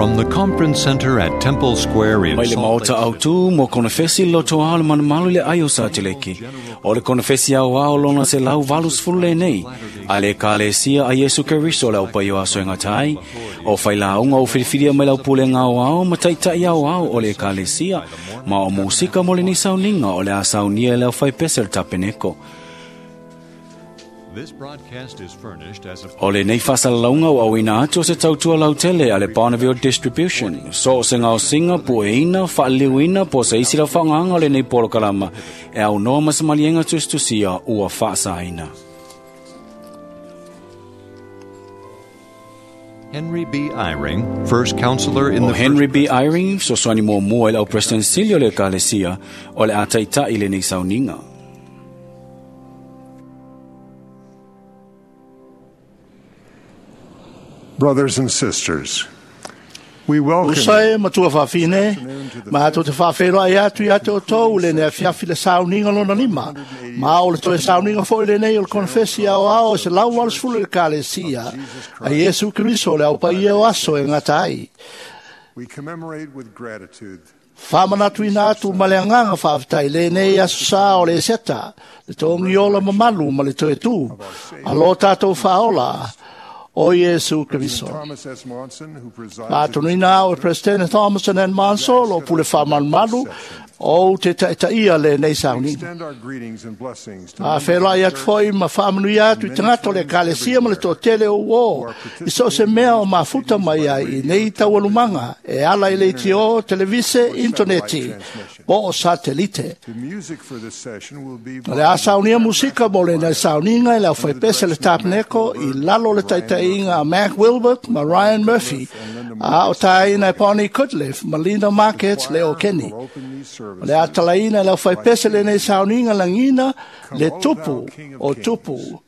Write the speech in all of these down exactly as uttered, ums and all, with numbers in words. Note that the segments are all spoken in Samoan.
From the Conference Center at Temple Square in Mai le Salt maota Lake au tu mo konefesi loto ao le manumalu le ai o sa teleki. O le konefesi au ao lona se lau valu sefulu lenei. A le kalesia a Iesu Keriso le au pai o aso e ngatai. O whailaunga o whiriwhiria mai lau pule ngau ao ma taitai au ao o le kalesia. Ma o musika mo le ni sauninga o le a saunia le au whaipese le tapeneko. This broadcast is furnished as a O le nei whasalalaunga o awina atu o se tautua lautele a le Bonneville Distribution. So o se ngao singa, pueina, whaaliliuina, po se isi la whaanganga o le nei polo kalama. E au noa masamalienga tustusia ua whaasaina. Henry B. Eyring, first counselor in O the Henry First B. Eyring, sosoani mua mua i lau President Silio le kalesia, o le ataitai le nei sauninga. Brothers and sisters, we welcome Usa e matua whawhine, ma ato te whawhero ai atu i ate o tau le nea fiafi le sauninga lona lima. Ma o le toe sauninga fo i le nei o le konfesi ao ao se lau walu sefulu le kalesia a Iesu Keriso le au paia o aso e ngata ai. We commemorate with gratitude Whamanatu ina atu ma le anganga whaaftai le nei aso sa o le seta, le tongi ola mamalu ma le toe tū, a lo tātou whaola o Iesu Keriso. Thomas S. Monson, who presides A at tonuina au e President Thomason and Manso, lo pule whaamalumalu, o te taitaia le nei sauninga. Extend our greetings and blessings to A whelai atu foi ma whaamanui atu i tangata o le kalesia ma le tōtele o o. I so se mea o mafuta mai ai i nei taualumanga e ala i le itio, televise, interneti, po o satelite. The music for this session will be O le a saunia musika mo le nei sauninga i le au whaipese le tapeneko i lalo le taitaiga a Mac Wilbert ma Ryan Murphy, a o tāina e Bonnie Kutleff ma Linda Marquez le o Kenny. will open these O le atalaina le au whaipese le nei sauninga langina le tupu o tupu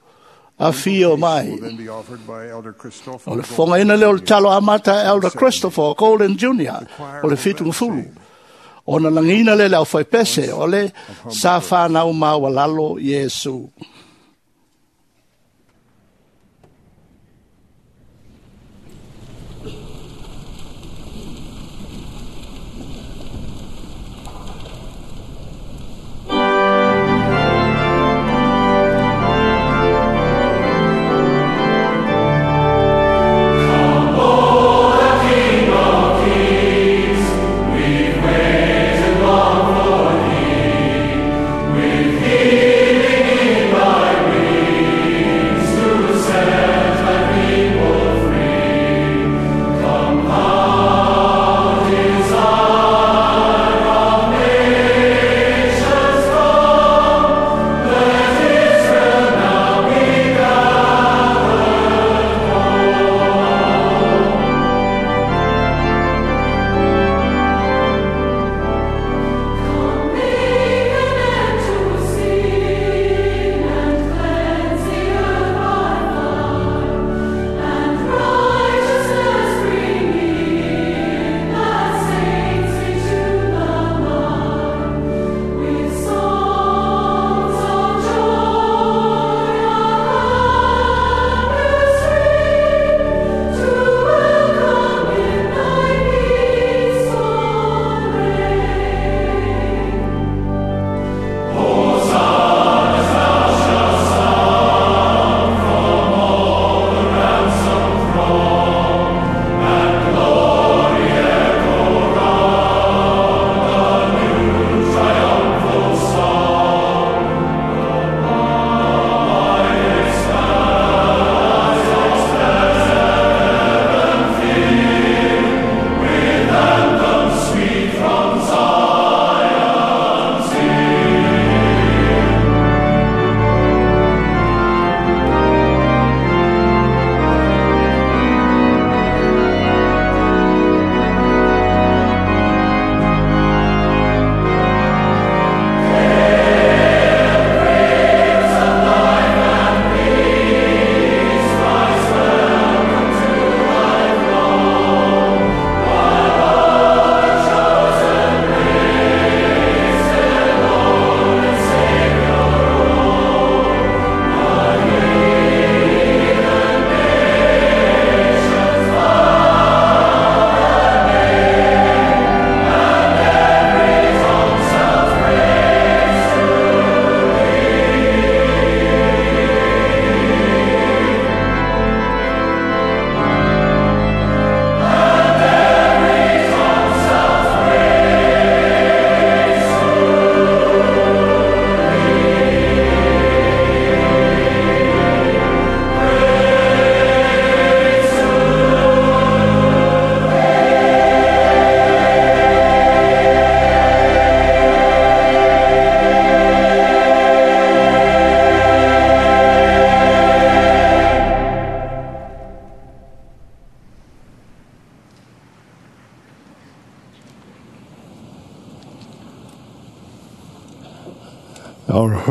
a fio mai. will then be offered by Elder Christopher O le fongaina leo le talo amata Elder Christopher Golden Junior o le fitu ngafulu. O na langina le le au whaipese o le sa whanau mawalalo Iesu. With healing in thy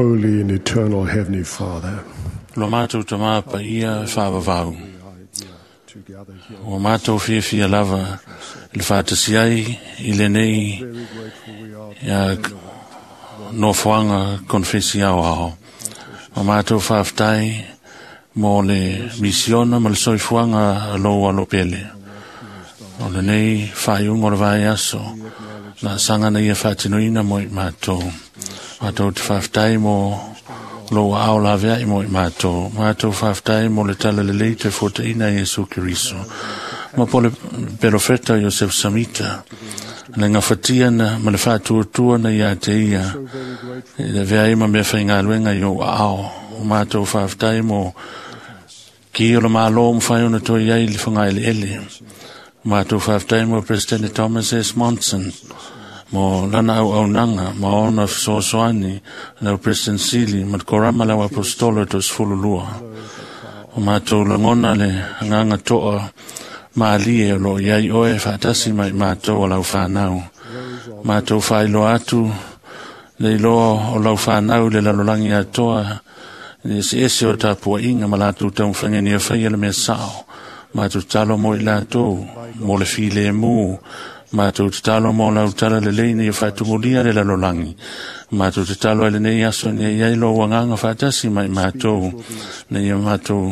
Holy and eternal Heavenly Father, Lo mātou tamā pa ia whaavavau. to gather here. Ua mātou fiafia lava i le faatasi ai i lenei Very grateful we are ia nofoaga konefesi aoao. O mātou faafetai mo le misiona ma le soifuaga a lou alo pele. O lenei faaiuga o le vaiaso na saga na ia faatinoina mo i mātou. Mātou te faafetai mo lou aao laveai mo i mātou. Mātou faafetai mo le talalelei te fotaina Iesu Keriso. Ma po le perofeta Iosef Samita, le gafatia na ma le faatuatua na ia te ia, i le vea ai ma mea faigaluega i ou aao. O mātou faafetai mo ki o le malo mawhai ona toi ai le whangaeleele. O mātou faafetai mo President Thomas S. Monson, mo lana au aunaga, ma ona fesoasoani, lau President Sili, ma le korama lau apostolo to sefululua. O mātou lagona le agaga toa malie o loo iai oe faatasi mai matou o lau fanau. Matou faailoa atu le iloa o lau fanau i le lalolagi atoa i le eseese o tapuaiga ma latou taumafaiga ina ia faia le mea sao. Matou tatalo mo i latou mo le filemu. Matou tatalo mo lau tala lelei ina ia faatumulia le lalolagi. Matou tatalo ai lenei aso ina ia i ai lou agaga faatasi mai matou, ina ia matou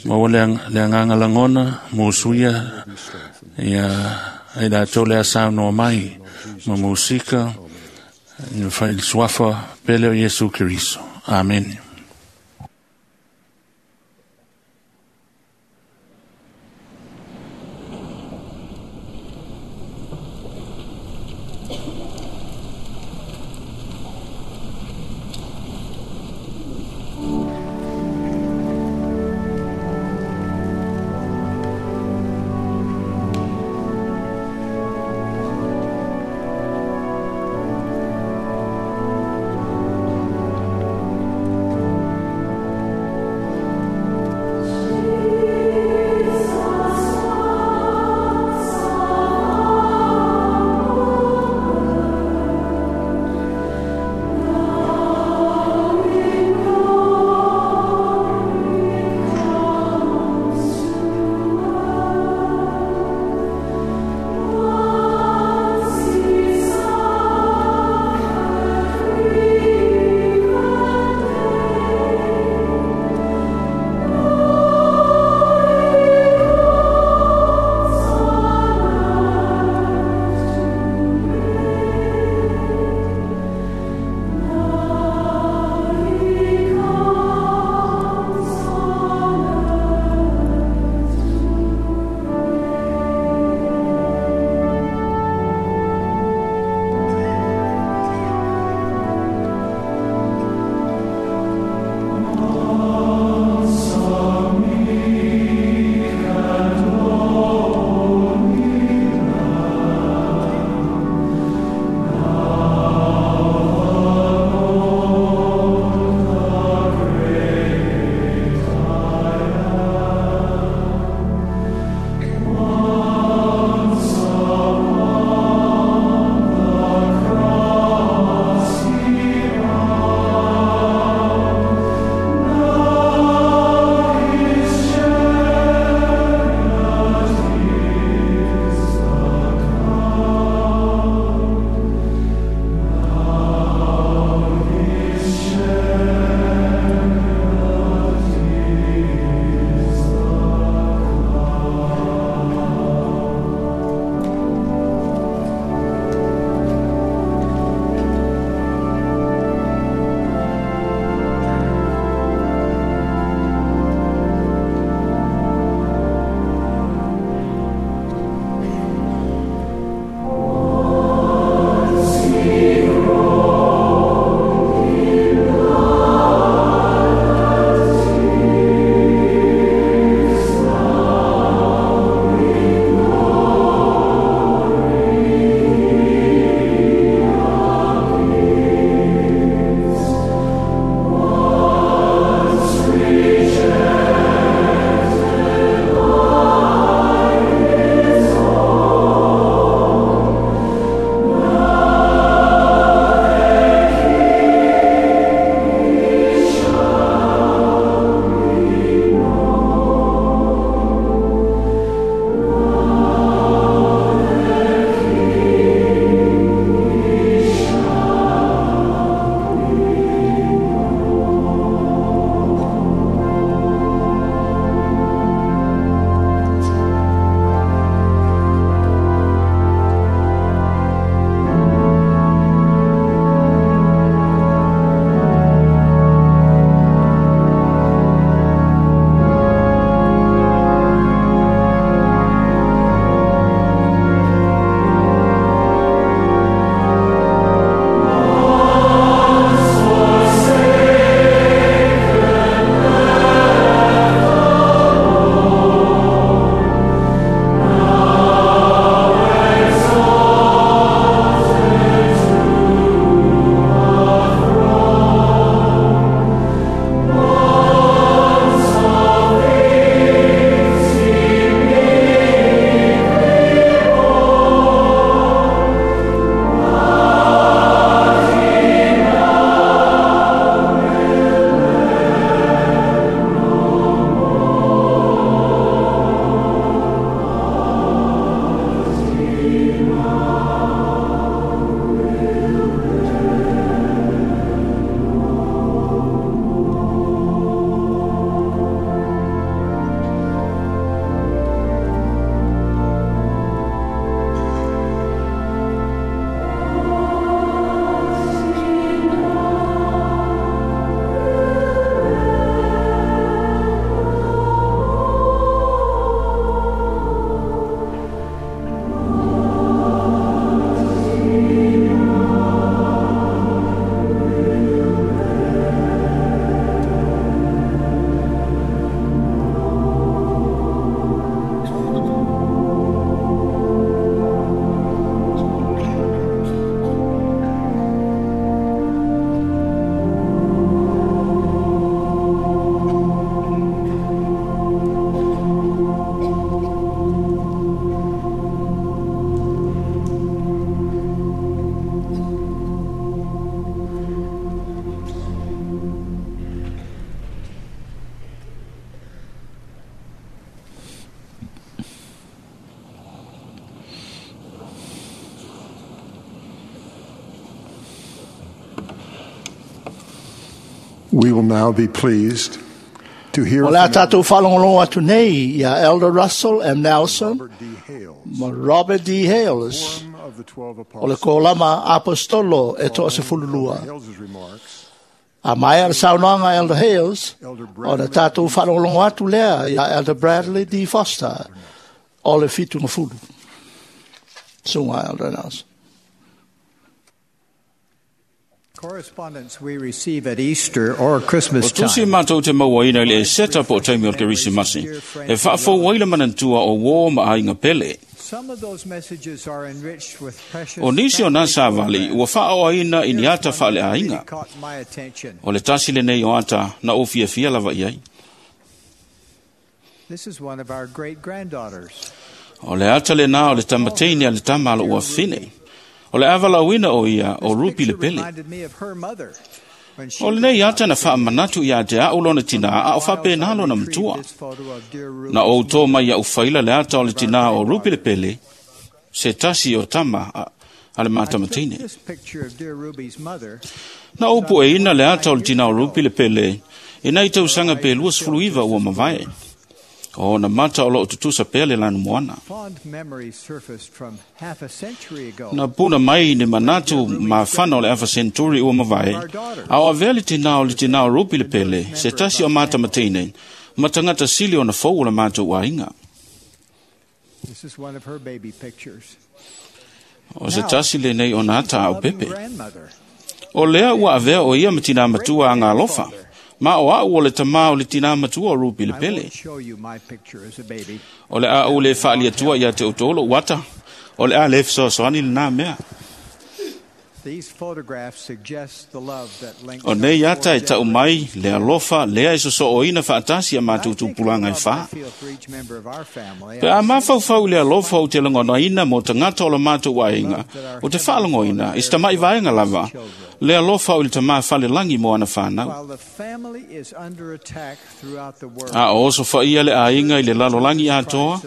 maua le ang- le agaga lagona musuia ia ai latou le a saunoa mai ma musika ina fai le suafa pele o Iesu Keriso. Amene. Thank We will now be pleased to hear O le a from tātou whalongolongo atu nei ia Elder Russell M. Nelson Robert D. Hales, ma Robert D. Hales Quorum of the Twelve o le Apostles. kolama apostolo e toa se fululua. Hales' remarks, A mai a le saunoaga Elder Hales, Elder o le tātou whalongolongo atu lea ia Elder Bradley D. Foster o le fitu ngafulu. Sunga Elder Nelson. Correspondence we receive at Easter or Christmas O tusi time mātou te mauaina i le e seta po o taimi o le Kerisimasi, e whaafau ai le manantua o wō ma ainga pele. Some of those messages are enriched with precious O nisi o nā sāvali, ua whaao aina i ni ata whaale really ainga. caught my attention. O le tasi le nei o ata na o fia fia lava i ai. This is one of our great granddaughters. O le ata le nā o le tamateini a le tama alo ua whine. O le awalauina o ia o This Rupi le picture pele. reminded me of her mother when she O le was nei about ata na whaamanatu i a te au lona tina a o whape nā lona retrieved matua. this photo of dear Ruby's Na o tō mai au whaila le ata o le tina o Rupi le pele, se tasi o tama a, a le I took mātamatine. this picture of dear Ruby's mother Na opo e ina le ata o le tina o Rupi le pele, e nei tausanga pe lua sefuluiva ua mavae. O na mata o loo tutusa pea le lanu moana. Fond memories surfaced from half a century ago. Na puna mai ni manatu mawhana o le afa senturi ua mavae, a o avea le tina o le tina o Rupi le pele, se tasi o mātamatine, matangata sili o na fau o le mātou ainga. This is one of her baby pictures. O se tasi le nei o nā tā au Loving pepe. grandmother. O lea ua avea o ia ma tina matua a ngā lofa, ma o au o le tamā o le tina matua o Rupi le I pele. won't show you my picture as a baby. O le a o le whaalia tua ia te utolo wata, o le a le fesoasoani le nā mea. These photographs suggest the love that links O nei our ata e four tau mai le alofa lea e soso o ina whaatasi a I mātou think the tupulanga e love wha. I feel for each member of our family, Pe a mawhauwhau le alofa o te langona ina mō tangata o la mātou waenga, o te whaalango ina, i tamai vaenga lava, le alofa o le tamā whale langi mō ana whānau. while the family is under attack throughout the world, A o oso whaia le ainga i le lalolangi atoa,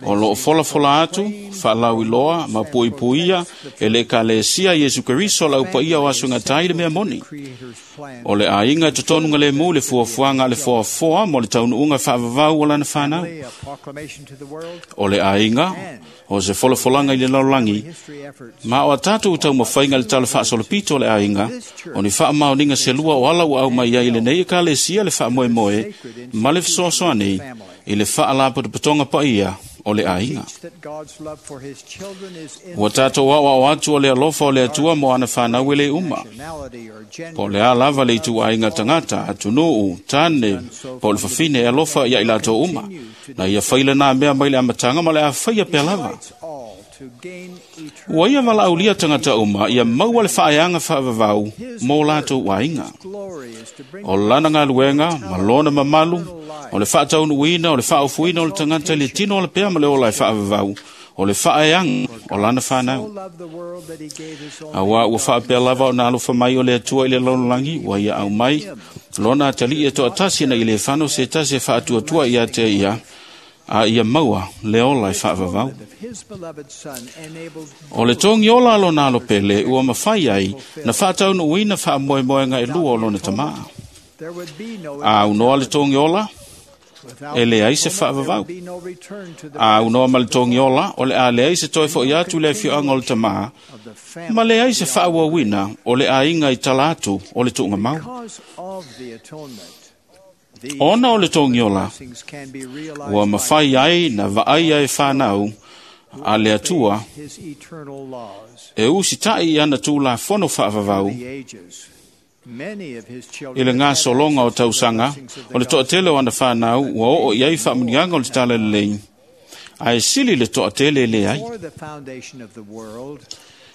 o loo fola fola atu, whaalau i loa, ma pui puia, e le ka le sia Yesu Keriso lau paia o asunga tai le mea moni. Creator's plan O le ainga e totonunga le mu le fuafuanga le fuafoa mo le taunuunga whaavavau o lana whanau. a proclamation to the world, O le ainga, o se folafolanga i le lalolangi, history efforts ma o a tātou tau mawhainga le tala whaasolopito o le ainga, o ni whaamaoninga se lua o ala ua au mai ai le nei e ka le sia le whaamoemoe, ma le fesoasoani i le whaalapotopotonga paia o le ainga. teach that God's love for his children is Ua tātou au au atu o le alofa o le atua mo ana whanau e le uma. nationality or gender. Po le a lava le itu ainga tangata, atunuu, tāne, po le whawhine e alofa ia i lātou uma. Na ia whaila nā mea mai le amatanga ma le a whaia pea lava. Invites all to gain eternal Ua ia wala aulia tangata uma, ia maua le whaeanga whaavavau mō lātou wainga. glory is to bring O lana ngā luenga, ma lona mamalu, o le whaataunuina, o le whaofuina o le tangata i le tino o le pea ma le ola e whaavavau, o le whaeanga o lana whanau. so loved the world that he gave his only A wā ua whaapea lava o nā alofa mai o le atua i le lalolangi, ua ia au mai, lona atali e toa tasi na i le whano se tasi e whaatuatua i a te ia, a ia maua le ola e whaavavau. of his beloved son enabled O le tongi ola alo nā alo pele, ua mawhai ai, na whaataunuina whaamoemoenga e lua o lona tamā. there would be no A unoa le tongi ola, without e le ai se atonement, there whaavavau. would be no return to the A unoa ma le tongi ola, o le a le ai se toi fo i atu le whioanga o le tamā, of the family ma le ai se whaawawina o le ainga i tala atu o le tuunga mau. because of the atonement these Ona o le tongi ola, blessings can be realized ua by mawhai ai na vaai ai whanau a le atua his eternal laws e usitai i ana tūla fono whaavavau the ages many of his i children le ngā have had solonga o access to the tausaga blessings of the o le toatele o ana whanau ua oo i ai whaamunianga o le tala lelei a e sili le toatele le ai Before the foundation of the world,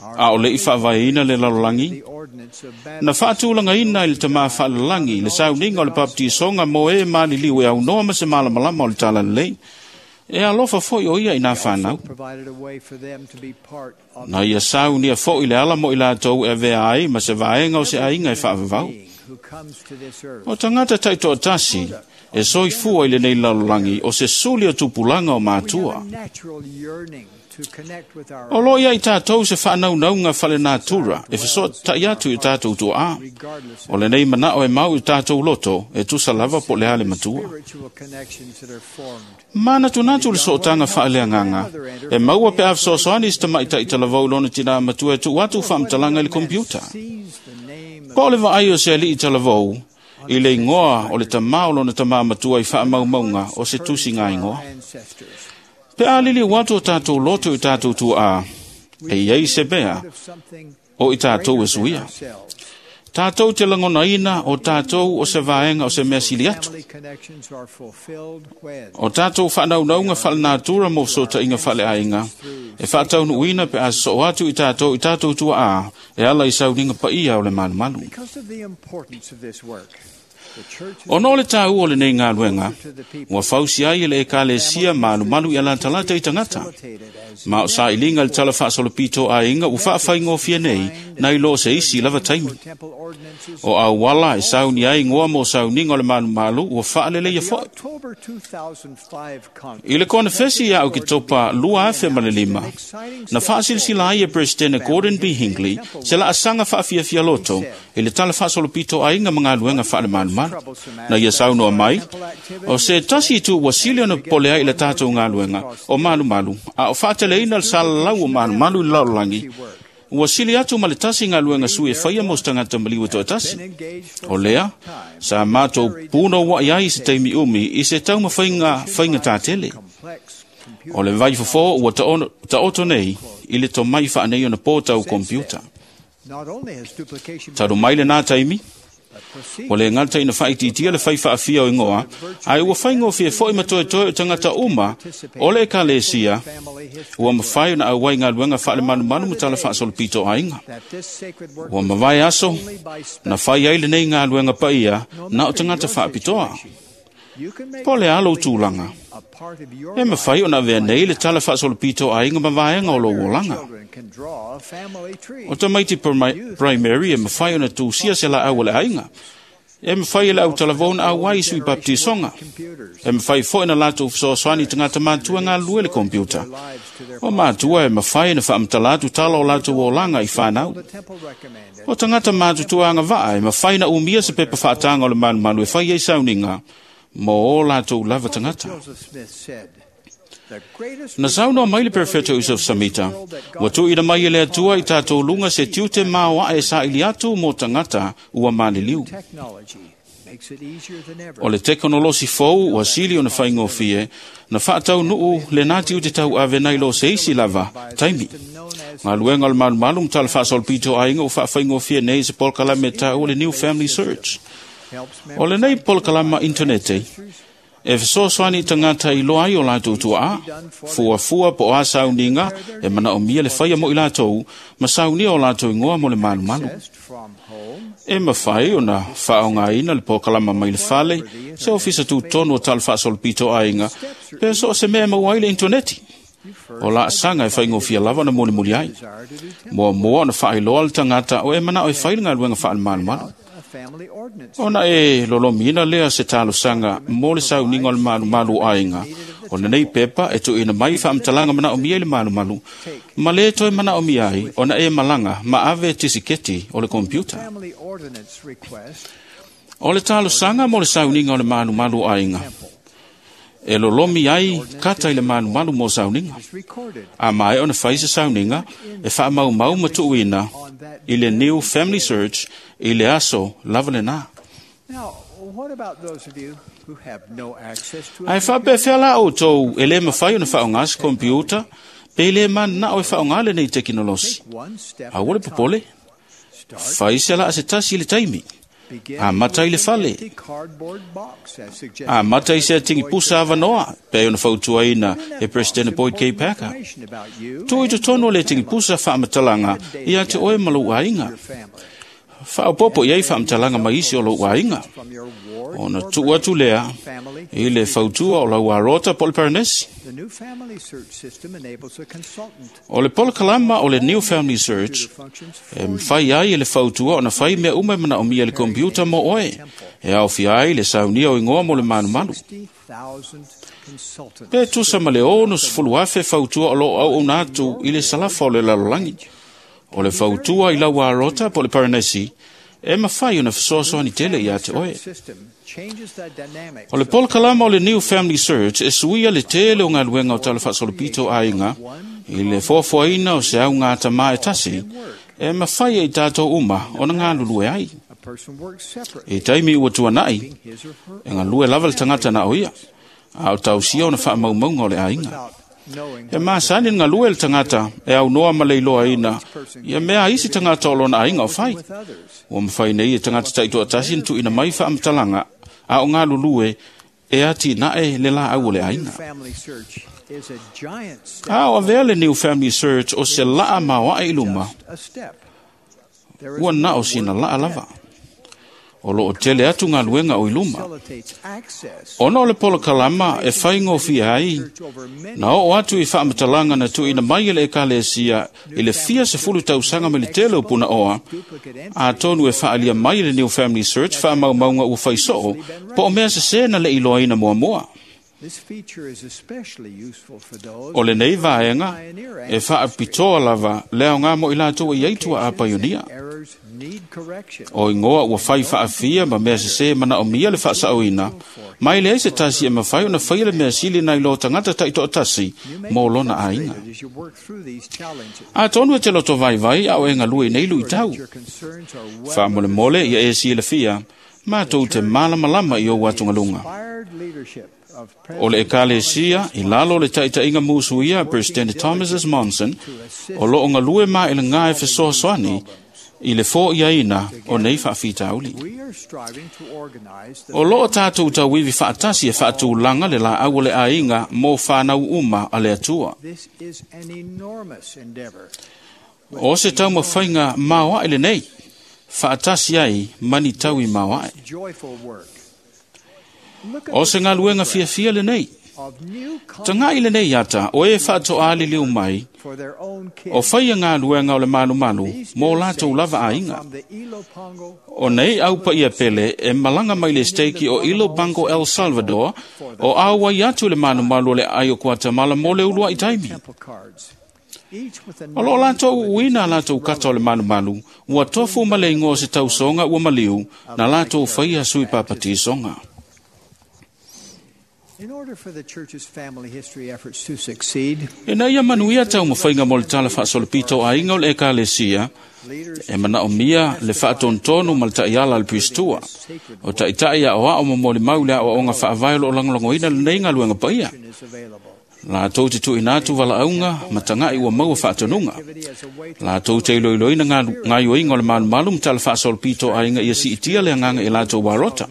our a o le i whaavaeina le lalolangi the ordinance of na baptism whaatūlangaina i le tamā whaalalangi le sauninga o le papatisoga mo e maliliu e aunoa ma se malamalama o le tala lelei e alofa foi o ia i nā whanau provided a way for them to be part of Na ia saunia foi le ala mo i lātou e avea ai ma se vaenga o se ainga e whaavavau. being who comes to this earth. O tangata taitoa tasi, e soifua i le nei lalolangi o se suli o tupulanga o We mātua. have a natural yearning O lo ia i tātou se whaanaunauga whale nātura e whasoa tai atu i tātou tuaa. O le nei manao e mau i tātou loto e tusa lava po le ale matua. Mana tunatu le sootanga whaaleanganga. E maua pe awhasoasoani si tamaitai talavau lona tina matua e tu atu whaamtalanga i le kompiuta. Po o le vaai o se alii talavau, i le ingoa o le tamā o lona tamā matua i whaamaumaunga o se tusi ngā ingoa. Pe a lili watu o tātou loto i tātou tuā, e iei se mea o i tātou e suia. Tātou te langonaina o tātou o se vaenga o se mea sili atu. O tātou whaanaunauga whalanātura mō sota inga whaleainga, e whaataunuina pe a so atu i tātou i tātou tuā, e ala i sauninga paia o le malumalu. O no le tāu o le nei ngā luenga, ua fausi ai e le ekalesia malumalu i alatalata i tangata. Ma o sa ilinga le tala whaasolopito a inga ua whaawhaingofia nei, nai lo se isi lava taimi. O au wala e sauni ai ngoa mo sauninga o le malumalu ua whaalele ia foi. I le konefesi ia au ki topa lua afe ma le lima, na whaasilisila ai e President Gordon B. Hinckley se la asanga whaafiafia loto i le tala whaasolopito a inga mga luenga whaale malumalu. Na ia saunoa mai, o se tasi tu wasili ona pole ai le tātou ngā luenga o malumalu, a o whaateleina le salalau o malumalu i laolangi, wasili atu ma le tasi ngā luenga sui e whaia mos tangata maliwa toa tasi. O lea, sa mātou pūno wa iai se teimi umi i se tauma whainga, whainga tātele. O le vai fofo ua taoto nei i le tomai whaanei ona pōtau kompiuta. Taru mai le nā taimi, o le ngata ina whaititia le whai whaafia o ingoa, ai ua whaingofia foi matoe toe o tangata uma, o le ekalesia, ua mawhai na au wai ngā luenga whaale manumanu mutala whaasolopito ainga. Ua mawai aso, na whai ai le nei ngā luenga paia, na o tangata whaapitoa. Po le alo tūlanga. E mawhai o na vea nei le tala whaasolopito ainga mawaenga o lo olanga. O tamaiti primary e mawhai o na tūsia se la au le ainga. E mawhai e le au talavona au wai sui baptisonga. E mawhai fo na lātou whasoaswani tangata mātua ngā lue le kompiuta. O mātua e mawhai na whaamtalatu tala o lātou olanga i whanau. O tangata mātutua anga vaa e mawhai na umia se pepa whaatanga o le malumalu e whai ei sauninga mō o lātou lava tangata. Na saunoa mai le Perfecto Yusuf Samita, ua tuuina mai e le Atua i tātou lunga se tiute maoa e saili atu mō tangata ua maliliu. O le tekonolosi fou ua sili ona whaingofie, na whaatau nuu le nā tiute tau ave nei lo se isi lava, taimi. Ngā luenga o le malumalu mtala whaasolopito ainga o whaawhaingofie nei se polkalame tau o le New Family Search. O le nei polkalama internete, e whasoaswani tangata i loa ai o lātou tuaa, fuafua po a sauninga e mana o mia le whaia mo i lātou, ma saunia o lātou ingoa mo le malumalu. E mawhai o na whaongaina le pōkalama mai le fale, se ofisa tūtonu o tala whaasolopito ainga, pe so se mea mau ai le interneti. O la asanga e whaingofia lava na moni muli ai. Moa moa na whaailoa le tangata o e mana o e whaile ngā luenga whaale. Ona e lolomina lea se talosanga mo le sauninga o le malumalu ainga. O le nei pepa e tuuina mai whaamtalanga mana o mia i le malumalu. Ma le toe mana o mia ai, ona e malanga ma ave tisiketi o le kompiuta. O le talosanga mo le sauninga o le malumalu ainga. E lolomi ai kata i le malumalu mo sauninga. A mai ona whai se sauninga e whaamaumau matuuina i le New Family Search i le aso lava le nā. Ai whaapewhea la o tau e le mawhai ona whaongasi kompiuta pe le mana o e whaongale nei tekinolosi. A ua le popole, whai se la ase tasi i le taimi. A mata i le fale. A mata i se tingi pusa avanoa, pe ona fautuaina e President Boyd K. Packer. Tui totonu le tingi pusa whaamatalanga i a te oe malu ainga. Faaopopo i ai faamatalaga ma isi o lou aiga. From your ward Ona or tuu atu lea family. i le fautua o lau arota po o le paranesi. The new family search system enables a consultant O le polokalama o le New Family Search to functions e mafai ai e le fautua ona fai mea uma e manaomia i le kompiuta mo oe. E aofia ai le saunia o igoa mo le malumalu. sixty thousand consultants. Pe tusa ma le ono sefulu afe fautua o loo auauna atu i le salafa o le lalolagi. O le fautua i lau arota po o le paranesi e mafai ona fesoasoani tele ia te oe. System changes the dynamics O le polokalama o le New Family Search e suia le tele o galuega o tala faasolopito aiga i le foafoaina o se auga atamā e tasi e mafai ai tatou uma ona galulue ai. a person works separately I taimi ua tuanai, his or her e galue lava le tagata na o ia, a o tausia ona faamaumauga o le aiga. without knowing E masani le galue le tagata e aunoa ma le iloaina ia mea a isi tagata o lona aiga o fai. with others. Ua mafai nei e tagata taitoatasi na tuuina mai faamatalaga a o galulue e atinae le laau o le New aiga. family search is a giant step. A o avea le New Family Search o se laa maoae i luma, Just a step. There is ua na o more sina work laa yet. lava. O loo tele atu galuega o i luma. Facilitates access Ona o le polokalama e faigofie ai, search over many na oo atu i faamatalaga na tuuina mai e le ekalesia i le fia sefulu tausaga ma le tele o punaoa, duplicate entries atonu e faaalia mai e le New Family Search faamaumauga ua faisoo, po o mea sesē na le iloaina muamua. This feature is especially useful for those O lenei vaega e faapitoa lava le aoga mo i latou e i ai tua a paionia. errors need correction. O igoa ua fai faafia ma mea sesē manaomia le faasaoina, mai leai se tasi e mafai ona faia le mea sili nai lo tagata taitoatasi You may mo be lona aiga. frustrated as you work through these challenges. Atonu e te loto vaivai a o e galue i nei luitau. Your concerns are well Faamolemole ia e silafia, matou te malamalama i ou atugaluga. inspired leadership of O le President ekalesia i lalo o le taitaiga musuia President Thomas S. Monson, o loo galue ma e le ngā e fesoasoani i le foiaina o nei faafitauli. We are striving to organize the O loo tātou tauivi faatasi e faatulaga le laau o le aiga mo whanau uma a le Atua. This is an enormous endeavor. O se taumafaiga maoae lenei, faatasi ai mani taui maoae. Joyful work. Look at O se galuega fiafia lenei. of new Tagai lenei ata o e faatoa liliu mai, for their own kids. o faia galuega o le malumalu These mo new latou saints lava are aiga. from the Ilopango O nei au paia pele e malaga mai le steiki o Ilopango El Salvador, o auai atu le malumalu o le ai o Guatemala mo le uluai taimi. temple cards. Each with a O loo name latou of a uina a latou kata o le malumalu, ua tofu ma le ingoa o se tausoga ua maliu, na latou faia sui papatisoga. In order for the church's family history efforts to succeed, E na ia manuia taumafaiga mo le tala faasolopito o aiga o le ekalesia, leaders e manaomia le faatontonu ma le taiala a le Pristua. O taitai a o ao mo mo le mau le ao faavae o loo lagolagoina lenei galuega paia. is available. Latou te tuuina atu valaauga ma tagai ua maua faatonuga. Activity as a way to Latou te iloiloina ngalu- gaioiga o le malumalu ma tala faasolopito aiga ia siitia le agaga i latou arota.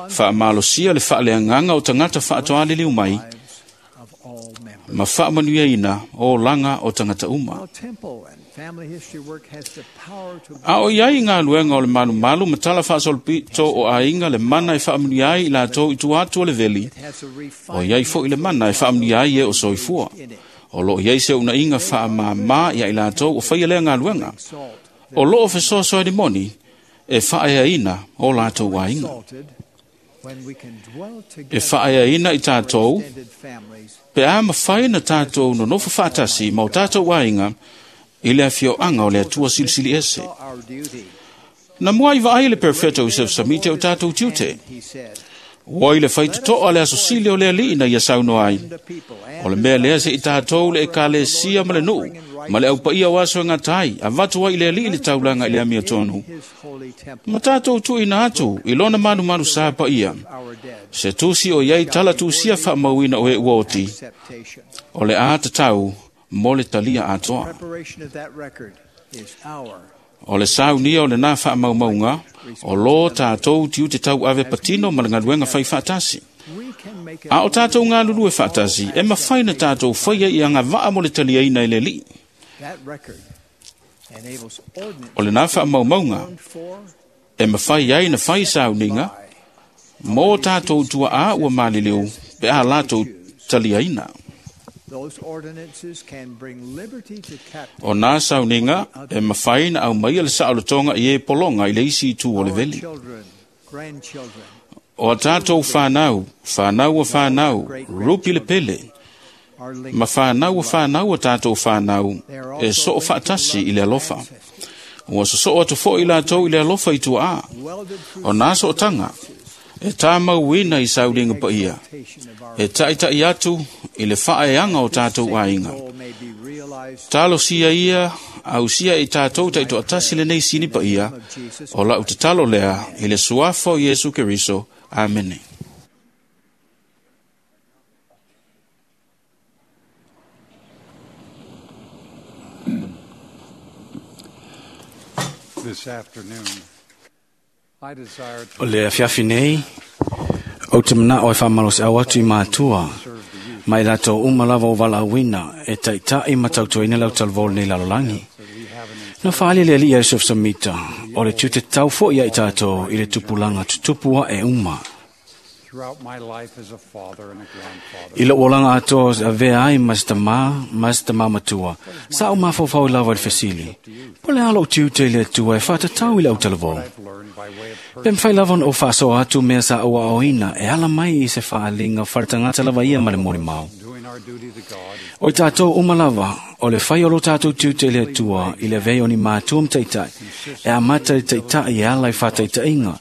Faamalosia le faaleagaga o tagata faatoaliliu mai lives of all members. ma faamanuiaina o olaga o tagata uma. While temple and family history work has the power to A o iai galuega o le malumalu ma tala faasolopito o aiga le mana e faamanuia ai i latou i tua atu o le veli, has a o refined iai foi le mana e faamanuia ai e o soifua. O loo iai se unaiga faamāmā ia i latou o faia lea galuega. salt O loo fesoasoani moni e faaeaina o latou aiga. exalted when we can dwell E together faaeaina i tatou extended families pe a mafai na tatou nonofo faatasi ma o tatou aiga i le afioaga o le Atua Silisili Ese. saw our duty. Na mua i vaai le perfeto Joseph Samite o tatou tiute. He said, Ua i le faitotoa le aso sili o le alii na ia saunoa ai. the people and O le mea lea se i tatou le ekalesia ma le nuu, ma le aupaia o aso e ngatai, avatu ai i le alii le taulaga i le amia tonu. his holy temple Ma tatou tuuina atu i lona malumalu sa paia. our dead Se tusi o iai tala tusia faamauina o e ua oti, acceptation. o le a tatau mo le talia atoa. Preparation of that record is our O le saunia o le nā faamaumauga, o lō tātou tiu te tau ave patino ma le galuega fai faatasi. we can make it A o tātou galulue faatasi, e mafai na tātou faia i agavaa mo le taliaina i le alii. that record enables O lena faamaumauga ordinances for e mafai ai na fai sauniga mo tātou tuaā ua maliliu pe a latou taliaina. those ordinances can bring liberty to captives. O nā sauniga e mafai na au mai le saolotoga i e polonga i le isi itu o le Our veli. children, grandchildren, O a tātou whānau, whānau a whānau, rupi le pele, are linked ma whānau a whānau a tātou whānau, They are e also soo linked to whaatasi the i le love of alofa. ancestors, Ua sosoo atu fo'i i lātou i le alofa i tuaā. welded through O nā sootanga, e tāmauina i saulinga pa ia, exaltation of our e taita'i atu i le whaeanga o tātou aiga. goal may be realized Talo sia ia, au sia i tātou taito atasi le nei sini pa ia, o lau te talo lea i le suafa o Iesu Keriso. Amene. This afternoon, I desire to O le afiafi nei, o te mana o e whamalo se au atu i mātua, mai lātou uma lava o valauina, e taitai ma tautuaina lau talavō nei lalolangi. Na whaali le ali Joseph Samita, o le tute tau fo ia i tātou i le tupulanga tutupua e uma. throughout my life as a father and a grandfather. I lo olanga atoa a vea ai mas tamā, mas tamā matua. Sa o mawhawhau lava i le fesili. Po le alo o tiute i le atua e whātatau i le autalavō. I've learned by way of Pe mwhai lava o whaasoa atu mea sa aua oina e ala mai i se whaalinga wharatangata lava ia ma le mori mau. doing our duty to God O i tātou uma lava, o le whai o lo tātou tiute i le atua i le vei o ni mātua mtaitai, e a mata i taitai e ala i whātaitainga,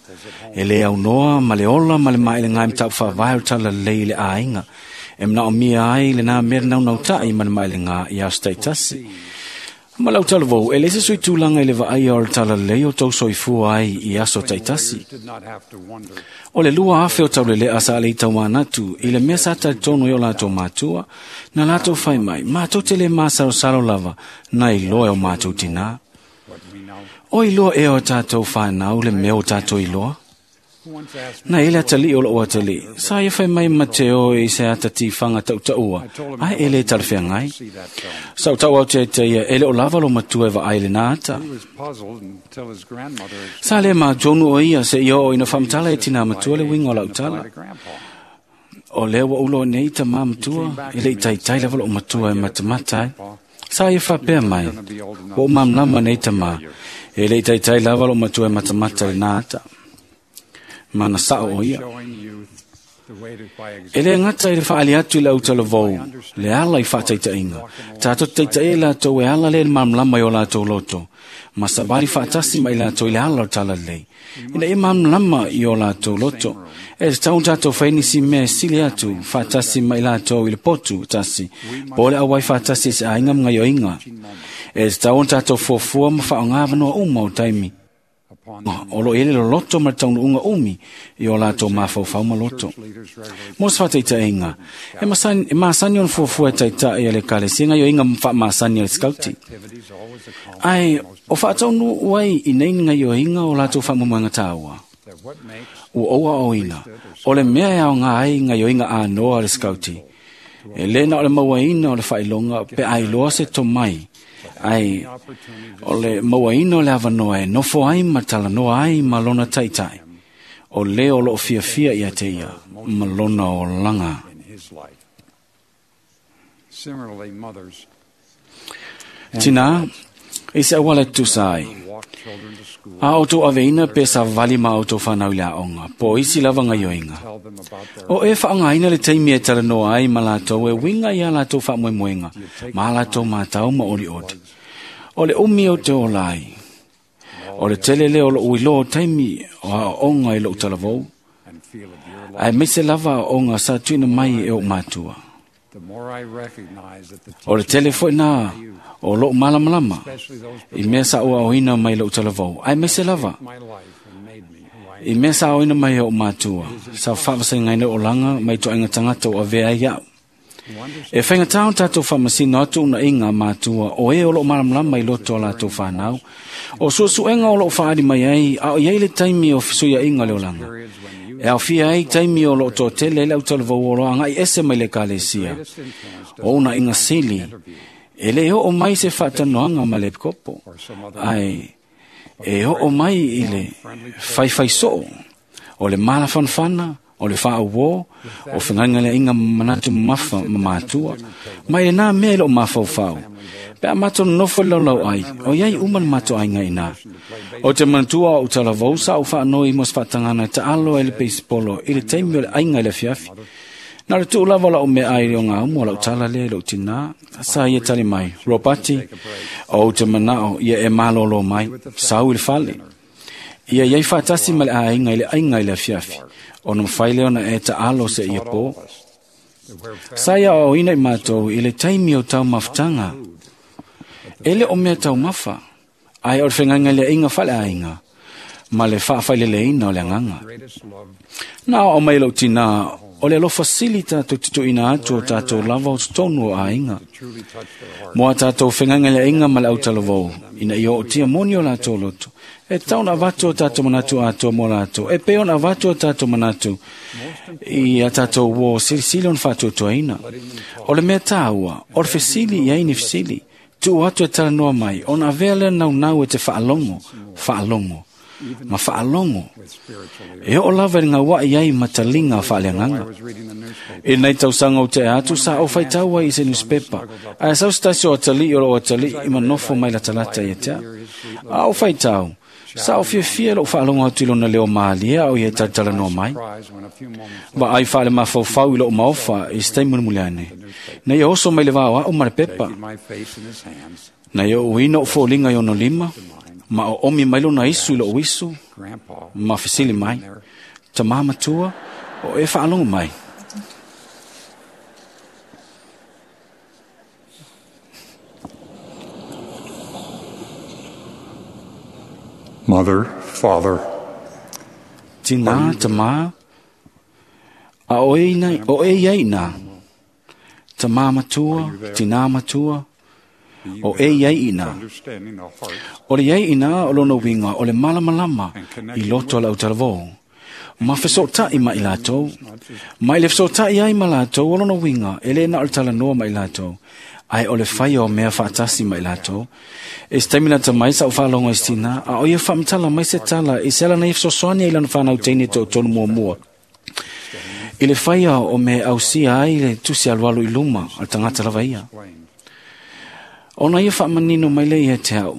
e le au noa ma le ola ma le maile ngai mtau whawai o tala lei le āinga, e mna o mia ai le nā mera nau nau tai ma le maile ngā i aos taitasi. Ma lau talavou, e le se sui tūlanga i le vaai o le tala lei o tau soifua ai i aso taitasi. did not have to wonder O le lua afe o taulele a sa le i taumanatu, i le mea sa talitonu i o lātou mātua, na lātou whai mai, mātou te le māsarosaro lava, na i loa o mātou tina. what we know. O i loa e o tātou whānau le mea o tātou i loa. Who once asked me Na ele atali o loo atali, sa ia whai mai Mateo i se atati whanga tautaua, I told him ai I ele wasn't talawhea able to ngai. see that film. Sa tau au te te ia, ele o lava lo matua e wa ai le nā ata. He was puzzled until his grandmother Sa le mātonu o ia se i o ina whamtala e tina matua le winga o lau explained tala. to grandpa. O lea ua ulo nei ta mā matua, e le i taitai lava lo matua e matamata ai. Sa ia whapea mai, ua mamlama nei ta mā, e le i taitai lava lo matua e matamata le nā ata. Mana sao o ia. Showing youth the way to by E le example. ngata i le whaali atu i le autalavou, le ala i whaataitainga. Tātou taitai e lātou e ala le mamlama i o lātou loto. Ma sabari whaatasi mai lātou i le ala o tala lei. Ina e mamlama i o lātou loto. E te tau tātou whainisi mea sili atu whaatasi mai lātou i le potu tasi. Po le awai whaatasi se ainga mga yoinga. E te tau tātou fuafua ma whaongāwanoa uma o taimi. Upon O lo ele lo loto ma le taunu unga umi i o lātou mawhauwhau ma loto. church leaders regularly Mo se whataitainga, e masani, e masani on fuafua e taitai a le kalesinga yo inga mfa masani a le skauti. activities always accomplish Ai, o whaataunu uai i nei nga yo inga o lātou whamumoenga tāua. that what makes O oua o ina, o le mea e au ngā ai nga yo inga a noa le skauti. E lena o le mauaina o le whailonga pe ai loa se tomai. Ai, opportunity o le mauaina o le awanoa e nofo ai ma talanoa ai ma lona taitai. O le o loo fiafia ia te ia, ma lona o langa. in his life. Similarly, mothers Tina, i se awale tusa ai. walk children to school, A o tō aveina pe sa vali ma o tō whanau i la onga, po isi lava ngā yoinga. tell them about their O e whaangaina le teimi e talanoa ai ma lātou e winga i a lātou whaamoemoenga, ma lātou mātau ma ori ori. O le umi o te ola ai. O le tele leo lo ui loa o taimi o a onga i lou talavou, and feel of your ai love. meise lava o onga sa tuina mai e o mātua. The more I recognize that the O le tele foi nā o lou malamalama, especially those i mea sa ua oina mai lou talavou, ai meise lava my life and made me who I am. I mea sa oina mai o mātua, sa whaavasengaina o langa mai toa tangata o avea ai au. Who understands E whainga tāo tātou whamasino atu una inga mātua o e o lo malamalama i loto o lātou whānau. O suasuenga o lo whaari mai ai, a o iai le taimi o fisuia inga le olanga. periods when you E au fia ai taimi o lo tō tele le au talavou o loa ngai ese mai le kalesia. greatest influence O una inga sili, E le oo mai se faatanoaga ma le epikopo, ae e oo mai i le faifai soo, o le malafanafana, o le faauō, o fegaigaleaiga manatu mamafa ma matua. Mai lenā mea i loo mafaufau. Pe a matou nonofo i le laulau ai, o iai uma le matou aiga iinā. O te manatua o talavou sa ou faanoi mo se faatagana e taalo ai le peisipolo i le taimi o le aiga i le afiafi. Na le tuu lava lau mea ai i le ogaumu o lau tala lea i lou tinā. Sa ia tali mai, Robati, o ou te manao ia e malōlō mai, sau i le fale. Ia iai faatasi ma le aiga i le aiga i le afiafi, ona mafai lea ona e taalo se ia pō. Sa ia aoaoina i matou i le taimi o taumafataga. E le o mea taumafa, ae o le fegaigaleaiga faaleaiga ma le faafaileleina o le agaga. Na aoao mai e lou tinā, o le alofa sili tatou te tuuina atu o tatou lava o totonu o aiga. Mo a tatou fegaigaleaiga ma le autalavou, ina ia ootia moni o latou loto, e tatau ona avatu o tatou manatu atoa mo latou, e pei ona avatu o tatou manatu i a tatou uō silisili ona faatuatuaina. O le mea tāua, o le fesili i ai ni fesili, tuu atu e talanoa mai, ona avea lea naunau e te faalogo, faalogo, ma faalogo. E oo lava i le gauai ai ma taliga faaleagaga. I lenei tausaga o tea atu sa ou faitau ai i se newspaper, ae sau se tasi o atalii o loo atalii ma nofo mai latalata ia te au. A ou faitau, sa ou fiafia lou faalogo atu i lona leo malie a o ia e talatalanoa mai. Vaai faalemafaufau i lou maofa i se taimi mulimuli ane, na ia oso mai le vao au ma le pepa. Na ia uuina ou foliga i ona lima, ma o omi mai lona isu i lou isu, ma fesili mai, tamā matua, o e faalogo mai. Mother, father, Tinā, tamā, a o e ina, o e iai inā. Tamā matua, tinā matua, o e iai inā. understanding the heart O le iai inā o lona uiga o le malamalama i loto o le autalavou. Ma fesoota'i ma i latou. Ma i le fesoota'i ai ma latou o lona uiga e lē na o le talanoa ma i latou, ae o le faia o mea faatasi ma i latou. E se taimi lata mai sa ou faalogo i se tinā, a o ia faamatala mai se tala i se ala na ia fesoasoani ai lana fanau teine toatolu muamua. I le faia o mea e ausia ai le tusi alualu i luma o le tagata lava ia. Ona ia faamanino mai lea ia te au,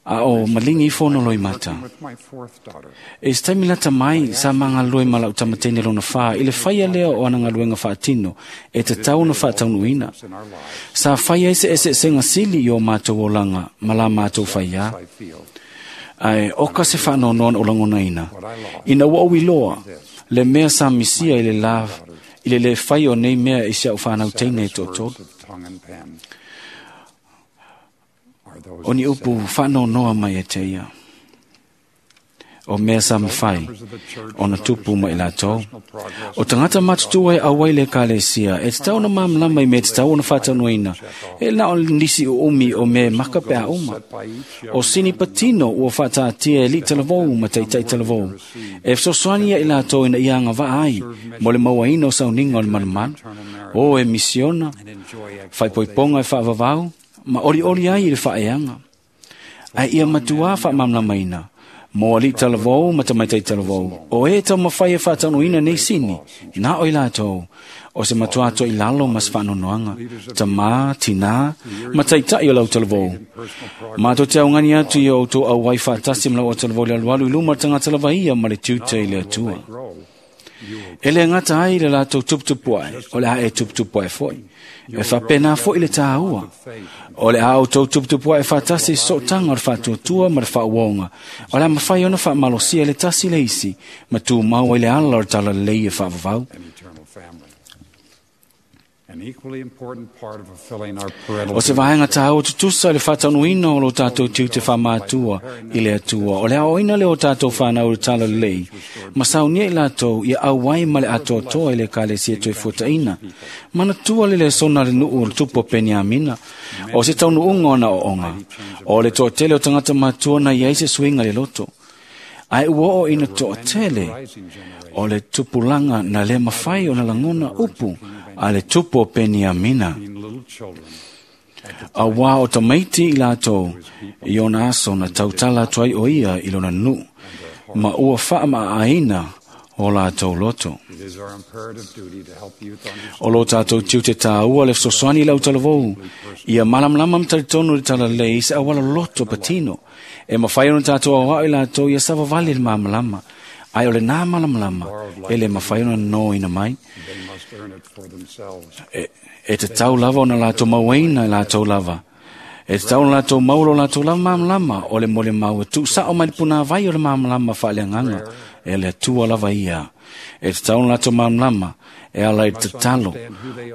a o maligi ifo ona loimata. with my fourth daughter. E se taimi lata mai sa magalue ma lau tamateine lona fā i le faia lea o ana galuega faatino e tatau ona faataunuuina. In our lives, Sa fai ai se eseesega sili i o matou olaga ma la matou faiā. I feel Ae oka se faanoanoa na ou lagonaina. Ina ua ou iloa le mea sa misia i le la i le lē fai o nei mea i si au fanau teine e toatolu. words of tongue and pen are those O ni upu faanoanoa mai e te ia. O mea sa mafai ona tupu ma i latou. O tagata matutua e auai le ekalesia, e tatau ona malamalama i mea e tatau ona faataunuaina. E na o nisi uumi o mea e maka pe a uma. O sini patino ua faataatia e alii talavou ma taitai talavou. E fesoasoani ia i latou ina ia agavaa ai mo le mauaina o sauniga o le malumalu. O e misiona, and enjoy faaipoipoga e faavavau, ma olioli ai i le faaeaga. Ae ia matuā faamalamalamaina, mo alii talavou ma tamaitai talavou, o e taumafai e faataunuuina nei sini, na o i latou, o se matuā toilalo ma se faanoanoaga, tamā, tinā, ma taitai o lau talavou. Matou te augani atu i o outou auai faatasi ma lau autalavou le alualu i luma o le tagata lava ia ma le tiute i le Atua. grow. E le gata ai le latou tuputupu ae, o le a e tuputupu ae foi. E faapena foi le tāua. O le a outou tuputupu ae faatasi i sootaga o le faatuatua ma le faauoga. O le a mafai ona faamalosia le tasi le isi, ma tumau ai le ala o le talalelei e faavavau. An eternal family. An equally important part of fulfilling our parental O se vaega tāua tutusa i le faataunuuina o lo tatou tiute faamātua i le Atua. O le aoaoina lea o tatou fanau i le talalelei, ma saunia i latou ia auai ma le atoatoa i le ekalesia toe fuataina. Manatua le lesona a le nuu o le tupu o Peniamina, o se taunuuga o na ooga. O le toatele o tagata matua na iai se suiga i le loto. Ae ua oo ina toatele rising generation. o le tupulaga na le mafai ona lagona upu a le tupu o Peniamina. Being little children A wā o tamaiti i lātou, i ona aso na tautala atu ai o ia i lona nuu, ma ua whaamaaina o lātou loto. It is our imperative duty to help youth understand O lo tātou tiu te tāua le fesoasoani i lau talavou, ia malamalama mataritonu le talalei se awala loto patino, e mawhai ona tātou awao i lātou ia savavali le malamalama, ai o le nā malamalama, e le mawhai ona no ina mai. they must earn it for themselves. E, e te tau lava ona lātou mauaina i lātou lava. E te tau ona lātou maulo lātou lava malamalama, o le mole mau e tuusao mai le puna vai o le malamalama whaaleanganga, e le atua lava ia. E te tau ona lātou malamalama, e ala i te tatalo,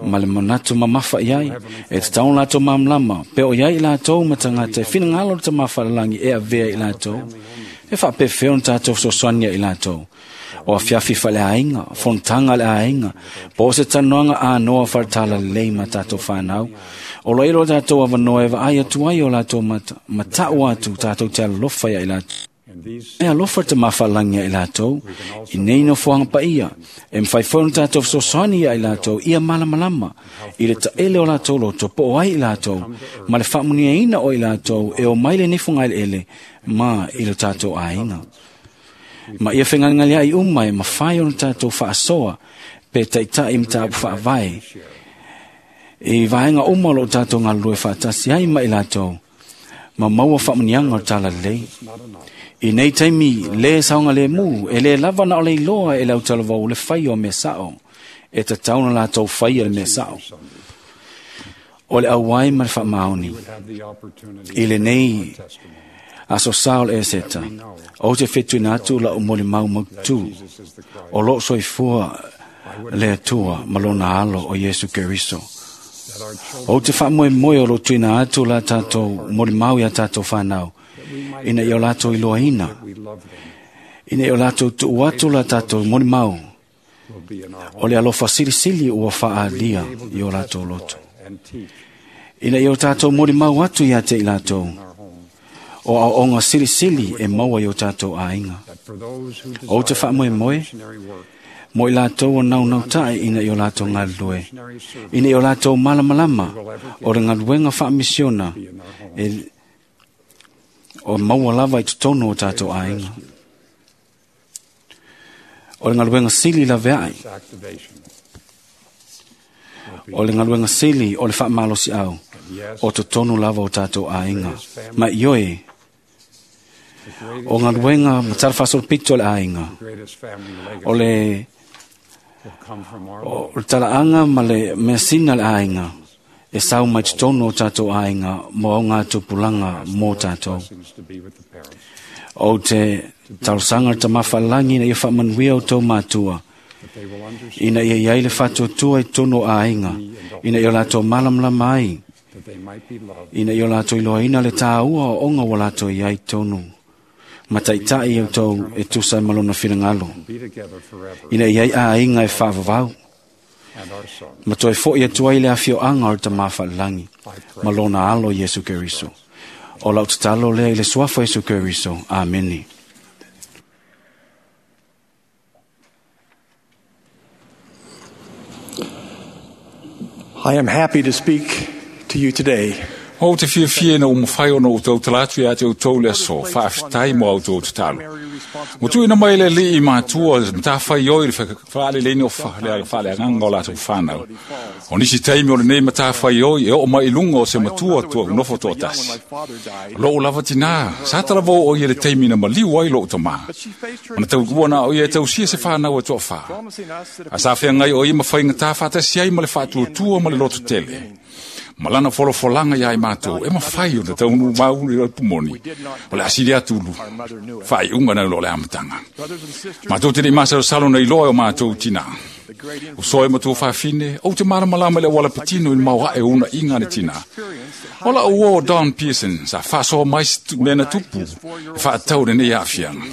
ma le manatu mamafa iai, e te tau ona lātou malamalama, pe o iai i lātou matangata, e whinangalo le tamawhalalangi e avea i lātou. E whaapewheo na tātou fesoasoani i lātou. O awhiawhi whale ainga, fontanga le ainga, po se tanoanga a noa wharatala lei ma tātou whanau. O lo ilo tātou awanoa e vaai atu ai o lātou mata, matau atu tātou te alofa ia i lātou. And these E alofa te mawhalangi ia i lātou, i nei no fuanga pa ia, e mwhai whaunu tātou fesoasoani ia i lātou, ia malamalama, i le taele o lātou loto, po o ai i lātou, ma le whaamunia ina o i lātou, e o mai le nefunga ele ele, ma i le tātou ainga. Ma ia whengangali ai uma e mawhai ona tātou whaasoa, pe taitai mta whaavai. I vaenga uma lo tātou ngā lue whaatasi ai ma i lātou, ma maua whaamunianga o tāla lei. I nei taimi le saonga le mu, e le lava na o le iloa e lau talavau le whai o me sao, e te tauna lātou whai o le me sao. O le auai ma le whaamaoni, would have the opportunity i le nei testimony aso sao le eseta, o te whetuina atu la o mole mau mautu, Jesus is the Christ, o lo soifua le atua ma lona alo o Yesu Keriso. that our children O te whaamoe moe o lo tuina atu la tātou mole mau ia tātou whanau, ina i o lātou iloa ina, we love them ina i o lātou tuu atu la tātou mole mau, will be in our o le alofa silisili ua whaalia i o lātou loto. and teach Ina i o tātou mole mau atu ia te i lātou, in our home o au onga silisili e maua i o tātou ainga. that for those who O te desire whaamoe moe, missionary work, mo i lātou o nau nau tai ina i o lātou ngalue. missionary service Ina i o lātou malamalama o le ngaluenga whaamisiona be in our home. e, o maua lava i totonu o tātou ainga. O le ngaluenga sili la veai, This activation will be o le ngaluenga sili o le whaamalosi au, and yes, o totonu lava o tātou ainga. Ma ioi, the greatest, o ngaluenga matarafasol pito le ainga, the greatest family legacy o le will come from our o le talaanga ma le measina le ainga, e sau mai totonu o tātou ainga, mo au ngā tupulanga mō tātou. blessings to be with the parents, O te tausanga te mawhalangi na ia whaamanuia o tō mātua, that they will understand ina ia iai le whātuatua i tono ainga, ina ia lātou malamalama ai, that they might be loved ina ia lātou iloaina le tāua o onga wa lātou iai tonu. Mataitai au tau e tusa malona whirangalo, and be together forever ina iai ainga e whaavavau, and our son. ma toe fo ia tuai le awhio anga o te mawhalangi, I pray. malona alo Yesu Keriso. O lau tatalo lea i le suafa Yesu Keriso. Ameni. I am happy to speak to you today. O te whiawhia na umawhai o no tau talatu ia te o tau le aso, whaaftai mo au tau tatalo. Mo tui na mai le li i mātua, mata whai oi le whaale leini o whaale whaale anganga o lātou whanau. O nisi taimi o le nei mata whai oi, e o mai lunga o se matua tua nofo toa tasi. Lo o lava tina, sa tala vau o ia le taimi na maliu ai lo o tamā. Ona tau kua na o ia tau sia se whanau e toa wha. A sa whea ngai o ia mawhai ngā whātasi ai ma le whātua ma le loto tele. Malana folofolanga ia i mātou, e mawhai o te taunu maunu i le pumoni. O le asiri atulu, whai unga na lo le amatanga. Mātou te nei salo na iloa o mātou tina. O soe matua whawhine, o te maramalama le wala patino i mau hae una inga ne tina. Ola o o Don Pearson, sa whasoa mai mena tupu, e whaatau le nei afianga.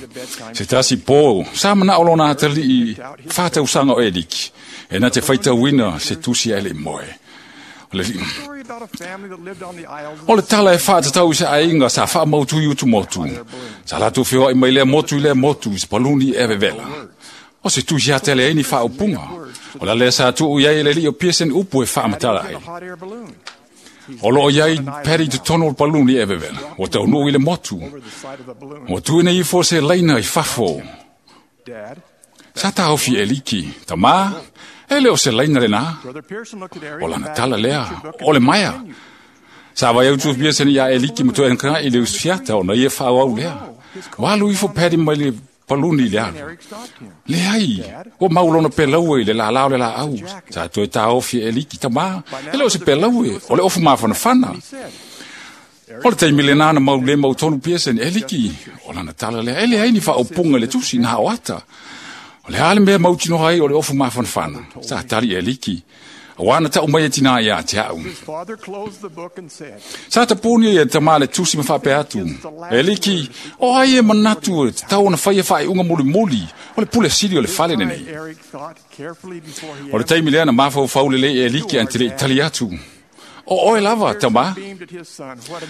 Se tasi pō, sa mana olona atali i whātausanga o Erik, e na te whaitauina se tusi ele moe. O le, o le tala e whaatatau i se ainga sa whaamautu i utu motu. Sa latu whioa i mai lea motu i lea motu i se paluni e vevela. O se tusi atele e ni whaopunga. O la lea sa tuu iai le li o Pearson upu e whaamatala ai. O loo iai Paddy te tono o paluni e vevela. O tau nuu i le motu. O tuina ifo se laina i fafo. Sa tāofi e liki. Tamā, e leo se laina le nā. O lana tala lea, o le maia. Sa vai au tu Pearson ia e liki matoa enka i le usiata o na ia whaau lea. Walu ifo Paddy mai le paluni le alu. Le ai, o maulona pelaue i le la lao le la au. Sa toe tāofi e liki tamā, e leo se pelaue, o le ofu mafanafana. O le taimi le nana mau le mau tonu Pearson e liki. O lana tala lea, e le ai ni whaopunga le tusi nā o ata. O le ale mea mautino ai o le ofu mafanafana. Sa tali e liki. Awana ta umai e tina ia te au. Sa tapuni e tamā le tusi mawhape atu. E liki, o ai e manatu e te tau ona whai e whai unga muli muli. O le pule sili o le fale nenei. O le taimi lea na mawhau whaule le e liki an te le itali atu. O oe lava, tamā.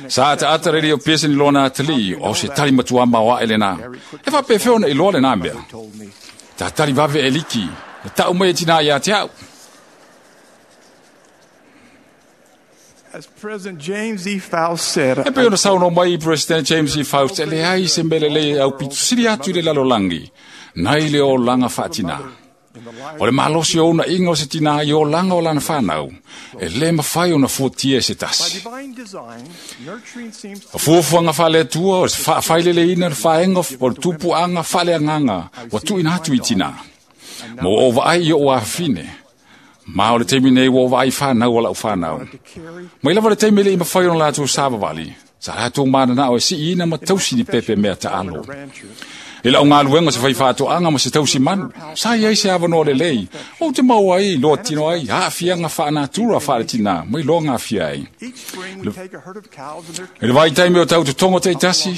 Sa ata ata rere o Pearson i lona atali, o se tali matua maua e le nā. E whape whiona i loa le nā mea. Ta tali vave e liki, na tau mai e tina ia te au. As President James E. Faust said, E pe ona sauno mai President James E. Faust, e le ai se mele le au pitu sili atu i le lalolangi, nai le o langa whaatina. O le malosi o una inga o se tina i o langa o lana whanau, e le mawhai o na fuatia e se tasi. O fuafuanga whale atua, o se whailele ina le whaenga o le tupuanga whale anganga, wa tuina atu i tina. Mo o vaai i o awhine. Ma o le teimi nei o vaai whanau o lau whanau. Mai lava le teimi le i mawhai o lātou sāwawali. Sa lātou mana o e si ina ma tausi ni pepe mea ta alo. E lau ngā luenga se whaiwhātoanga ma se tausi manu. Sa iai se awanoa le lei. O te mau ai, loa tino ai, haafianga whaanatura whaaletina, mai loa ngā fia ai. E le vai taimi o tau te tongo te itasi.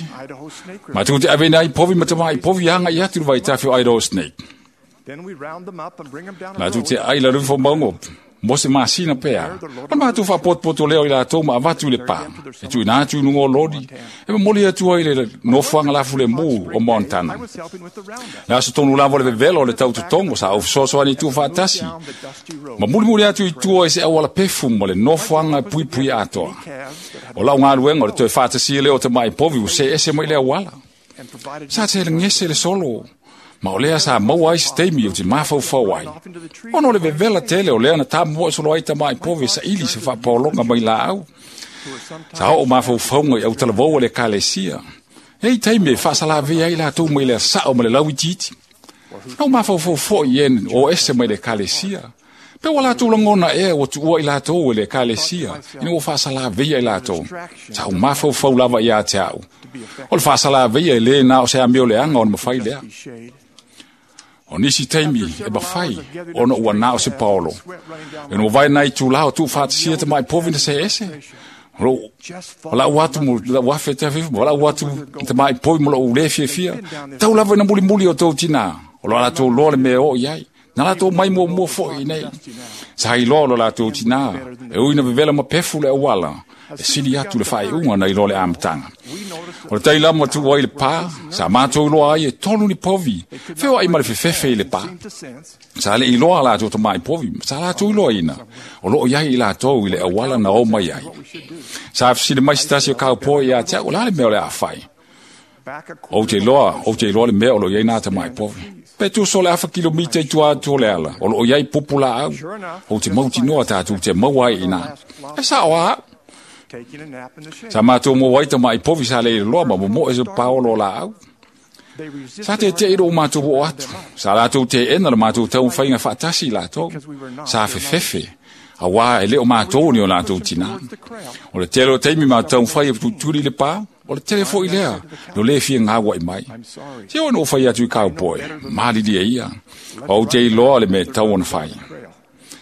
Ma tū te awena ai povi matama ai povi hanga i atu le vai tawhi o Idaho Snake. Nā tū te ai la rufo maungo, mo se masina pea. O mātou whapotopoto leo i lātou ma avatu le pā. E tui nā tū nungo lodi. E moli atu ai le nofuanga lafu le mū o Montana. Nā so tonu lavo le vevelo le tau tutongo sa au sosoani tū whaatasi. Ma muli muli atu i tua i se awala pefu mo le nofuanga pui pui atoa. O lau ngā luenga o le toe whaatasi leo te mai povi u se ese mai le awala. Sa te le ngese le solo. Ma o lea sa maua ai se taimi o te mafaufau ai. Ona o le vevela tele o lea na tāmua e solo ai tamai povi sa ili se whapaolonga mai la au. Sa o mafaufaunga i au talavou le kalesia. Ei taimi e whaasalawe ai lātou mai lea sao ma le lau itiiti. Nau mafaufau foi en o ese mai le kalesia. Pe wa lātou langona ea o tuua i lātou e le kalesia. Ina o whaasalawe ai lātou. Sa o mafaufau lava i a te au. O le whaasalawe e le nā o se ameo le anga o na mawhai lea. O nisi taimi e mawhai ona ua nā o se paolo. E no vai nai tū lao tū whaatisia te mai povi na se ese. O lau atu mo lau afe te awhifu, o lau atu te mai povi mo lau le fia fia. Tau lava ina muli muli o tau tina. O lo latou loa le mea o iai. Nā latou mai mua mua foi nei. Sa hai loa lo latou tina. E ui na vevela ma pefu le awala. E sili atu le whaiunga na i loa le amtanga. O le tailama tu ai le pā, sa mātou loa ai e tolu ni povi. Whio ai ma le fefefe i le pā. Sa le i loa lātou ta mai povi, sa lātou i loa ina. O loo iai i lātou i le awala na o mai ai. Sa afisile mai sitasi o kāupoe i a te au, o la le mea o le a whai. O te loa, o te loa le mea o lo iai nā ta mai povi. Pe tu so le afa kilomita i tua atu o le ala, o loo iai pupu la au. O te mautinoa tātou te mau ai ina. E sa o a au. Sa mātou mō waita mai povi sa le loa ma mo e se paolo la au. Sa te te iro mātou o atu. Sa lātou te ena le mātou tau whainga whaatasi lātou. Sa fefefe. A wā e leo mātou ni o lātou tina. O le tele o teimi mātou whai e tuturi le pā. O le tele fo i lea. No le fia ngā wai mai. Te o no whai atu i kāupoe. Māriri e ia. O te iloa le me tau ona whai.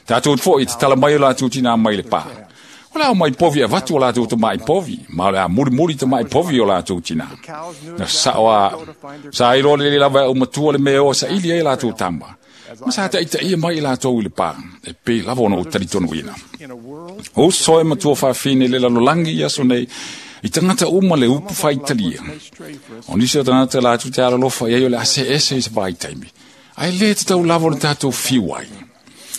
Tātou fo i te tala mai o lātou tina mai le pā. O lau mai povi a vatu o lātou te mai povi, ma o le a muri muri te mai povi o lātou tina. Na sa o a, sa i loa le lava o matua le mea o sa ili e lātou tama. Ma sa ta ita ia mai i lātou i le pā, e pe lava ona o taritonu ina. O soe matua whawhine le lalolangi i aso nei, i tangata uma le upu whaitalia. O nisi o tangata lātou te alalofa i ai o le ase ese i se vaitaimi. Ai le te tau lava o le tātou whiu ai.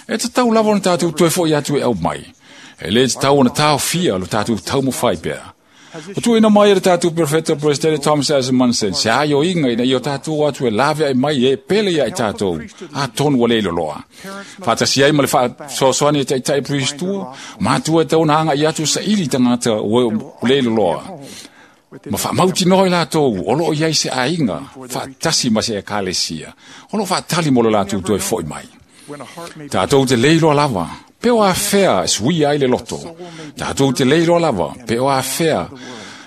E te tau lava o le tātou toe fo i atu e au mai. E le tatau ona taofia lo tatou taumafai pea. O tuuina mai e le tatou Perfeta Presidente Thomas S. Monson, se aioiga ina ia o tatou atu e laveai mai e pele ia i tatou, atonu ua le iloloa. Faatasi ai ma le faasoasoani e taʻitaʻi Peristua, matua e tau ona agaʻi atu saili tagata ua le iloloa. Ma faamautinoa i latou o loo i ai se aiga faatasi ma se ekalesia, o loo faatali mo le latou toe foʻi mai. Tatou te le iloa lava, pe o afea e suia ai le loto. Tatou te le iloa lava, pe o afea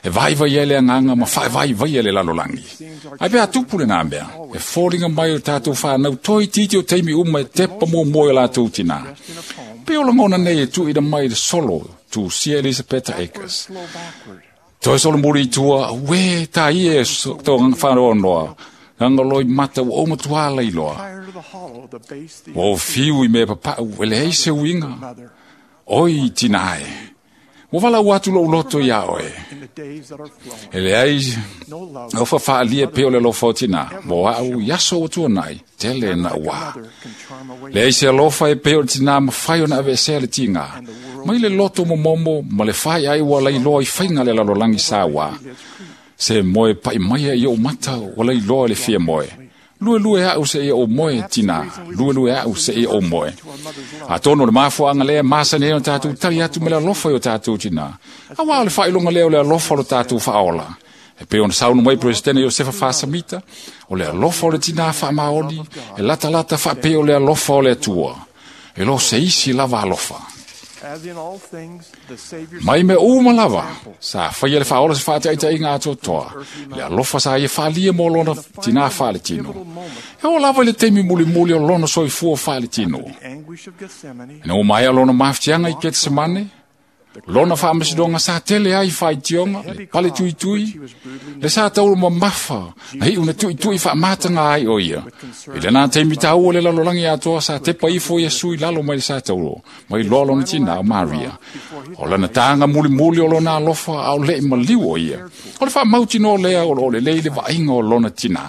e vaivai ai le agaga ma faevaivaia le lalolagi. Ae pe a tupu lenā mea, e foliga mai o tatou whanau toi titi o teimi uma e tepa muamua i o latou tinā. Pe o lagona nei e tuuina mai le solo tu sia Elisapeta Akers. Toe solomuli i tua, ue tā ia e tō whanoanoa, nganga loi mata ua o matua lailoa. Ua o fiu i mea papau, e leai se uiga. Oi tina e, ua walau atu lou loto ia oe. E leai, o whawhaalia pe o le alofa o tina, mo au i aso o tuanai, tele na ua. Leai se alofa e pe o le tina mawhai o na avesea le tinga. Mai le loto momomo, ma le whai ai ua lailoa i whainga le lalolagi sa ua. Se moe pai mai i o mata ua lailoa le fia moe. Lue lue au se ia o moe tina, lue lue au se ia o moe. A tono le mafuaga lea masani ai o tatou tali atu me le alofa i o tatou tina. Auā o le faailoga lea o le alofa o lo tatou faaola. E pei ona saunoa mai Peresetene Iosefa Faasamita, o le alofa o le tinā faamaoni, e latalata faapea o le alofa o le Atua. E lo se isi lava alofa. Mai mea uma lava, sa faia le faaola se faataitaiga atoatoa, le alofa sa ia faalia mo lona tinā faaletino. E oo lava i le taimi mulimuli o lona soifua faaletino. Ina ua maea lona mafatiaga i Ketsemane, lona faamasinoga sa tele ai faitioga, le pale tuitui, le sa taulu mamafa, na iu na tuitui faamataga ai o ia. I lenā taimi taua le lalolagi atoa sa tepa ifo Iesu i lalo mai le sa taulo, mai loa lona tinā o Maria. O lana taga mulimuli o lona alofa a o leʻi maliu o ia. O le faamautinoa lea o loo lelei le vaaiga o lona tinā.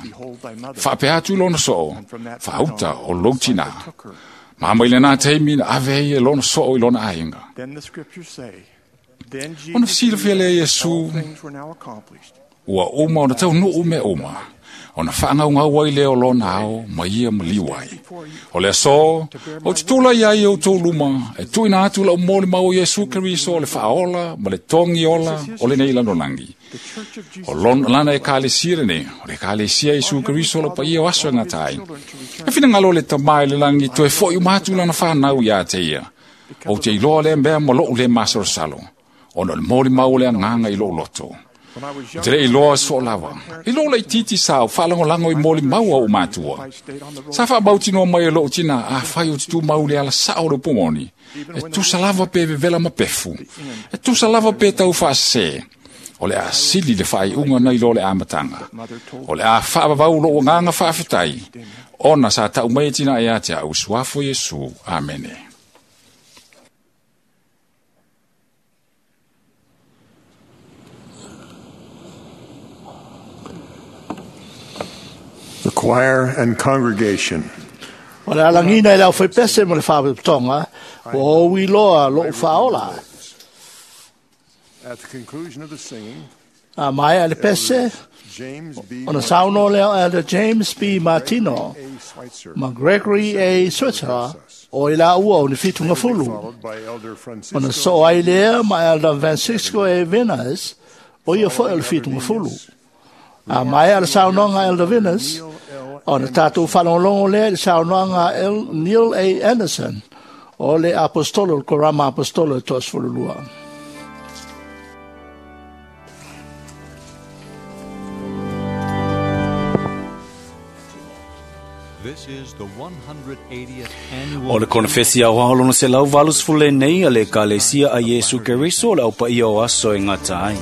Faapea atu i lona soo, faauta o lou tinā. Ma mai lenā taimi na ave ai e lona soo i lona aiga. Ona silafia lea Iesu, ua uma ona taunuu mea uma, ona faagaugau ai lea o lona ao ma ia maliu ai. O le aso, o te tulai ai e outou luma, e tuuina atu lau molimau o Iesu Keriso o le faaola ma le togi ola o lenei lalolagi. O lona lana ekalesia lenei, o le ekalesia Iesu Keriso o le paia o aso e gata ai. E finagalo le tamā i le lagi toe foʻi uma atu lana fanau iā te ia. O te iloa lea mea ma lou le masalosalo, ona o le molimau o le agaga i lou loto. O te le iloa soo lava, i lou laititi sa o faalagolago i molimau au matua. Sa faamautinoa mai e lou tina afai o te tumau le ala sao o le pumoni, e tusa lava pe vevela ma pefu, e tusa lava pe tau faasesē. O le a sili le faaiuga nai lo le amataga. O le a faavavau lou agaga faafetai, ona sa tau mai e tina ia te au suafo Iesu. Amene. The choir and congregation. O le alagina i le aufaipese ma le faapetoga, ua ou iloa lou faaola. At the conclusion of the singing, A maea le pese, James B. ona saunoa lea o Elder James B. Martino A. Schweitzer, ma Gregory A. Switzer o i laua o ni fitugafulu. followed by Elder Francisco Ona soo ai lea ma Elder Francisco A. Venus, o ia foi o le fitugafulu. A maea le saunoaga Elder Venus, ona tatou faalogologo lea i le saunoaga El Neil A. Anderson, o le apostolo, le Korama apostolo e toasefululua. This is the one hundred eightieth annual O le konefesi aoao lona selau valusefulu lenei a le ekalesia a Iesu Keriso o le aupaia o aso e gata ai.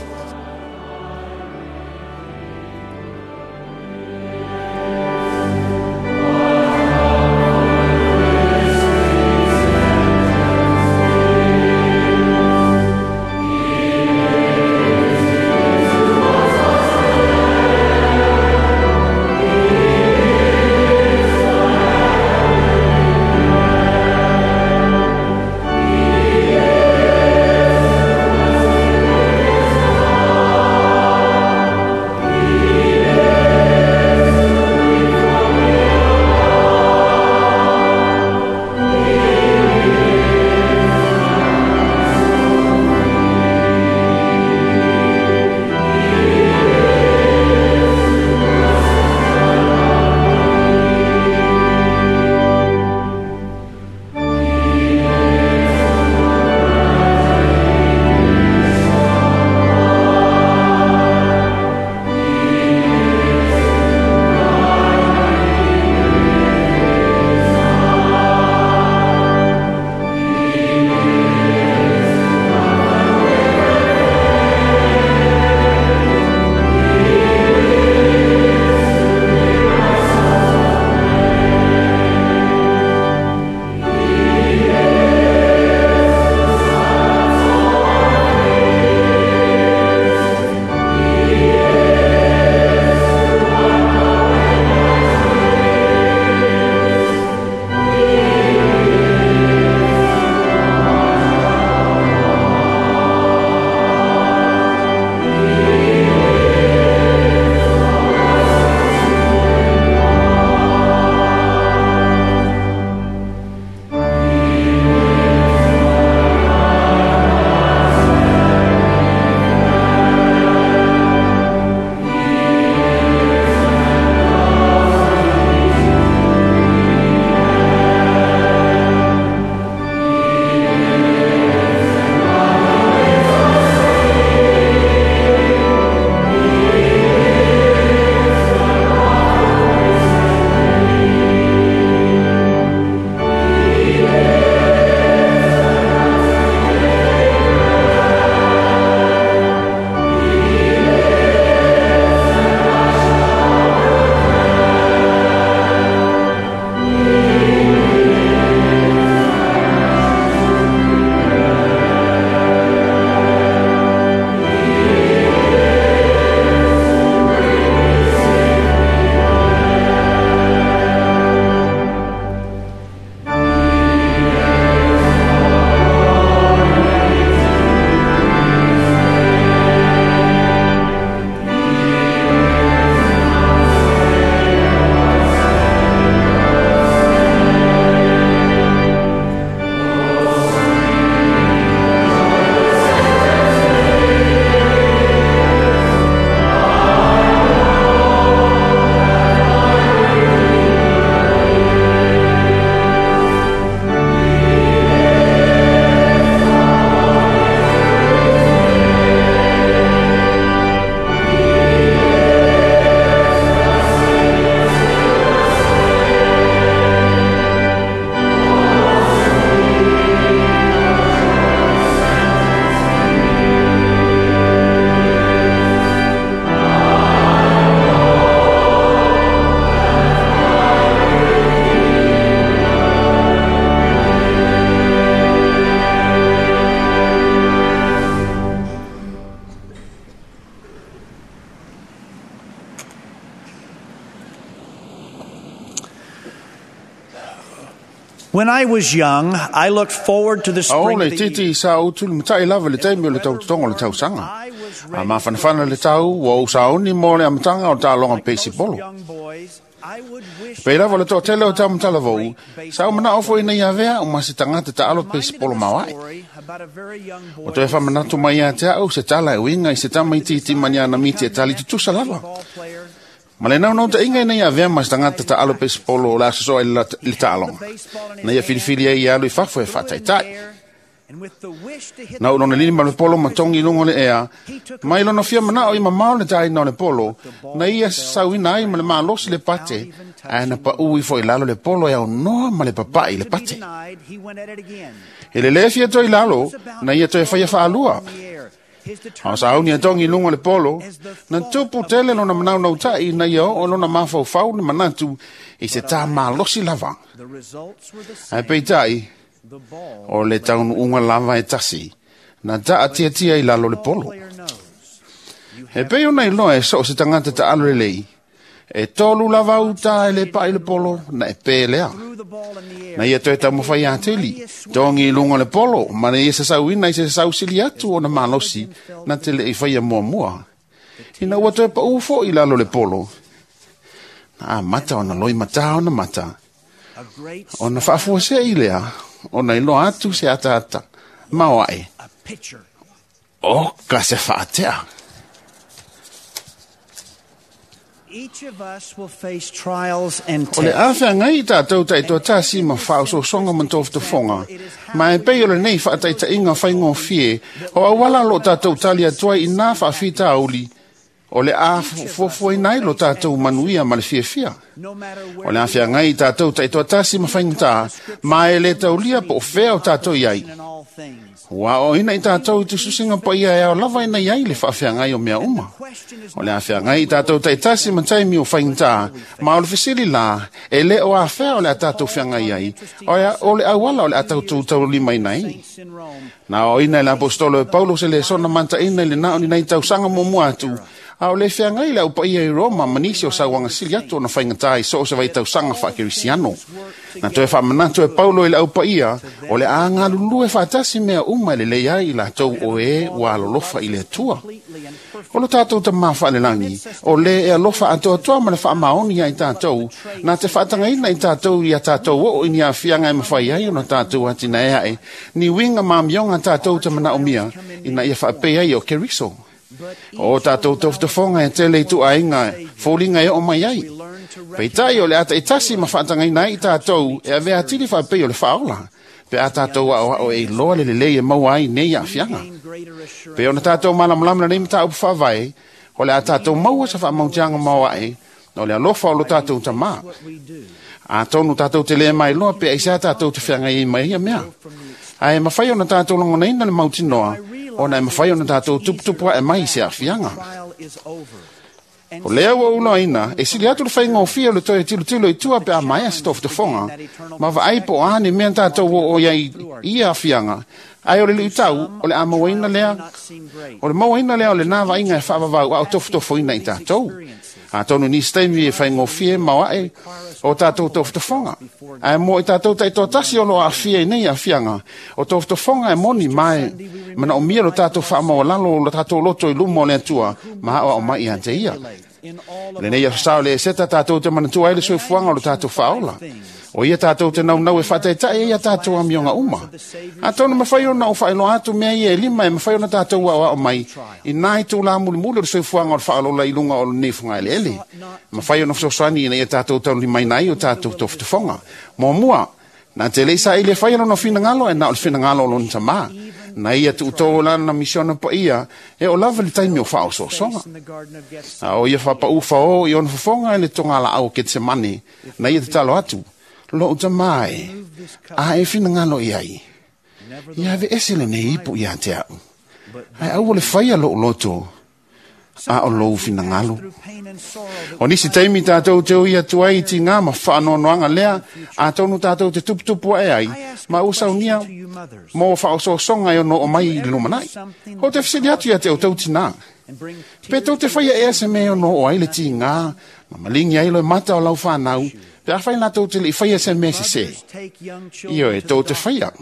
When I was young, I looked forward to the A o spring le of the titi sa utu le matai lava le taimi o le tautotoga o le tausaga. A mafanafana le tau ua ou sauni mo le amataga o taaloga peisipolo. Pei lava le toatele o taumatalavou, sa ou manao foi ina ia avea o ma se tagata taalo peisipolo maoae. O toe faamanatu mai ia te au se tala e uiga i se tamaitiiti ma ni ana miti e tali tutusa lava. Ma le naunautaiga ina ia avea ma se tagata taalo peisipolo o le a sosoa i le taaloga. Na ia filifili ai ia alu i fafo e faataitai. Na ou lona lima le polo ma togi i luga o le ea, mai lona fia manao i mamao le taina o le polo, na ia sauina ai ma le malosi le pate, ae na paʻu ifo i lalo le polo e aunoa ma le papaʻi le pate. E lelē fia toe i lalo, na ia toe faia faalua. A o sauni e togi i luga o le polo, na tupu tele lona manaunautaʻi ina ia oo lona mafaufau le manatu i se tā malosi lava. Ae peitai, o le taunuuga lava e tasi, na taatiatia i lalo le polo. E pei ona iloa e soo se tagata taalo lelei, e tolu lava uta e le paʻi le polo, na e pē lea. Na ia toe taumafai atili, togi i luga o le polo, ma na ia sasauina i se sausili atu ona malosi, na te leʻi faia muamua. Ina ua toe paʻu foʻi lalo le polo, na amata ona loimatā ona mata, ona faafuaseʻi lea, ona iloa atu se ataata, maoaʻe, o ka se faatea. Each of us will face trials and O le tests. afeagai i tatou taitoatasi ma faaososoga ma tofotofoga, ma e pei o lenei faataitaiga faigofie, o auala lo tatou tali atu ai inā faafitauli, o le a fuafuaina ai lo tatou manuia ma le fiafia. O le afeagai i tatou taitoatasi ma faigata, ma e le taulia po o fea o tatou i ai. Ua aoaoina i tatou i tusitusiga paia e ao lava ina iai le faafeagai o mea uma. O le afeagai i tatou taitasi ma taimi o faigata, ma o le fesili la, e le o afea o le a tatou feagai ai, o le auala o le a tatou taulimaina ai. Na aoaoina e le apostolo e Paulo se lesona mantaʻina i le na o ni nai tausaga muamua atu, a o le feagai le aupaia i Roma ma nisi o sauaga sili atu ona faigata i so o se vaitausaga faakerisiano. Na toe faamanatu e Paulo i le aupaia, o le a galulue faatasi mea uma e lelei ai i latou o e ua alolofa i le Atua. O lo tatou tamā faalelagi, o lē e alofa atoatoa ma le faamaoni ai tatou, na te faatagaina i tatou ia tatou oo i ni aafiaga e mafai ai ona tatou atinae aʻe, ni uiga ma amioga tatou te manaomia, ina ia faapei ai o Keriso. O tatou tofotofoga e tele i tuuaiga foliga e oo mai ai. Peitai o le a taitasi ma faatagaina ai i tatou e avea atili faapei o le faaola, pe a tatou aoao e iloa le lelei e maua ai nei aafiaga. Pe ona tatou malamalama lenei mataupu faavae, o le a tatou maua se faamautiaga maoaʻe, o le alofa o lo tatou tamā. Atonu tatou te lē mailoa pe aisea tatou te feagai ai ma ia mea. Ae mafai ona tatou lagonaina le mautinoa, ona e mafai ona tatou tuputupu aʻe mai i se aafiaga. O lea ua ou loaina, e sili atu le faigofie o le toe tilotilo i tua pe a maea se tofotofoga, ma vaai po o a ni mea tatou oo ai i ia aafiaga, ae o le luitau, o le a mauaina lea, o le mauaina lea o lenā vaaiga e faavavau a o tofotofoina i tatou. Atonu nisi taimi e faigofie maoaʻe o tatou tofotofoga. Ae mo i tatou taitoatasi o lo aafia i nei aafiaga, o tofotofoga e moni ma e manaomia lo tatou faamaualalo o lo tatou loto i luma o le Atua, ma aoao mai ia te ia. Lenei afasā o le eseta tatou te manatua ai le soifuaga o lo tatou faaola. O ia tatou te naunau e faataitai ai ia tatou amioga uma. Atonu mafai ona ou faailoa atu mea ia e lima e mafai ona tatou aoao mai, inā i tūlā mulimuli o le soifuaga o le faaolola i luga o lenei fugaeleele. Mafai ona fesoasoani ina ia tatou taulimaina ai o tatou tofotofoga. Muamua, na te leʻi saili e faia lona finagalo e na o le finagalo o lona tamā. Na ia tuutou o lana misiona paia, e o lava le taimi o faaosoosoga. A o ia faapaʻu faō i ona fofoga e le togalaau o Ketsemane, na ia tatalo atu, lou tamā e, a e finagalo i ai. Ia aveese lenei ipu ia te au. Ae aua le faia lou loto, a o lou finagalo. O nisi taimi tatou te ui atu ai i tigā ma faanoanoaga lea, atonu tatou te tuputupu aʻe ai, ma ua saunia mo faaosoosoga e ono oo mai i le lumanai. O te fesili atu ia te outou tinā, pe tou te faia ea se mea e ono oo ai le tigā, ma maligi ai loe mata o lau fanau, Pe afai latou te le'i faia se mea sesē, ioe, tou te faia.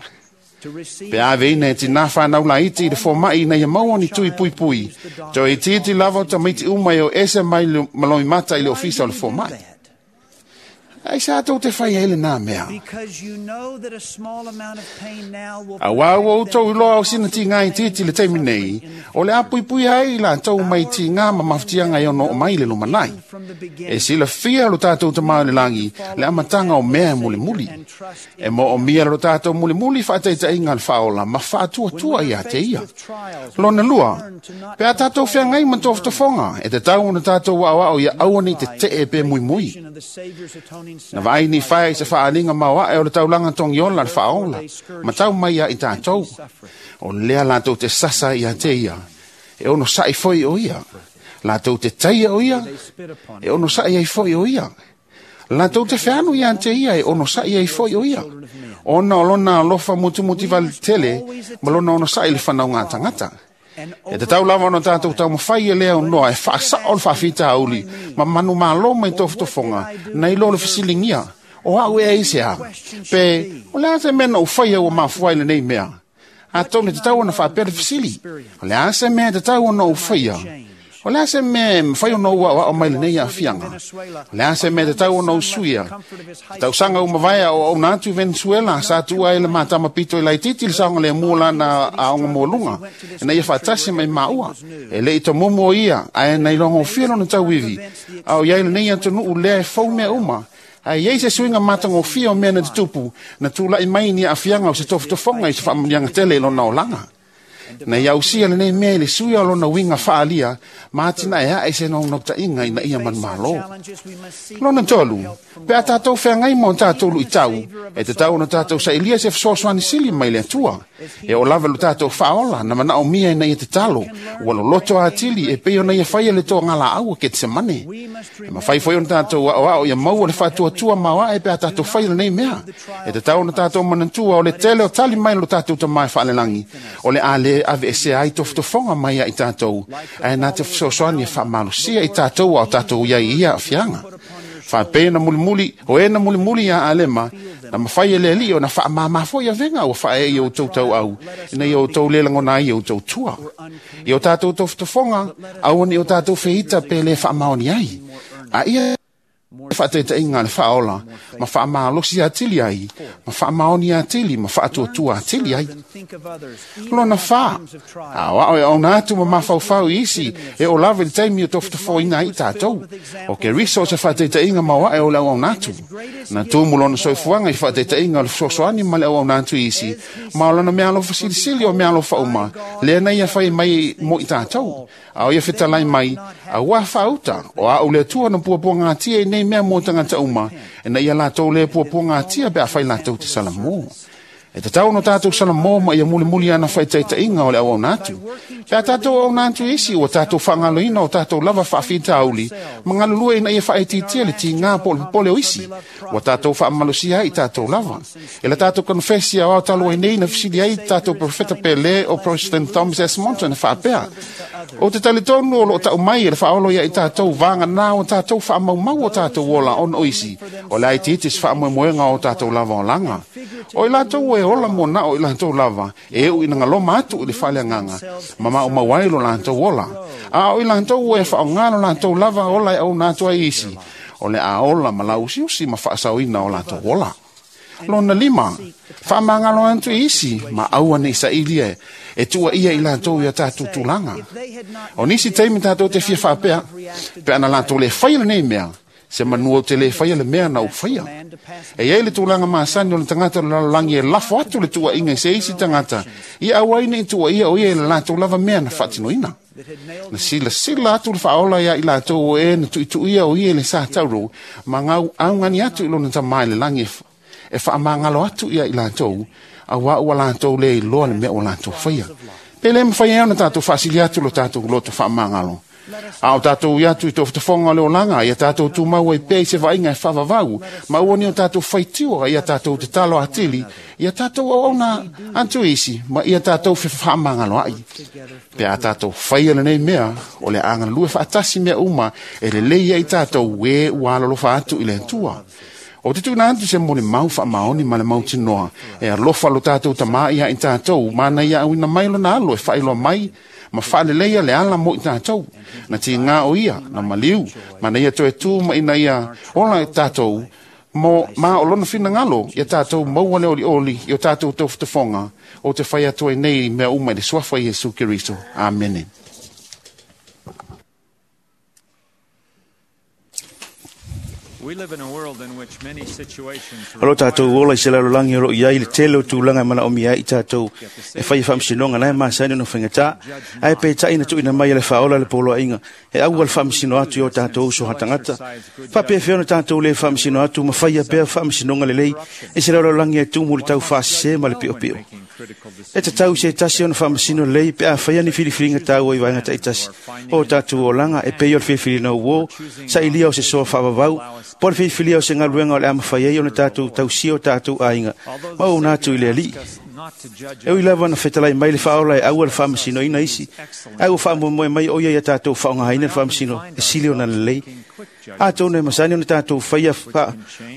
Pe ave ina e tinā whanau laiti i le fōma'i ina ia maua ni tui puipui, toe itiiti lava o tamaiti uma e o ese mai malomi mata i le ofisa o le fōma'i. Ai sa tou te fai ai le nā mea. Auā ua outou iloa o sina tigā itiiti le taimi nei, o le a puipui ai i latou mai tigā ma mafatiaga e ono oo mai le lumanai. E silafia lo tatou Tamā i le lagi le amataga o mea e mulimuli. E moomia lo tatou mulimuli faataitaiga le faaola ma faatuatua ia te ia. Lona lua, pe a tatou feagai ma tofotofoga, e tatau ona tatou aoao ia aua nei tetee pe muimui. Na vaai ni fae i se faaliga maoae o le taulaga togiola le faaola, ma tau mai ia i tatou. O lea latou te sasa ia te ia, e ono sa'i foi o ia. Latou te taia o ia, e ono sa'i ai foi o ia. Latou te feanu ia te ia, e ono sa'i ai foi o ia. Ona o lona alofa mutumuti tele, ma lona ono sa'i le whanau ngā tangata. E te tau lava ona tātou taumafai e lea o noa e whaasao le whaafitauli ma manu malo mai tofotofoga na ilo le fesilingia o au e ai se a. Pe o le a se mea na uwhaia ua mafuai le nei mea. A tau ne te tau ona whaapea le fesili. O le a se mea te tau ona uwhaia. O le a se mea mawhai ona ua o mai le nei afianga. O le a se mea te tau ona usuia. Te tausaga umavaea o au natu i Venezuela sa tua ai le matama pito i laititi le saoga le mua lana aoga mualuga. E na ia faatasi mai maua. E le i tomumu o ia, ae na ilogofia lona tauivi. A o iai lenei atunuu lea e fou mea uma. Ae iai se suiga matagofia o mea na tutupu, na tula'i mai ni aafiaga o se tofotofoga i se faamanuiaga tele i lona olaga. Na ia ausia lenei mea i le suia o lona uiga faalia, ma atinae ae se naunautaiga ina ia manumalo. Lona tolu, pe a tatou feagai ma o tatou luitau, e tatau ona tatou sailia se fesoasoani sili mai le Atua. E oo lava lo tatou faaola na manaomia ina ia tatalo, ua loloto atili e pei ona ia faia le toagalaau a Ketsemane. E mafai foi ona tatou aoao ia maua le faatuatua maoae pe a tatou faia lenei mea. E tatau ona tatou manatua o le tele o tali mai lo tatou Tamā e faalelagi, o le a le ave ese ai tofotofoga mai ia i tatou, ae na te fesoasoani e faamalosia i tatou a o tatou iai i ia aafiaga. Faapea na mulimuli, o e na mulimuli ia Alema, na mawhai e le alii o na whaamāmā foi avenga o whae i o tau au, ina i o tau lelangona ai o tau tua. I o tātou tofotofoga, aua ni o tātou feita pe le whaamaoni ai. A ia whaataitaiga le faaola, ma faamalosi atili ai, ma faamaoni atili, ma faatuatua atili ai. Lona whā, aoao e auna atu ma mafaufau i isi, e o lava i le taimi o tofotofoina ai tātou. O ke riso o se whaataitaiga maoae o le auauna atu. Na tumu lona soifuaga i whaataitaiga o le fesoasoani ma le auauna atu i isi, ma o lona mea alofa silisili o mea alofa uma, lea na ia whai mai mo i tātou. A o ia fetalai mai, a ua whaauta, o a o le atua na puapuaga atia i nei mea mō tangata uma, e na ia latou le puapuaga atia pe a whai latou te salamō. E te tau no tātou salamō ma ia mulimuli ana whaitaitaiga o le auauna atu. Pe a tātou auauna atu isi, ua tātou whangaloina o tātou lava whaafitauli, mangalulua ina ia whaetitia le tigā po o le popole o isi, ua tātou whaamalosia ai i tātou lava. E la tātou konfesi au talo ai nei na fisili ai tātou profeta Pele o President Thomas S. Monson e whaapea. O te talitonu o loo tau mai e le whaolo ia i tātou vānga nā o tātou whaamaumau o tātou ola ona o isi, o le ai titis whaamoemoenga o tātou lava o langa. O i latou e ola mo na o i latou lava, e u ina ngaloma atu i le whaleanganga, ma ma o mauai lo latou ola. A o i latou e whaonga lo latou lava ola e au nātua i isi, o le a ola ma lau usiusi ma whaasauina o latou ola. Lona lima, whaamangalo atu i isi, ma aua nei sailia e tua ia i latou ia tātou tulaga. O nisi taimi tātou te fia whaapea, pe ana latou le whaia nei mea, se manua o te le whaia le mea na u whaia. E iai le tulaga masani o le tangata o le lalolagi e lafo atu le tuaiga i se isi tagata, ia aua ai nei tuaia o ia e le latou lava mea na faatinoina. Na silasila atu le faaola ia i latou o e na tuituia o ia i le sa tauro, ma ngau augani atu i lona tamā i le lagi e faamagalo atu ia i latou, auā ua latou le iloa le mea ua latou faia. Pe le mawhai ai ona tātou faasili atu lo tātou loto faamagalo. A o tātou i atu i tofotofoga o le olaga, ia tātou tumau ai pea i se vaaiga e faavavau, ma ua ni o tātou faitio ia tātou tatalo atili, ia tātou auauna atu isi, ma ia tātou fefaamagalo ai. Pe a tātou faia lenei mea, o le agalue faatasi mea uma, e lelei ai tātou e ua alolofa atu i le Atua. O te tuina atu se mo le mau wha maoni ma le mautinoa. E alofa lo tātou tamā ia i tātou, mana ia auina mai lona alo e whailoa mai, ma whaaleleia le ala mo i tātou. Na ti ngā o ia, na maliu, mana ia toe tū ma ina ia ola i tātou, mo ma o lona whinangalo ia tātou maua le oli oli i o tātou tauwhatafonga o te whai atu ai nei mea uma i le suafa i Iesu Keriso. Amene. O lo tātou ola i se lalolagi o loo i ai le tele o tulaga e manaomia ai i tātou e faia faamasinoga na e masani ona faigatā ae peitai na tuuina mai e le faaola le poloaiga e aua le faamasino atu i o tātou uso hatagata faapefea ona tātou lē faamasino atu ma faia pea faamasinoga lelei i se lalolagi e tumu le tau faasesē ma le piopio. E tatau i se tasi ona faamasino lelei pe a faia ni filifiliga taua i vaega taitasi o tātou olaga e pei o le filifiliga uō sailia o se soa faavavau po le filifilia o se galuega o le a mafai ai ona tātou tausia o tātou aiga ma ouna atu i le alii. E ui lava na fetalai mai le faaola e aua le faamasinoina isi ae ua faamoemoe mai o ia ia tātou faaaogaina le faamasino e sili ona lelei. Atonu e masani ona tātou faia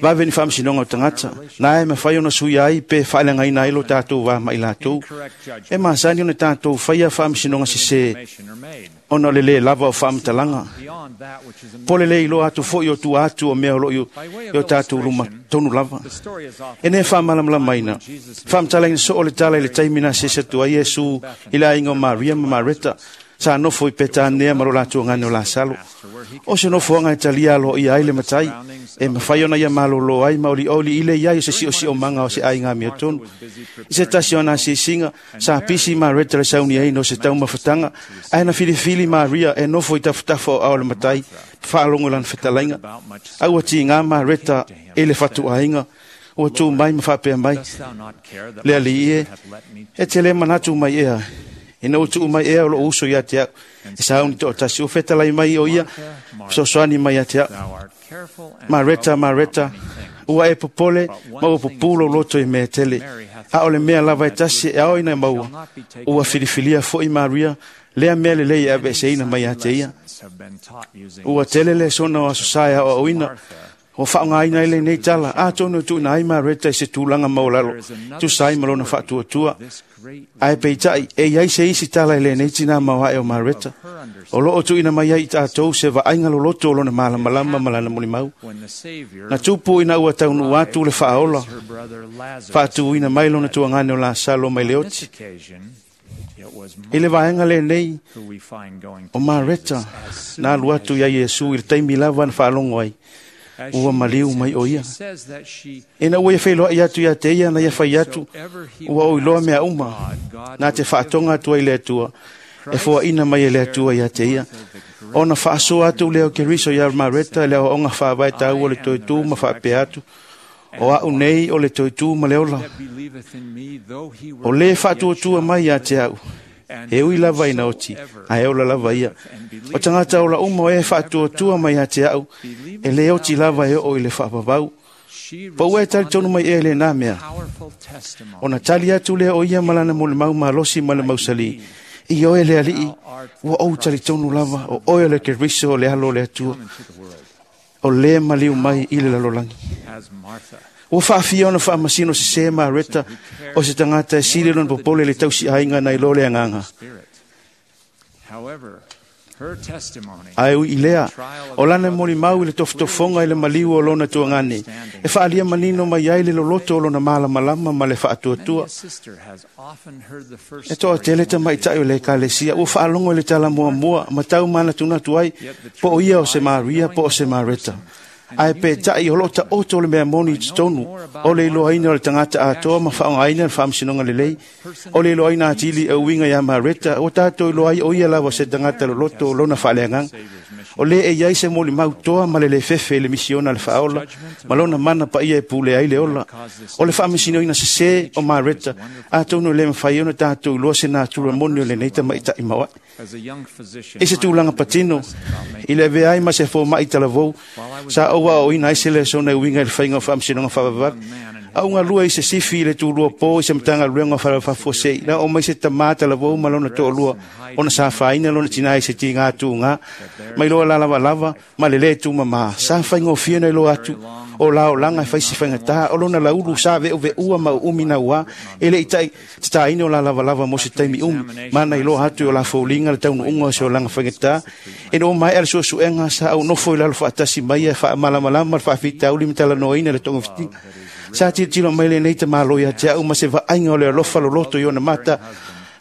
vave ni faamasinoga o tagata na e mafai ona suia ai pe faaleagaina ai lo tātou va ma i latou. E masani ona tātou faia faamasinoga sesē ona o le lē lava o faamatalaga po le lē iloa atu foʻi o tua atu o mea o loo i o tātou luma tonu lava. E ne faamalamalamaina faamatalaina soo o le tala i le taimi na sese atu ai Iesu i le aiga o Maria ma Mareta sa nofo i Petanea ma lo latou agane o Lasalo. O se nofoaga e talia aloaia ai le matai e mafai ona ia malōlō ai ma olioli i le iai o se siʻosiʻomaga o se aiga amiotonu. I se tasi o ana asiasiga sa pisi Mareta le sauni ai no se taumafataga ae na filifili Maria e nofo i tafatafa o ao le matai faalogo i lana fetalaiga. A ua tigā Mareta i le fatuaiga ua tū mai ma faapea mai le alii e e te lē manatu mai ea ina ua tuu mai ea o loo uso ia te au e sauni toʻatasi ua fetalai mai o ia fesoasoani mai ia te au. Mareta, Mareta, ua e popole ma ua pupū lou loto i mea tele a o le mea lava e tasi e ao ina maua ua filifilia foʻi Maria lea mea lelei e aveeseina mai ia te ia. Ua tele le sona o aso sa e aoaoina ua faaaogaina ai lenei tala atonu e tuuina ai Mareta i se tulaga maualalo tusa ai ma lona faatuatua. Ae peitai e iai se isi tala i lenei tinā maoae o Mareta o loo tuuina mai ai i tātou se vaaiga loloto o lona malamalama ma lana molimau. Na tupu ina ua taunuu atu le faaola faatuina mai lona tuagane o Lasalo mai le oti. I le vaega lenei o Mareta na alu atu iai Iesu i le taimi lava na faalogo ai ua maliu mai o ia. Ina ua ia feiloai atu ia te ia na ia fai atu ua oiloa mea uma na te faatoga atu ai le Atua e foaina mai e le Atua ia te ia. Ona faasoa atu lea o Keriso ia Mareta le aoaoga faavae taua le toetū ma faapea atu o a'u nei o le toetū ma le ola. O lē faatuatua mai ia te a'u e ui lava ina oti ae ola lava ia. O tagata ola uma o e faatuatua mai ia te a'u e lē oti lava e oo i le faavavau. Po ua e talitonu mai ea i lenā mea. Ona tali atu lea o ia ma lana molimau malosi ma le mausalī i oe le alii ua ou talitonu lava o oe o le Keriso o le alo o le Atua o lē maliu mai i le lalolagi. Ua faafia ona faamasino sesē Mareta o se tagata e sili lona popole i le tausiaiga nai lo le agaga. Ae ui i lea o lana molimau i le tofotofoga i le maliu o lona tuagane e faaalia manino mai ai le loloto o lona malamalama ma le faatuatua. E toatele tamaitaʻi o le ekalesia ua faalogo i le tala muamua ma tau manatunatu ai po o ia o se Maria po o se Mareta. Ae peitai o loo taoto le mea moni i totonu o le iloaina o le tagata atoa ma faaaogaina le faamasinoga lelei o le iloaina atili e uiga iā Mareta ua tatou iloa ai o ia lava se tagata loloto o lona faaleagaga. O lē e iai se molimau toa ma le lē fefe i le misiona a le faaola ma lona mana paia e pule ai le ola. O le faamasinoina sesē o Mareta atonu e lē mafai ona tatou iloa se natura moni o lenei tamaitaʻi maoaʻe. I se tulaga patino i le avea ai ma se fomaʻi talavou sa ou aoaoina ai se lesona e uiga i le faiga o faamasinoga faavavave. Auga lua i se sifi i le tulua pō i se matagaluega o falafafuasei na o mai se tamā talavou ma lona toʻalua ona sa fāina lona tinā i se tigā tūgā mai loa lalavalava ma le lē tumamā. Sa faigofie na iloa atu O la olaga e faisi faigatā o lona laulu sa ve'uve'ua ma u'umi nauā e le'i ta'i tatāina o la lavalava mo se taimi umi mana iloa atu i o la foliga le taunu'uga o se olaga faigatā. Ina ua mae'a le su'esu'ega sa ou nofo i lalo fa'atasi mai e fa'amalamalama le fa'afitauli ma talanoaina le togafitiga. Sa tilotilo mai lenei tamālo ia te a'u ma se va'aiga o le alofa loloto i ona mata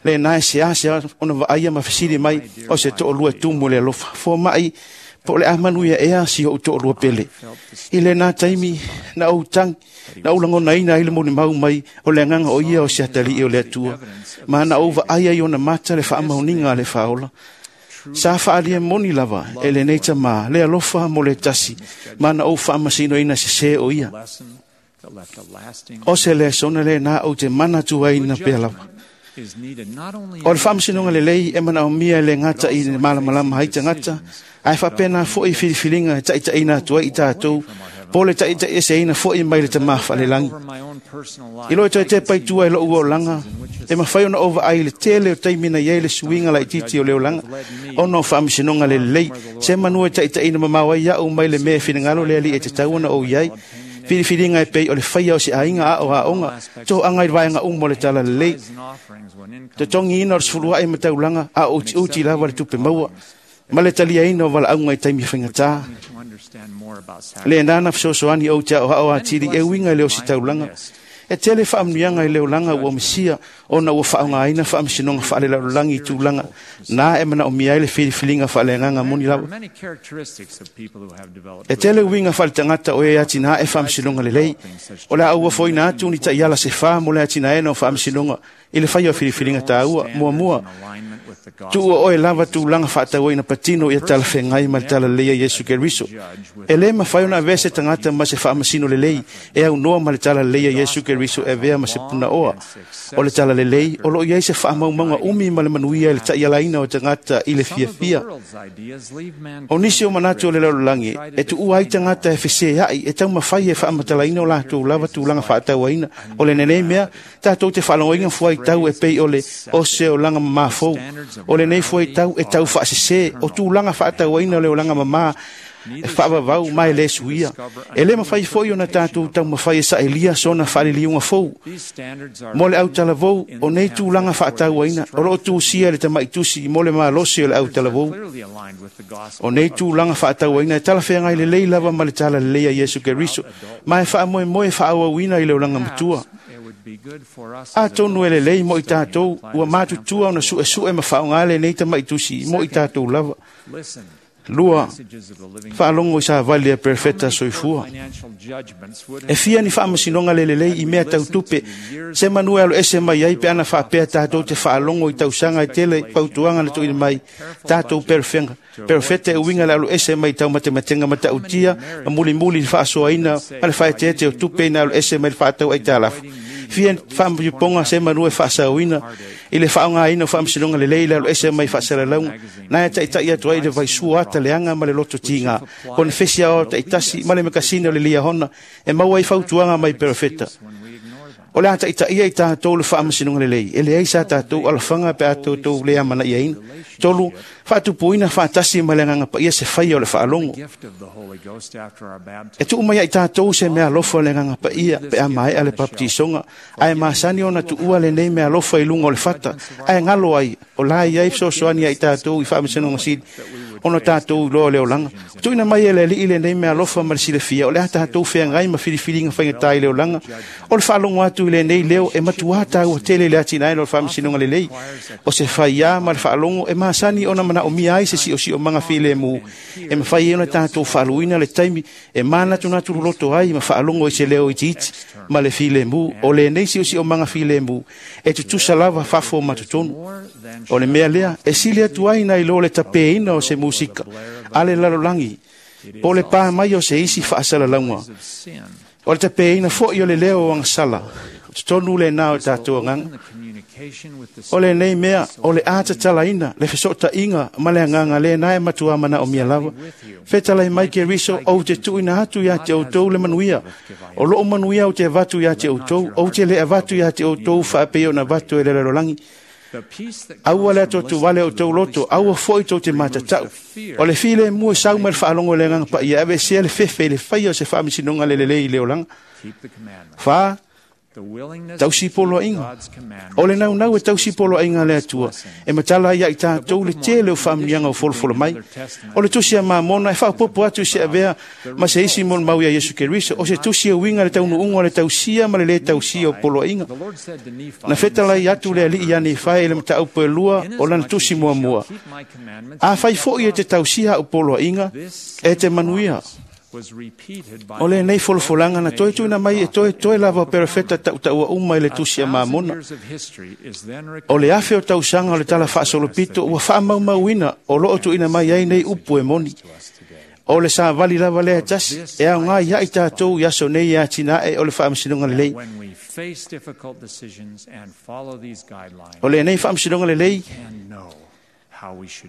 lena e seasea ona va'aia ma fesili mai o se to'alua tumu le alofa foma'i po o le a manuia ea si o'u to'alua pele. I lenā taimi na ou tagi na ou lagonaina ai le molimau mai o le agaga o ia o se atali'i o le Atua ma na ou va'ai ai ona mata le fa'amaoniga a le fāola. Sa fa'alia moni lava e lenei tamā le alofa mo le tasi ma na ou fa'amasinoina sesē o ia. O se lesona lenā ou te manatu ai na pea lava. O le fa'amasinoga lelei e mana'omia e le gata i le malamalama ai tagata ae fa'apena fo'i filifiliga e ta'itaʻina atu ai i tatou po le ta'itaʻieseina fo'i mai le tamā fa'alelagi. I lo e toe tepa i tua e lo'u olaga e mafai ona ou va'ai le tele o taimi na iai le suiga la'ititi o le olaga ona o fa'amasinoga lelei se manua e ta'itaʻina mamao ai a'u mai le mea e finagalo le ali'i e tatau ona ou iai. Filifiliga e pei o le faia o se aiga a'o a'oga to'aga i le vaega uma o le tala lelei totogiina o le sefulua'i ma taulaga a o uti'uti lava le tupe maua ma le taliaina o vala'auga i taimi faigatā. Lenā na fesoasoani ou te a'oa'o atili e uiga i le ositaulaga. E tele fa'amanuiaga i le olaga ua masia ona ua fa'aogāina fa'amasinoga fa'alelalolagi i tulaga na e mana'omia ai le filifiliga fa'aleagaga moni lava. E tele uiga fa'aletagata o e atina'e fa'amasinoga lelei o le a ou afoina atu ni ta'iala se fā mo le atina'ena o fa'amasinoga i le faia o filifiliga tāua. Muamua, tu'ua oe lava tulaga fa'atauaina patino ia talafeagai ma le talalelei a Iesu Keriso. E lē mafai ona avea se tagata ma se fa'amasino lelei e aunoa ma le talalelei a Iesu Keriso e avea ma se puna'oa. O le talalelei o lo'o i ai se fa'amaumauga umi ma le manuia i le ta'ialaina o tagata i le fiafia. O nisi o manatu o le lalolagi e tu'ua ai tagata e fesea'i e taumafai e fa'amatalaina o latou lava tulaga fa'atauaina. O le lenei mea tatou te fa'alogoina fuaitau e pei o le o se olaga mamā fou. O lenei fuaitau e tau fa'asesē o tulaga fa'atauaina o le olaga mamā e fa'avavau ma e lē suia. E lē mafai fo'i ona tatou taumafai e sa'elia sona fa'aliliuga fou. Mo le autalavou o nei tulaga fa'atauaina o lo'o tusia e le tama'i tusi mo le malosi o le autalavou. O nei tulaga fa'atauaina e talafeagai lelei lava ma le talalelei a Iesu Keriso ma e fa'amoemoe e fa'aauauina i le olaga matua. Atonu e lelei mo i tatou ua matutua ona su'esu'e ma fa'aogā lenei tama'i tusi mo i tatou lava. Lua, fa'alogo i savali a perefeta soifua. E fia ni fa'amasinoga lelelei i mea tautupe se manu e alo ese mai ai pe ana fa'apea tatou te fa'alogo i tausaga e tele fautuaga na tu'uina mai tatou perefega perefeta e uiga le alo ese mai taumatematega mata'utia ma mulimuli i le fa'asoaina ma le fa'eteete o tupe ina alo ese mai le fa'atau aitalafu. Fia fa'amaiopoga se manu e fa'asaoina i le fa'aogāina o fa'amasinoga lelei le alo ese mai fa'asalalauga na e ta'ita'i atu ai le vaisua ata leaga ma le loto tigā konefesi aoao ta'itasi ma le makasina o le Liahona e maua ai fautuaga mai perefeta. O le a ta'ita'ia i tatou le fa'amasinoga lelei e leai sa tatou alafaga pe a toutou le amana'iaina. Tolu, fa'atupuina fa'atasi ma le agaga pa'ia se faia o le fa'alogo. E tu'u mai ai tatou se mea alofa o le agaga pa'ia pe a mae'a le papatisoga ae masani ona tu'ua lenei mea alofa i luga o le fata ae galo ai o la i ai fesoasoani ai tatou i fa'amasinoga sili ona tatou iloa o le olaga. Tu'uina mai e le ali'i lenei mea alofa ma le silafia o le a tatou feagai ma filifiliga faigatā i le olaga. O le fa'alogo atu i lenei leo e matuā taua tele i le atinaena o le fa'amasinoga lelei. O se faiā ma le fa'alogo e masani ona mana'omia ai se si'osi'omaga filemu e mafai ai ona tatou fa'aluina le taimi e manatunatu loloto ai ma fa'alogo i se leo itiiti ma le filemu. O lenei si'osi'omaga filemu e tutusa lava fafo ma totonu. O le mea lea e sili atu ai nai lo le tapēina o se musika a le lalolagi po le pā mai o se isi fa'asalalauga. O le tapēina fo'i o le leo o agasala totonu lenā o tatou agaga. O lenei mea o le a tatalaina le feso'ota'iga ma le agaga lenā e matuā mana'omia lava. Fetalai mai Keriso, ou te tu'uina atu iā te outou le manuia. O lo'u manuia ou te avatu iā te outou, ou te lē avatu iā te outou fa'apei ona avatu e le lalolagi. Aua le atuatu vale o tou loto, aua fo'i tou te matata'u. O le filemu e sau mai le faalogo i le agaga paia, aveesea le fefe i le faia o se faamasinoga le lelei i le olaga. Fa, tausi poloaiga. O le naunau e tausi poloaiga a le Atua, e matala ai ia i tatou le tele o faamanuiaga o folofolo mai. O le tusi a Mamona e faaopoopo atu i se avea ma se isi molimau ia Iesu Keriso, o se tusi e uiga le taunuuga o le tausia ma le lē tausia o poloaiga. Na fetalai atu le alii ia Nifai i le mataupu e lua o lana tusi muamua. Afai fo'i e te tausia a'u poloaiga, e te manuia. O lenei folofolaga na toe tuuina mai e toetoe lava o perofeta tautaua uma i le tusi a Mamona. O le afe o tausaga o le tala faasolopito ua faamaumauina o loo tuuina mai ai nei upu e moni. O le savali lava lea e tasi e aogā ia i tatou i aso nei e atinae o le faamasinoga lelei. O lenei faamasinoga lelei,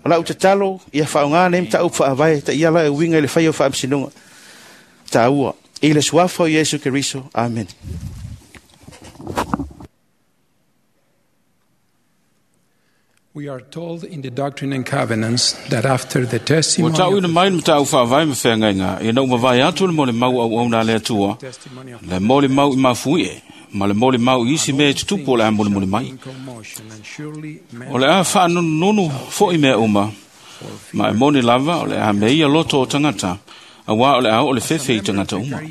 o lau tatalo ia faaaogā nei mataupu faavae taiala e uiga i le faia o faamasinoga taua. I le suafa o Iesu Keriso. Amen. We are told in the Doctrine and Covenants that after the Ua testimony ta'uina mai le mataupu faavae ma feagaiga ina ua mavae atu le molimau auauna a le Atua, le molimau i mafuie ma le molimau i isi mea e tutupu o le a molimoli mai. O le a faanunununu fo'i mea uma, ma e moni lava o le a meia loto o tagata, auā o le a oo le fefe i tagata uma.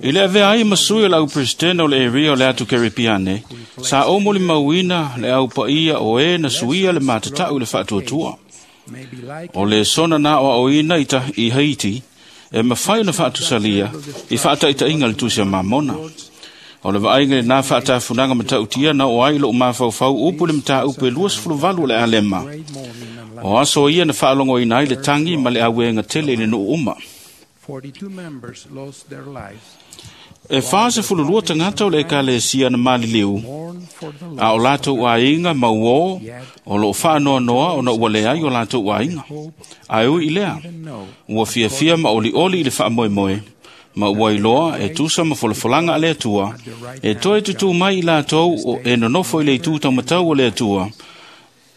I le avea ai ma sui o le au presidente o le area o le atu Keripiane, sa o molimauina le au paia o e na suia le matata'u i le faatuatua. O le sona na aoaoina i, ta, i Haiti, e mafai ona faatusalia i faataitaiga le tusi a Mamona. O le vaaiga i lenā faatafunaga matautia na oo ai lo'u mafaufau upu i le mataupu e luasefuluvalu o le alema. O aso ia na faalogoina ai le tagi ma le auēga tele i le nuu uma. forty-two members lost their lives. E fasefululua tagata o le ekalesia na maliliu, a o latou aiga ma uō o loo faanoanoa ona ua leai o latou aiga. Ae ui i lea, ua fiafia ma olioli i le faamoemoe, ma ua iloa e tusa ma folafolaga a le Atua, e toe tutū mai i latou o e nonofo i le itū taumatau o le Atua,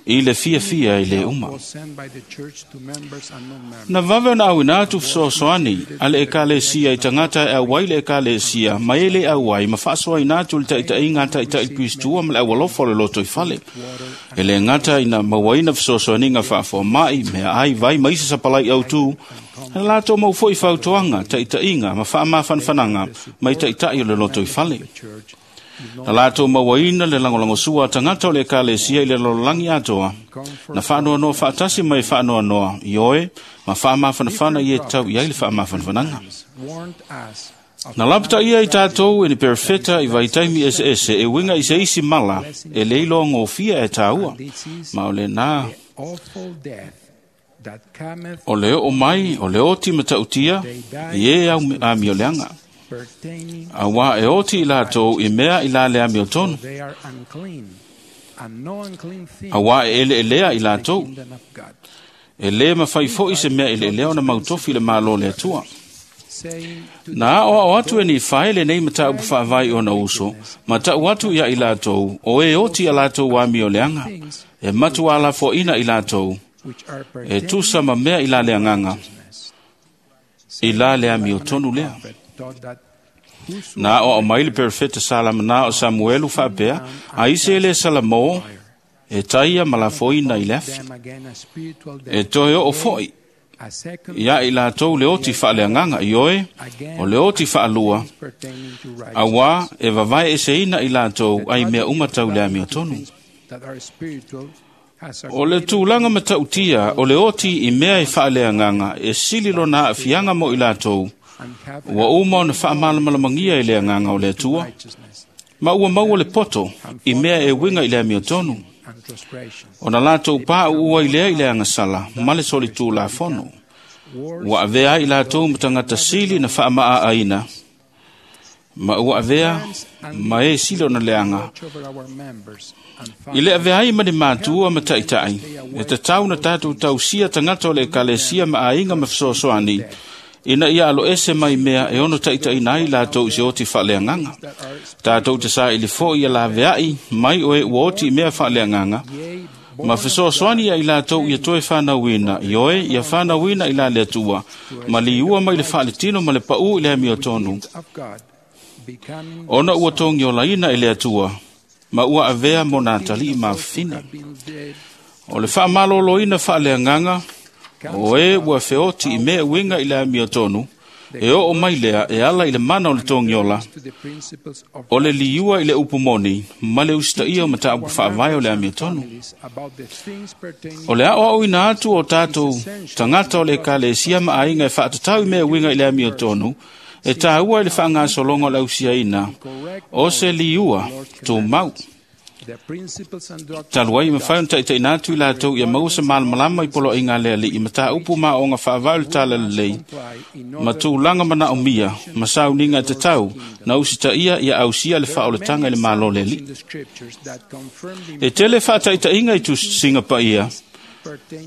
i le fiafia i le uma. Was sent by the church to members and non-members. Na vave ona auina atu fesoasoani a le ekalesia i tagata e auai le ekalesia ma e le auai ma faasoaina atu le taitaiga a taitai Kristua ma le aualofa o le loto i fale. E le gata ina mauaina fesoasoaniga faafoama'i, meaai, vai ma isi sapalai autū, na latou mau fo'i fautuaga, taitaiga ma faamafanafanaga mai taitai o le loto i fale. Na latou mauaina le lagolagosua a tagata o le ekalesia i le lalolagi atoa, na faanoanoa faatasi mai faanoanoa i oe ma faamafanafana i e tau i ai le faamafanafanaga. Warned us Na lapataia i tatou e ni perofeta i vaitaimi eseese e uiga i se isi mala e le iloa gofia e tāua, ma o lenā awful death that cometh o le oo mai o le oti matautia i e au amioleaga. pertaining Auā e oti i latou i mea i la le amiotonu, they are unclean and no unclean thing auā e eleelea i latou. kingdom of God, E lē mafai fo'i se mea eleelea ona mautofi le Mālō le Atua. saying to Na aoao atu e Nifae lenei mataupu faavae ona uso, ma ta'u atu ia i latou, o e oti a latou amioleaga, e matuā lafoaina i latou, which are e tusa ma mea i la le agaga, i la le amiotonu lea. taught that Na aoao mai le perofeta Salamanā o Samuelu faapea, a ise e lē salamō, e taia ma lafoina i le afi. them again a spiritual E death, toe oo fo'i, a second ia i latou le oti faaleagaga i oe, o le oti faalua, pertaining to righteousness auā e vavae eseina i latou ai mea uma tau le amiotonu. that are spiritual has a O le tulaga matautia o le oti i mea e faaleagaga e sili lona aafiaga mo i latou, ua uma ona faamalamalamagia i le agaga o le Atua, ma ua maua le poto i mea e uiga i le amiotonu, and transgression. ona latou paʻuʻu ai lea i le agasala ma le solitulafono. Ua avea ai i latou ma tagata sili na faamaaaina, ma ua avea ma e sili ona leaga Watch over our members and I le avea ai ma ni matua ma taʻitaʻi, e tatau na tatou tausia tagata o le ekalesia ma aiga ma fesoasoani, Ina ia alo ese mai mea e ono taitaina ai latou i se oti faaleagaga. Tatou te saili foi ia laveai mai o e ua oti i mea faaleagaga, ma fesoasoani ia i latou ia toe whanauina, i oe ia whanauina i la le Atua, ma liua mai le faaletino ma le pau i le amiotonu. Ona ua togiolaina i le Atua, ma ua avea mo nā talii mafine. O le whaamaloloina faaleagaga, o e ua feoti i mea uiga i le amiotonu, e oo mai lea e ala i le mana o le togiola, o le liua i le upu moni, ma le usitaia o mataupu faavae o le amiotonu. O le aoaoina atu o tatou tagata o le ekalesia ma aiga e faatatau i mea uiga i le amiotonu, e tāua i le faagasologa o le ausiaina, o se liua tumau. Talu ai mawhai ona taitaina atu i latou ia maua se malamalama i poloaiga a le Alii ma tāupu maoaoga faavae o le talalelei, ma tulaga manaomia ma sauniga e tatau na usitaia ia ausia le faaolataga i le Malo o le Alii. E tele faataitaiga i tusiga paia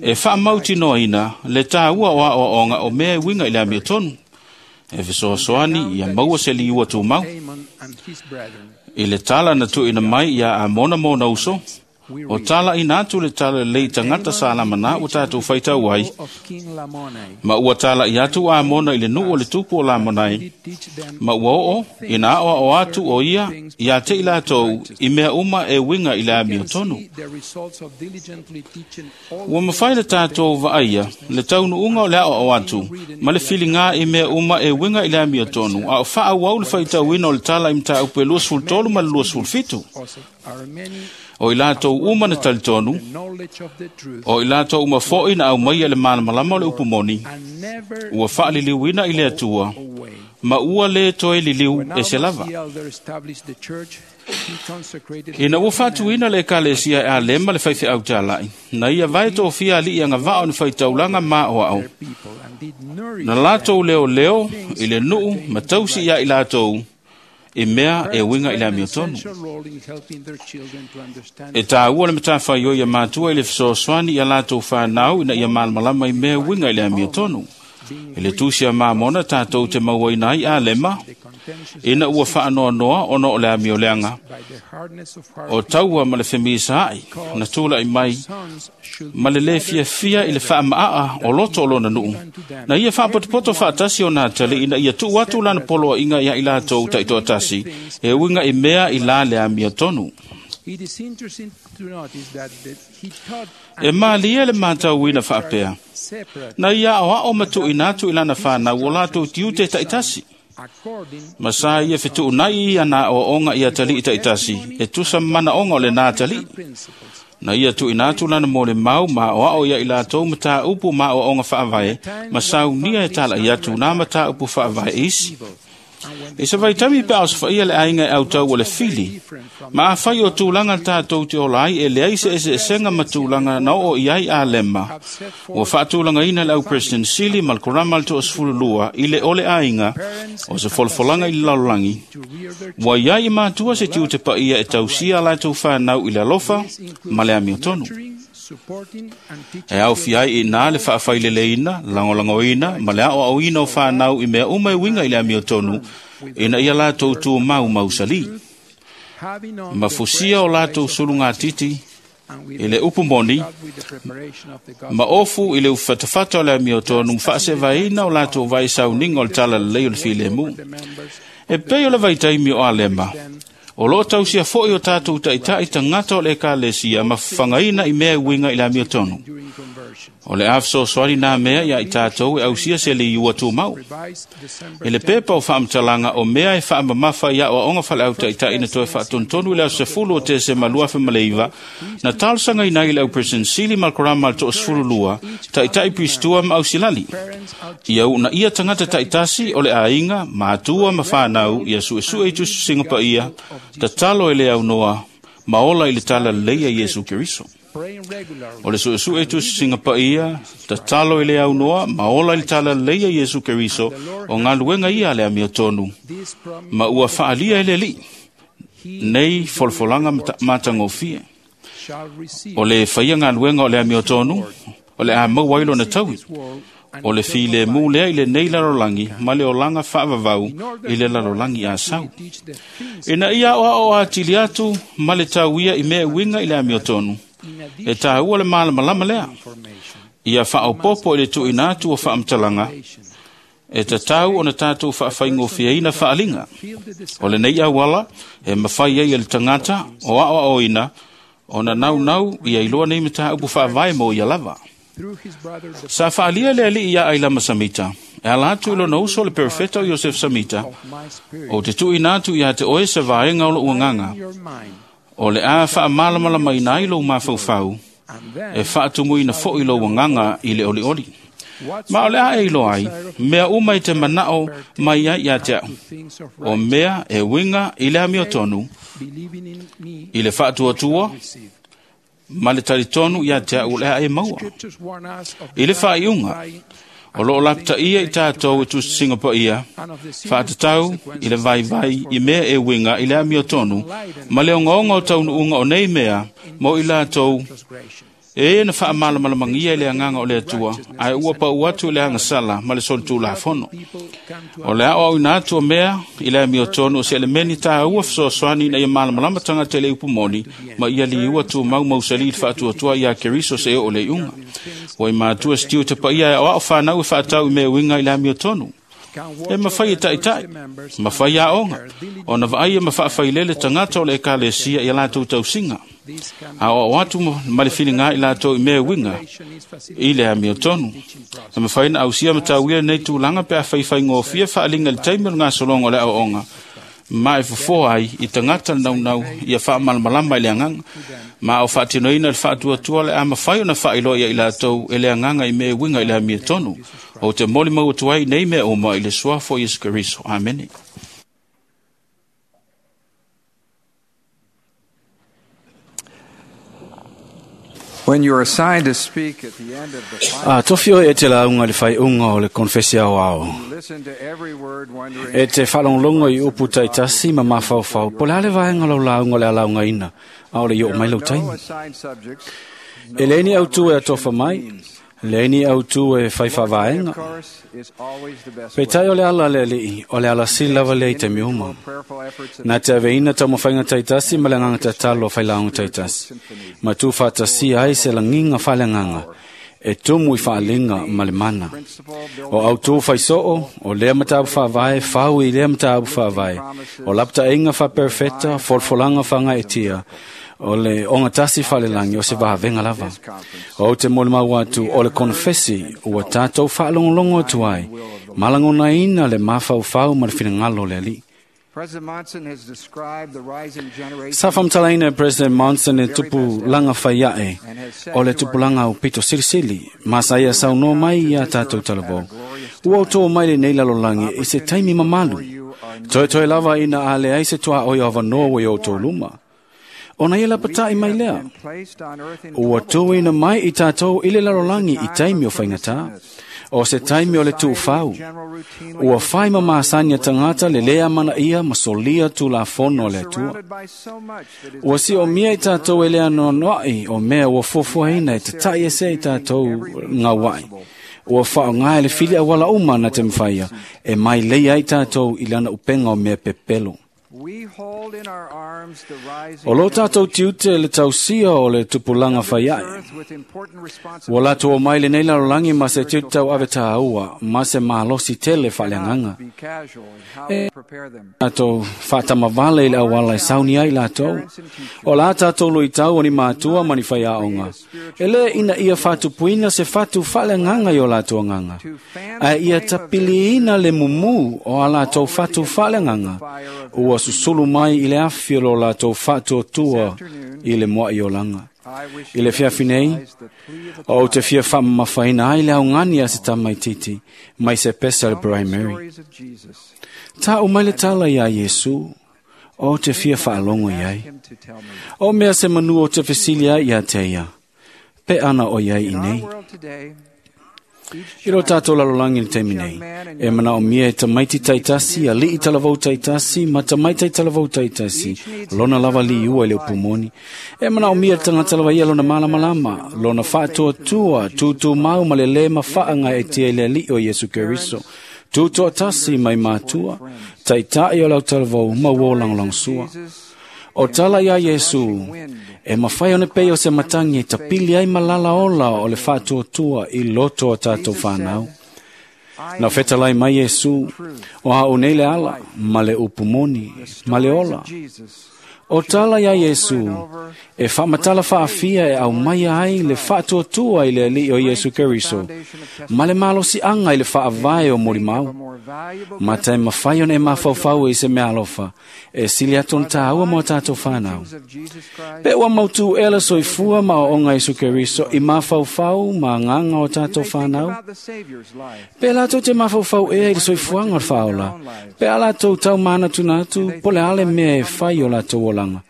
e faamautinoaina le tāua o aoaoga o mea e uiga i le amiotonu, e fesoasoani ia maua se liua tumau. I le tala na tuuina mai ia Amona mona uso, o tala ina atu le tala lelei tagata sa lamana ua tatou faitau ai, ma ua tala i atu Amona i le nuu o le tupu o Lamonai, ma ua oo ina aoao atu o ia ia te i latou i mea uma e uiga i le amiotonu. Ua mafai le tatou vaaia le taunuuga o le aoao atu ma le filiga i mea uma e uiga i le amiotonu, a o faaauau le faitauina o le tala i mataupu e luasefulu tolu ma le luasefulu fitu. O i latou uma na talitonu, o i latou uma foi na aumaia le malamalama o le upu moni, ua faaliliuina i le Atua, ma ua le toe liliu e se lava. Ina ua faatuina le ekalesia e Alema le faifeau talai, na ia vae tofia alii agavaa o ni faitaulaga maoao. Na latou leoleo i le nuu ma tausi ia i latou, i mea e uiga i le amiotonu. E tāua le matawhaioi ia mātua i le fesoasoani ia latou whanau ina ia malamalama i mea uiga i le amiotonu. I le tusi a Mamona tātou te mauaina ai Alema, ina ua whaanoanoa ona o le amioleanga, o taua ma le whemisaai, na tūla i mai, ma le le fiafia i le whaamaa o loto o lona nuu. Na ia whaapotopoto whaatasi o nā tali ina ia tuu atu lana poloa inga ia i latou taitoatasi, e uinga i mea i la le amiotonu. E malie le mātauina whaapea. Na ia aoao matuina atu i lana whanau o latou tiute taitasi. Ma sa ia fetuunai ia nā oaonga ia tali i taitasi, e tusa manaonga o le nā tali. Na ia tuuina atu lana mo le mau ma oao ia i latou mataupu ma oaonga faavae, ma saunia e tala i atu nā mataupu faavae isi. E sa vaitami pe au safaia le aiga e autau o le fili, ma afai o tulaga tatou te ola ai e leai se eseesega ma tulaga na oo i ai Alema. Ua faatulagaina le au President Sili ma le Korama le toasefulu lua i le ole aiga o se folafolaga i le lalolagi. Ua iai i matua se tiute paia e tausia latou whanau i le alofa ma le amiotonu. E au ai i nā le whaafaileleina, langolangoina, ma le aoaoina o whanau i mea uma e winga i le amiotonu, ina ia latou tu mau mausali. Ma fusia o latou sulungatiti i le upu moni, ma ofu i le ufatafata o le amiotonu, whaasevaina o latou vai sauninga o le talalelei o le filemu. E pei o le vaitaimi o Alema, o loo tausia foi o tātou taitai tagata o le ekalesia ma whangaina i mea uiga i le amiotonu. O le afesoasoani nā mea ia i tātou e ausia se le iua tumau. I le pepa o whaamtalanga o mea e whaamamafa ia oaoga faleau taitai na toe whaatontonu i le aso sefulu o Tesema lua afe ma le iva, na talosagaina i le au President Sili ma le Korama le toasefulu lua, taitai Pristua ma ausilali. Ia una ia tagata taitasi o le aiga, matua ma whanau, ia suesue i tusiga paia, tatalo e le aunoa, ma ola i le talalelei a Iesu Keriso. O le suesue i tusiga paia, tatalo e le aunoa, ma ola i le talalelei a Iesu Keriso, o galuega ia a le amiotonu, ma ua faalia e le Alii, nei folafolaga matagofie. O le faia galuega o le amiotonu, o le a maua ai lona taui. O le filemu lea i lenei lalolagi ma le olaga faavavau i le lalolagi a sau. Ina ia aoao atili atu ma le tauia i mea uiga i le amiotonu, e tāua le malamalama lea. Ia faaopopo i le tuuina atu o faamatalaga, e tatau ona tatou faafaigofieina faaliga. O lenei auala e mafai ai e le tagata o aoaoina ona naunau ia iloa nei mataupu faavae mo ia lava. Sa faalia le alii ia Ailama Samita, e ala atu i lona uso le perofeta o Iosef Samita, o te tuuina atu ia te oe se vaega o lou agaga, o le a faamalamalamaina ai lou mafaufau, e faatumuina foi lou agaga i le olioli. Ma o le a e iloa ai, mea uma i te manao mai ai ia te au, o mea e uiga i le amiotonu, i le faatuatua, ma le talitonu ia te au o le a e maua. I le faaiuga, o loo lapataia i tatou e tusisiga paia, faatatau i le vaivai i mea e uiga i le amiotonu, ma le ogaoga o taunuuga o nei mea mo i latou e na faamalamalamagia i le agaga o le Atua, ae ua pau atu i le agasala ma le solitulafono. O le aoaoina atu o mea i le amiotonu o se elemeni tāua fesoasoani ina ia malamalama tagata i le upu moni, ma ia liua tumau mausali i le faatuatua ia Keriso se oo le iuga. Ua i matua sitiu te paia e aoao whanau e whaatau i mea uiga i le amiotonu. E mawhai e taitai, mawhai a onga, o na vaai e mawhaafailele tagata o le ekalesia i a latou tausiga. A o atu ma le filiga i latou i mea uiga i le amiotonu. E mawhai na ausia matauia nei tulaga pe a whaiwhaingofia faaliga i le taimi o le gasologa o le aoaoga, ma e fofoa ai i tagata le naunau ia faamalamalama i le agaga, ma o faatinoina le faatuatua le a mafai ona faailoa ia i latou e le agaga i mea uiga i le amiotonu. O te molimau atu ai nei mea uma i le suafa o Iesu Keriso. Amene. When you are assigned to speak at the end of the final, A tofi oe e te lauga i le faiuga o le konfesi aoao. listen to every word, wondering E te whalonglongo i upu taitasi ma mafaufau, po le ale vaenga lau lauga le alaugaina, a o le i o mai lau no taimi. assigned subjects. E leini au tu e atofa mai, leini au tu e whaiwhavaenga. Of course, is always the best Pe tai o le ala le alii, o le ala sili lava lea i taimi uma. prayerful efforts of Nā te aveina taumafaiga taitasi ma le agaga tatalo o failaoga taitasi. Ma tu faatasia ai se lagiga faaleagaga, e tumu i faaliga ma le mana. O autū faisoo, o lea mataupu faavae, fau i lea mataupu faavae. O lapataʻiga faaperefeta, folafolaga faagaetia, o le ogatasi faalelagi o se vavega lava. O te molimau atu o le konefesi ua tatou faalogologo atu ai, malagonaina le mafaufau ma le finagalo o le alii. President Monson has described the rising generation Sa whamtalaina e President Monson e tupu langa whaiae o le tupulaga o pito silisili, ma sa ia saunoa mai ia tātou talavou. Ua o tō mai le nei lalolagi i se taimi mamalu. Toe toe lava ina a le ai se toa oi o avanoa ua i o tō luma. Ona ia lapatai mai lea. placed on earth in Ua tūina mai i tātou i le lalolagi i taimi o whaingata, o se taimi o le tūwhau. Ua whai mamasani a tangata le lea mana ia ma solia tu la fono le atua. surrounded by so much that is Ua si o mia i tātou e lea noanoai o mea ua fuafuaina e te tai ese i tātou ngā wai. Ua whaongae le fili awala uma na te mwhaia e mai leia i tātou i lana upenga o mea pepelo. we hold in our arms the rising O lo tātou tiute le tausia o le tupulaga whaiae. earth with important Ua responsibilities latou o mai lenei lalolagi ma se tiute tau ave tāua, ma se malosi tele whaaleagaga. be casual in how we prepare them. Tātou whaatamawale i le awala e sauni ai lātou. O la tātou lui tau o ni mātua ma ni whaiaonga. E le ina ia whātupuina se whatu whaaleagaga i o lātou anganga. A ia tapiliina le mumu o a lātou whatu whaaleagaga. Ua susulu mai i le afi o lo lātou whātuatua i le mua i o langa. I le fiafi nei, o te fia whaamamafaina ai le augani a se tamaititi, mai se pesa le primary. Stories of Jesus. Tā o mai le tala ia Iesu, o te fia whaalongo iai. Him to tell me. O mea se manu o te fesili ai ia te ia. Pe ana o iai i In our nei. world today, I lo tātou lalolagi le taimi nei, e manaomia e tamaiti taitasi, ali'i talavou taitasi, ma tamaitai talavou taitasi, lona lava liua i le upumoni. E manaomia le tagata lava ia lona malamalama, lona faatuatua, tutumau ma le lē mafaaga e tia i le ali'i o Iesu Keriso. Tutoatasi mai matua, taita'i o lau talavou ma ua o lagolagosua. O tala ia Iesu, e mafai ona pei o se matagi e tapili ai malala ola o le faatuatua i loto o tātou whanau. Na fetalai mai Iesu, o hao nei le ala, ma le upumoni, ma le ola. O tala ia Iesu, e whaamatala whaafia e au mai ai le faatuatua i le ali'i o Iesu Keriso, ma le malosi anga i le faavae o molimau. Ma te mawhai ona e mafaufau e se mea alofa, e sili atu na tāua mo tātou whanau. Pe ua mautu e la soifua ma o onga Iesu Keriso i mafaufau ma nganga o tātou whanau. Pe lātou te mafaufau ea i le soifuanga o le whaola. Pe a lātou tau mana tuna atu, po le ale mea e whai o lātou olanga.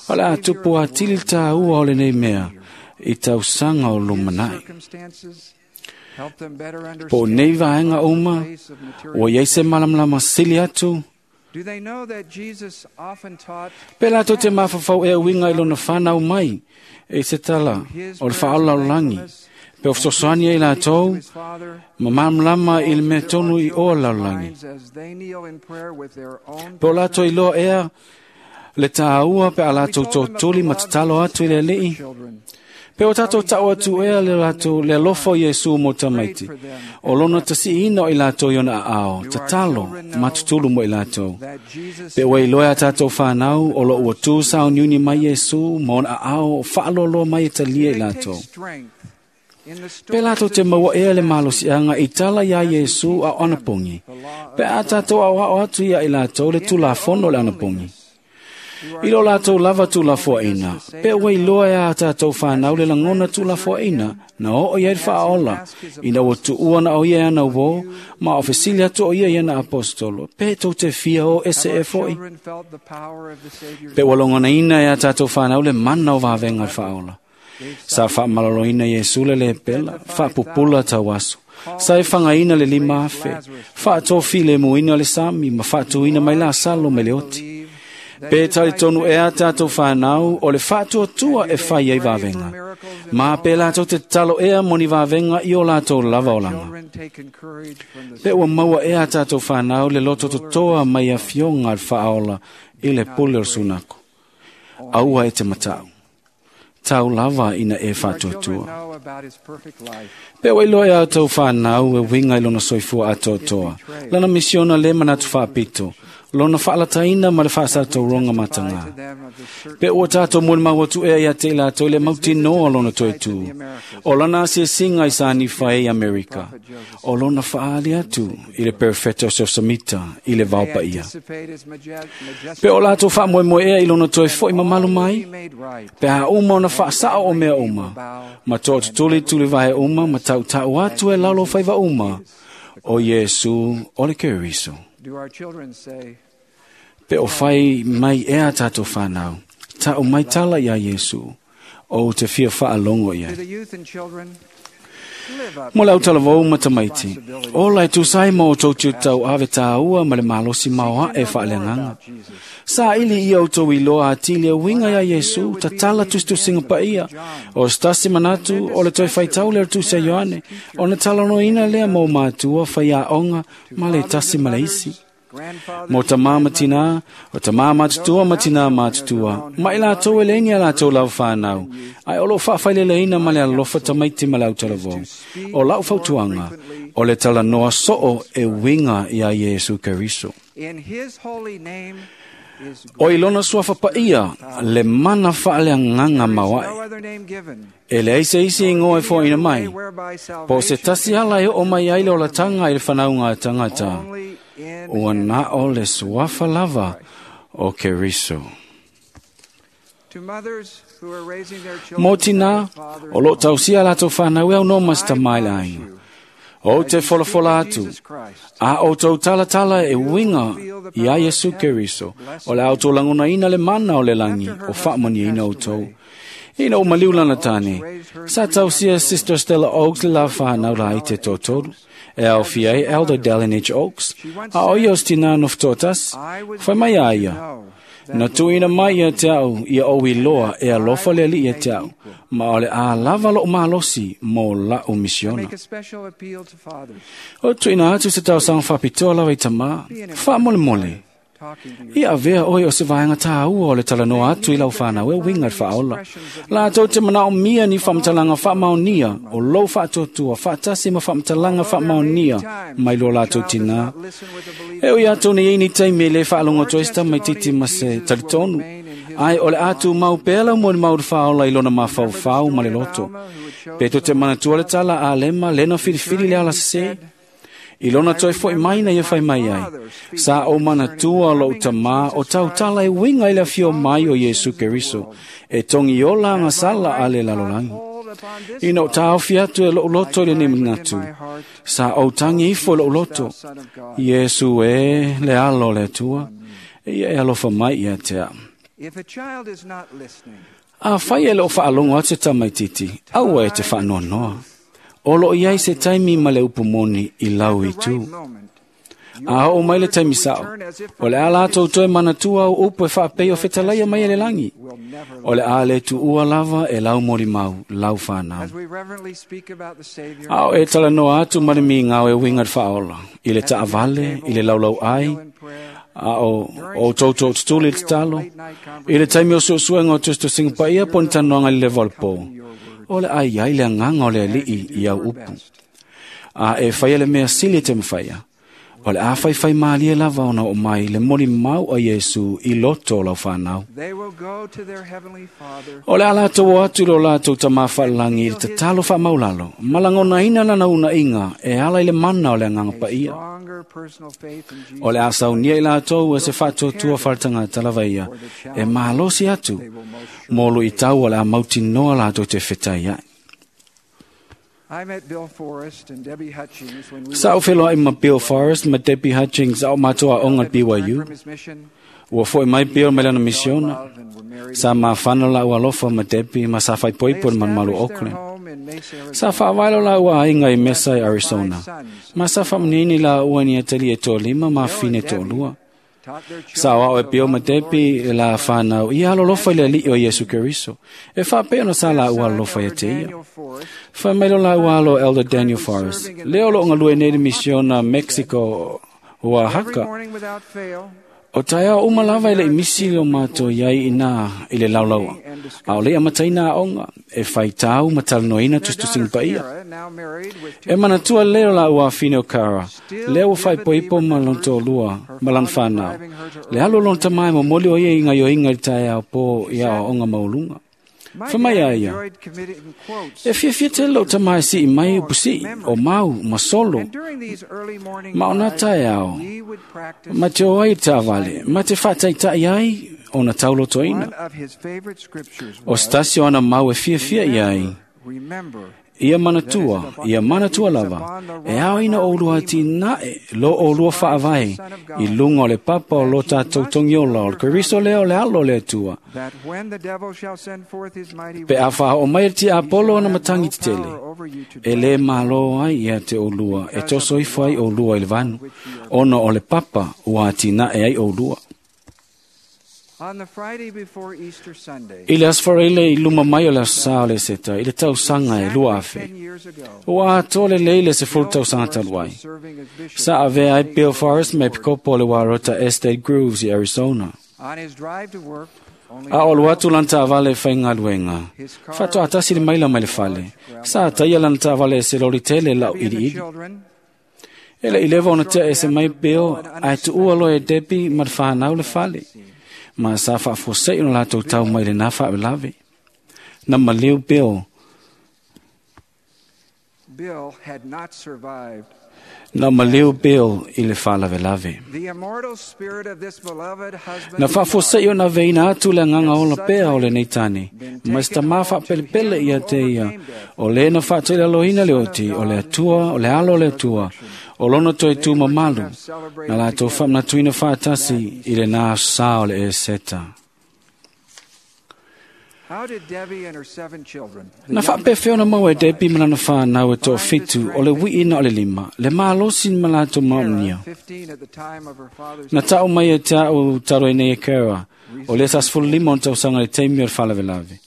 O le a tupu a tili tāua o le nei mea, i tausanga o lumanai. Po nei vaenga uma, ua iai se malamalama sili atu. Pe lātou te mafafau e uinga i lona whanau mai, e se tala o le whaalaolangi. Pe o fesoasoani ai lātou, ma malamalama i le mea tonu i oa laolangi. Pe o lātou i loa ea, le tāua pe a lātou tōtoli ma tatalo atu i le ali'i. Pe o tātou tau atu ea le lātou le alofa o Iesu mo tamaiti. O lona tasi'ina o i lātou i ona a'ao, tatalo ma tutulu mo i lātou. Pe ua iloa a tātou whanau o lo ua tū sauniuni mai Iesu ma ona a'ao o whaaloaloa mai e talia i lātou. Pe lātou te maua ea le malosi'aga i tala iā Iesu a o anapogi. Pe a tātou aoao atu ia i lātou le tulafono o le anapogi. I lo lātou lava tulafoaina, pe ua iloa e a tātou whanau le lagona tulafoaina, na oo ia i le faaola, ina ua tuua na o ia e ana uō, ma o fesili atu o ia i ana apostolo, pe tou te fia o ese e fo'i. Pe ua logonaina e a tātou whanau le mana o vavenga le faaola. Sa faamaloloina Iesu le lepela, faapupula tauaso. Sa e whangaina le lima afe, faatōfi le muina le sami, ma faatuina mai la salo me le oti. Pe tali tonu e a tātou whanau o le faatuatua e whai ai vavenga. Ma pe lātou te talo ea moni vavenga i o lātou lava olanga. Pe ua maua e a tātou whanau le loto totoa mai a fionga le whaaola i le pule o sunako. Aua e te matau. Tau lava ina e faatuatua. Pe ua iloa e a tau whanau e winga i lona soifua atoatoa. Lana misiona le manatu whaapito. Lona whaalataina ma le whaasatauronga matanga. Pe ua tātou molimau atu ea ia te lātou le mautinoa lona toetū. O lona asiasinga i sani whae i Amerika. O lona whaali atu i le perfeta o Seosamita i le vaupa ia. Pe o lātou whaamoemoe ea i lona toe foi mamalu mai. Pe a uma ona whaasao o mea uma. Ma toa tutuli tuli vahe uma ma tau tau atu e lalo whaiva uma. O Iesu o le Keriso. Pe o whai mai ea tātou whanau, ta o mai tala ia Iesu, o te fia whaalongo ia. Mo lau talavou ma tamaiti, o lai tūsai mo o tau tau ave tāua ma le malosi maoa e whaaleanganga. Sa ili ia o tau iloa atili a winga ia Iesu, tatala tustusinga pa ia, o stasi manatu o le toi whaitau le tusa Ioane, o na talanoina lea mo mātua whai a onga ma le tasi ma le isi. Mo ta mama tina, o ta mama tutua ma tina ma tutua. Ma i lātou e leini a lātou lau whanau. Ai o lo whaawhaileleina ma le alofa tamaiti ma lau talavou. O lau fautuanga, o le talanoa so'o e winga ia Iesu Keriso. O ilona sua whapaia, le mana whaaleanganga mawai. E le aise isi ingoa e fōina mai. Po se tasi ala e o mai ai le o latanga i le whanaunga a tangata. Ua na o le suafa lava o Keriso. Mō tina, o lo tausia lātou whanau e au no mas tamai la ainga. O te folafola atu, a o tau talatala e winga i a Iesu Keriso, o le au tō langona ina le mana o le langi, o whaamani ina o tau. Ina o maliu lana tane, sa tausia Sister Stella Oakes le la whanau la i te tōtolu. E au fia ai Elder Dallin H. Oaks, a o ia o stina no whatotas, whai mai a ia. Na tuina mai ia te au, ia o iloa e alofa le ali ia te au, ma o le a lava lo malosi mo la o misiona. O tuina atu se tau sang whapitoa lawa i tama, wha mole mole. Ia avea oi o se vaenga tāua o le talanoa atu i lau whanau e winga whaola. La tau te manao mia ni whamtalanga whamaunia o lou whaatotua whaatasi ma whamtalanga whamaunia mai lo lātou tina. E oi atu ni ini taimi le whaalongo toesta mai titi ma se talitonu. Ai o le atu mau pela mo ni mau whaola i lona mawhau ma le loto. Peto te manatua le tala a lema lena whiriwhiri le ala se. I lona toi foi mai na ia whai mai ai. Sa o manatua lo utama o tautala e winga i le fio mai o Yesu Keriso. E tongi ola nga sala ale lalolangi. Ina o tāofi atu e lo loto i le nemanatu. Sa o tangi ifo lo loto. Yesu e le alo le atua. E ia e alofa mai ia te a. A whai e lo whaalongo atu tamaititi. Aua e te whaanoanoa. O lo iai se taimi ma le upumoni i lau i tū. A o mai le taimi sao. O le ala tou toe manatua au upu e whaapei o whetalaia mai e le langi. O le a le tu ua lava e lau mori mau, lau whanau. A o e tala noa atu marimi ngau e winga whaola. I le taavale, i le laulau ai, a o o toutou tutuli i te talo. I le taimi o suesuenga o tustu singapaia po ni tanoanga i le valpo. O le ai ai le anganga o le alii i au upu. A e whaia le mea sili te mwhaia. O le a whai whai maalie lava ona o mai le moli mau a Yesu i loto o lau whanau. O le ala tau atu lo lātou ta mawhalangi i le tatalo wha maulalo. Malangona ina lana una inga e ala i le mana o le anganga paia. O le asaunia i lātou e se whaatuatua wharatanga talavaia e mālosi atu mōlu i tau o le a mautinoa lātou te whitai ai. Sa o wheloa i ma Bill Forrest ma Debbie Hutchings au mātua onga B Y U. Ua foi mai Bill mai lana misiona. Sa mawhana la ua alofa ma Debbie ma sa whaipoipo i manumalu Auckland. Sa whaavailo la ua ainga i Mesa i Arizona. Ma sa whamanini la ua ni atali e tō lima ma whine tō lua. Sa wao e Bill ma Debbie la whanau i alolofa i le alii o Yesu Keriso. E whaapeo na sa la ua alofa i te ia. Whai mailo la ua alo Elder Daniel Forrest. Leo lo ngalue nei misiona Mexico Oaxaca. O taia o umalava i le imisi o mātou iai ina i le laulaua. A o lea mataina a onga e whaitau matalanoina tustusinga paia. E manatua leo la ua whine o Kara. Leo o whaipoipo ma lonto lua, ma lan whanau. Le alo lonta mai mo moli o ia inga yo inga i taia o po ia o onga maulunga. Whamai a ia. E whiawhia te lo tamai si i mai upusi, o mau, ma solo. Ma ona tae ao. Ma te o ai tāwale, ma te whataitai ai, o na taulo toina. O stasio ana mau e whiawhia i ai. Ia manatua, ia manatua lava, e ao ina o lua tinae, lo o lua whaavai, i lunga o le papa o lo tātou tongiola, o le Keriso leo le alo le atua. Pe a whaha o mai ti Apollo ana matangi te tele, e le malo ai ia te o lua, e toso ifo ai o lua i le vanu, ono o le papa ua tinae ai o lua. I le asfareile i luma mai o le asa o le seta, i le tausanga e lua afe. Ua atoa le leile se fulu tausanga taluai. Sa avea ai Bill Forrest me pikopo o le warota Estate Grooves i Arizona. A o luatu lan tāvale e whai ngaluenga. Whatoa atasi le maila mai le fale. Sa ataia lan tāvale e se lori tele lau iri iri. E le ilewa ona tea e se mai Bill, ai tuua loe e Debbie ma le whanau le fale. Ma sa whaafosei o lātou tau mai le nā whaawelawe. Na maliu Bill. Na maliu Bill i le whaalawelawe. Na whaafosei o na veina atu le anganga ola pea o le nei tane. Ma sta maa whaapelepele ia te ia. O le na whaatele aloina le oti, o le atua, o le alo o le atua. O lono toi tū mamalu, na lātou whamnatuina whaatasi i le nā sa o le e seta. Na faapefea ona maua e Debbie ma lana whānau e toafitu o le wiina o le lima, le mālosi ma latou maonia. Na tau mai e te au taro nei e Kara, o le sasefulu lima o tausaga le taimi o le faalavelave.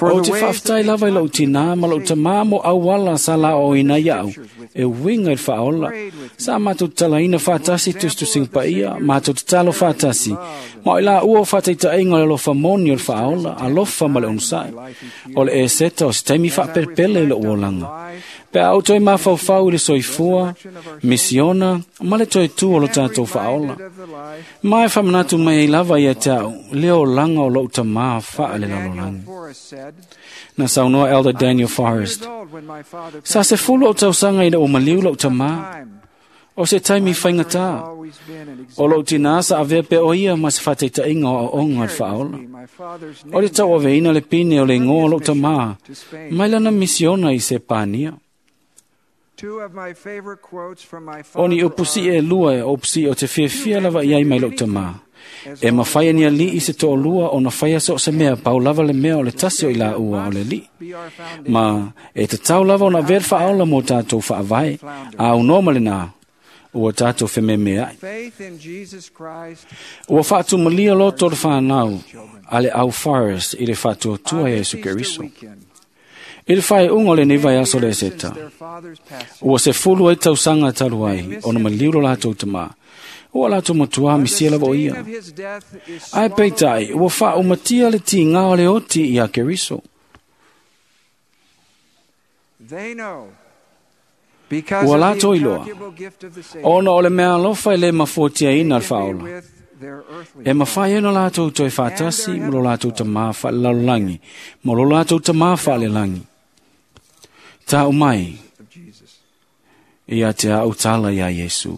O te faafetai lava i lou tinā ma lou tamā mo auala sa la o ina iau, e winga i le faaola. Sa mātou talaina whātasi tusitusinga paia, mātou tatalo whātasi. Ma o i la ua o whātaitainga o le alofa moni o le faaola, alofa ma le onosai. O le eseta o se taimi whaapelepele i lou olaga. Pe a outou e mafaufau i le soifua, misiona, ma le toe tu o lo tātou faaola. Ma e whamanatu mai ai lava ia te au, le olaga o lou tamā whaa le lalolagi. Na saunoa Elder Daniel Forrest. Sa se fulu o tausaga ina ua maliu lou tamā, o se taimi faigata. O lou tinā sa avea pe o ia ma se whātaitainga o aoga o le faaola. O le tauaveina le pine o le ingoa o lou tamā, mai lana misiona i se pānia. O ni upusi e lua e upusi o te fiafia lava iai mai lou tamā. E mawhai ni ali i se to'olua o na whaia so se mea pau lava le mea o le tasi o i la ua o le li. Ma e te tau lava o na ver whaola mō tātou whaavae, a unoa ma le nā, ua tātou whememe ai. Ua whaatumalia loto le whanau a le au Forrest i le whaatuatua Iesu Keriso. I le whae unga o le nei vai aso le eseta. Ua se fulu ai tausaga talu ai, o na maliu lo lātou tamā. Ua lātou matua misia lava o ia. Ai peitai, ua whaaumatia le tīngā o le oti i a Keriso. Ua lātou iloa, ona o le mea alofa e le mafuatia ina le whaola. E mawhai ena lātou toe whātasi mo lo lātou tamā whaalelalolagi, mo lo lātou tamā whaalelangi. Tāu mai, ia te au tala ia Iesu.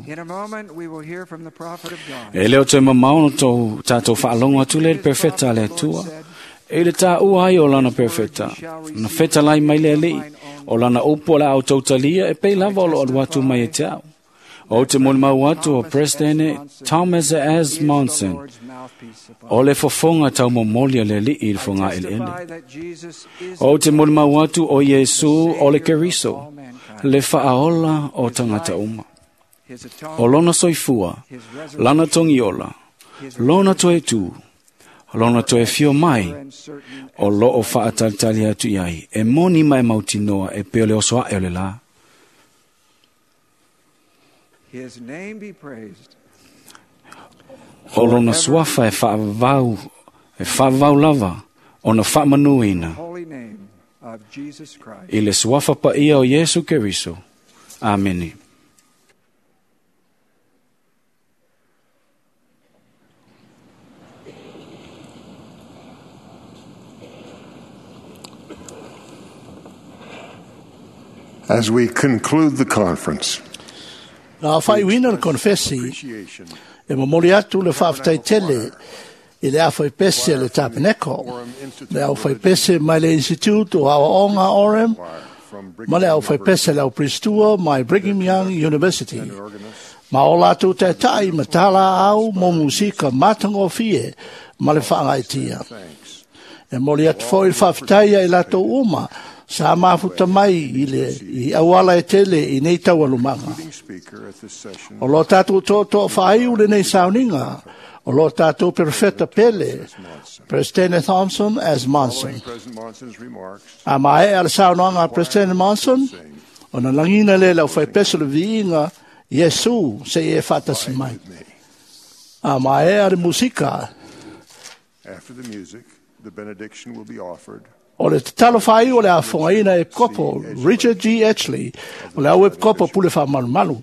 E leo toe mamao no tō tātou whaalongo atu le perfeta le atua. E le tā ua ai o lana perfeta. Na feta lai mai le alii. O lana upu o la au tautalia e pei lava o lo alu atu mai e te au. O te molimau atu o President Thomas S. Monson. O le fofonga tau momoli a le alii i le fonga eleele. O te molimau atu o Iesu o le Keriso. Le whaaola o tangata uma. O lona soifua, lana tongiola, lona toe tū, lona toe fio mai, o loo whaatalitali atu iai, e moni mai mautinoa e peo le oso ae o le la. O lona suafa e whaavau, e whaavau lava, o na whaamanuina. I le suafa paia o Iesu Keriso. Amene. As we conclude the conference, Na whai wina le konfesi, e momoli atu le whaafetai tele i le awhai pese le tapeneko, le au whai pese mai le institute o Aoaoga Orem, ma le au whai pese le au Pristua mai Brigham Young University. Ma o lātou tētai ma tāla au mō musika mātangofie ma le whaangaitia. E moli atu foi le whaafetai ai lātou uma, sa mafuta mai i le i auala e tele i nei taualumaga. O lo tātou tōtō whaaiu le nei sauninga, o lo tātou perfeta pele, President Thompson as Monson. A mae a le saunoaga a President Monson, o na langina le lau whaipeso le viiga, Iesu se i e whatasi mai. A mae a le musika. After the music, the benediction will be offered. O le tatalo whai o le afongaina e kopo Richard G. Etchley, o le au e kopo pule wha malumalu.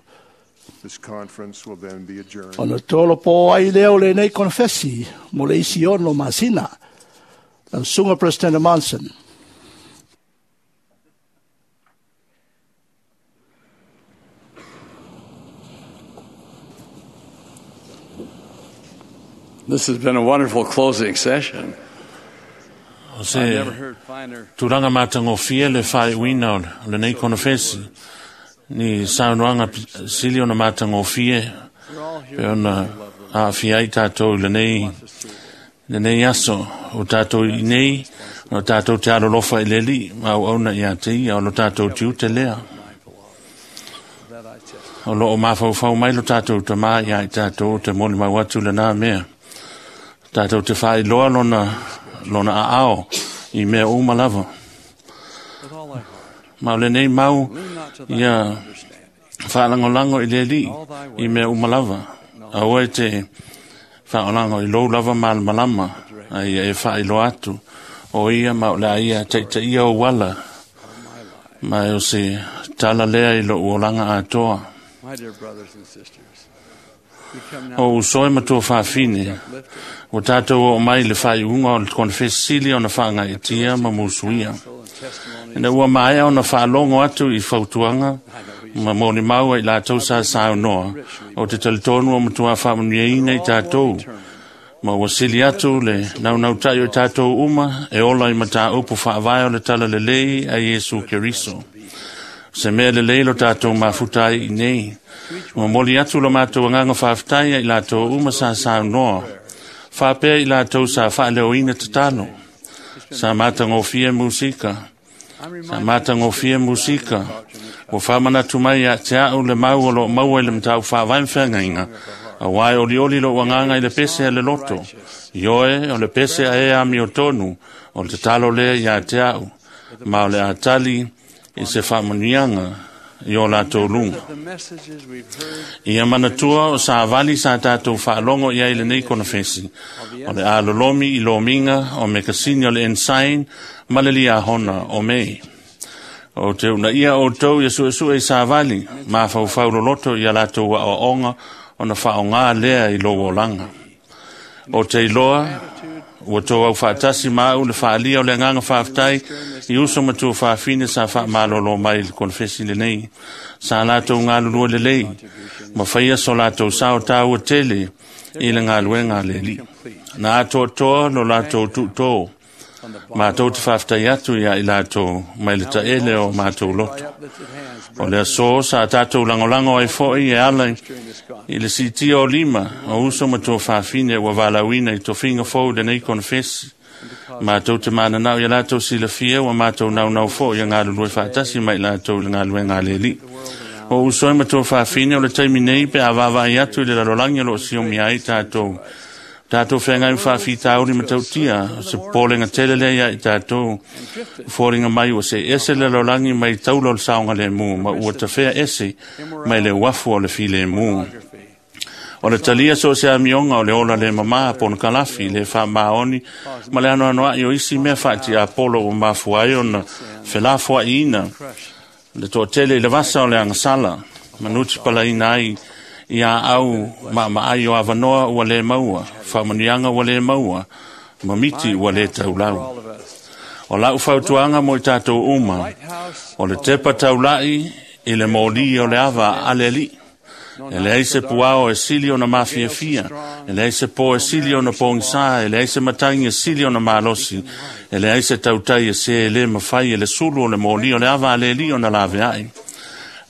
This conference will then be adjourned. O na tolo po ai leo le nei konfesi, mo le isi ono masina. Lau sunga President Monson. This has been a wonderful closing session. O se tulaga matagofie le faaiuina o lenei konofesi ni saunoaga sili ona matagofie pe ona aafia ai tatou i lenei lenei aso o tatou i nei o tatou te alolofa i le Alii ma auauna ia te ia o lo tatou tiute lea. O loo mafaufau mai lo tatou tamā ia i tatou te molimau atu lenā mea. Tatou te faailoa lona, lona aao i mea uma lava. Ma o lenei mau ia faalagolago i le Alii i mea uma lava. Aua e te faaolago i lou lava malamalama a ia e faailoa atu o ia ma o le a ia taitaia ou ala. Ma e o se tala lea i lou olaga atoa. O uso e matua faafine, ua tatou oo mai i le faaiuga o le konefesi sili ona faagaitia ma musuia. Ina ua maea ona faalogo atu i fautuaga ma molimau ai latou sa saunoa, o te talitonu o matua faamanuiaina i tatou, ma ua sili atu le naunautai o i tatou uma e ola i mataupu faavae o le talalelei a Iesu Keriso. Se mea lelei lo tatou mafuta ai i nei, momoli atu lo matou agaga faafetai ai latou uma sa saunoa, faapea i latou sa faaleoina tatalo, sa matagofie musika, sa matagofie musika, ua faamanatu mai ia te au le mau o loo maua i le mataupu faavae ma feagaiga, auā e olioli lou agaga i le pese a le loto, ioe o le pese a e amiotonu, o le tatalo lea ia te au, ma o le a tali i se faamanuiaga i o latou luga. Ia manatua o savali sa tatou faalogo i ai lenei konefesi, o le a lolomi i lomiga o mekasini o le Ensign ma le Liahona o Mei. O te unaia outou ia suesue i savali, mafaufau loloto ia latou aoaoga ona faaaoga lea i lou olaga. O te iloa ua tou aufaatasi ma au le faalia o le agaga faafetai i uso ma tuafafine sa faamalolo mai i le konefesi lenei, sa latou galulue lelei ma faia so latou sao taua tele i le galuega a le Alii. Na atoatoa lo latou tuutō, matou te faafetai atu ia i latou mai le taele o matou loto. O le aso sa tatou lagolago ai foi e ala i le siitia o lima o uso ma tuafafine ua valaauina i tofiga fou i lenei konefesi. Matou te mananao ia latou silafia ua matou naunau foi ia galulue faatasi mai latou i le galuega a le Alii. O uso e ma tuafafine o le taimi nei pe a vaavaai atu i le lalolagi o loo siomia ai tatou. Tatou feagai ma faafitauli ma tautia, o se popolega tele lea ia i tatou. Foliga mai ua se ese le lalolagi mai taula o le saogalemu ma ua tafea ese mai le uafu o le filemu. O le talia so o se amioga o le ola le mamā ponokalafi le faamaoni ma le anoanoai o isi mea faatiapolo ua mafua ai ona felafoaiina le toatele i le vasa o le agasala manuti palaina ai ia au maamaai o avanoa ua le maua, faamanuiaga ua le maua, ma miti ua le taulau. O lau fautuaga mo i tatou uma, o le tepa taulai i le moli o le ava a le Alii. E leai se puao e sili ona mafiafia, e leai se pō e sili ona pogisā, e leai se matagi e sili ona malosi, e leai se tautai e se e le mafai e le sulu o le moli o le ava a le Alii ona laveai.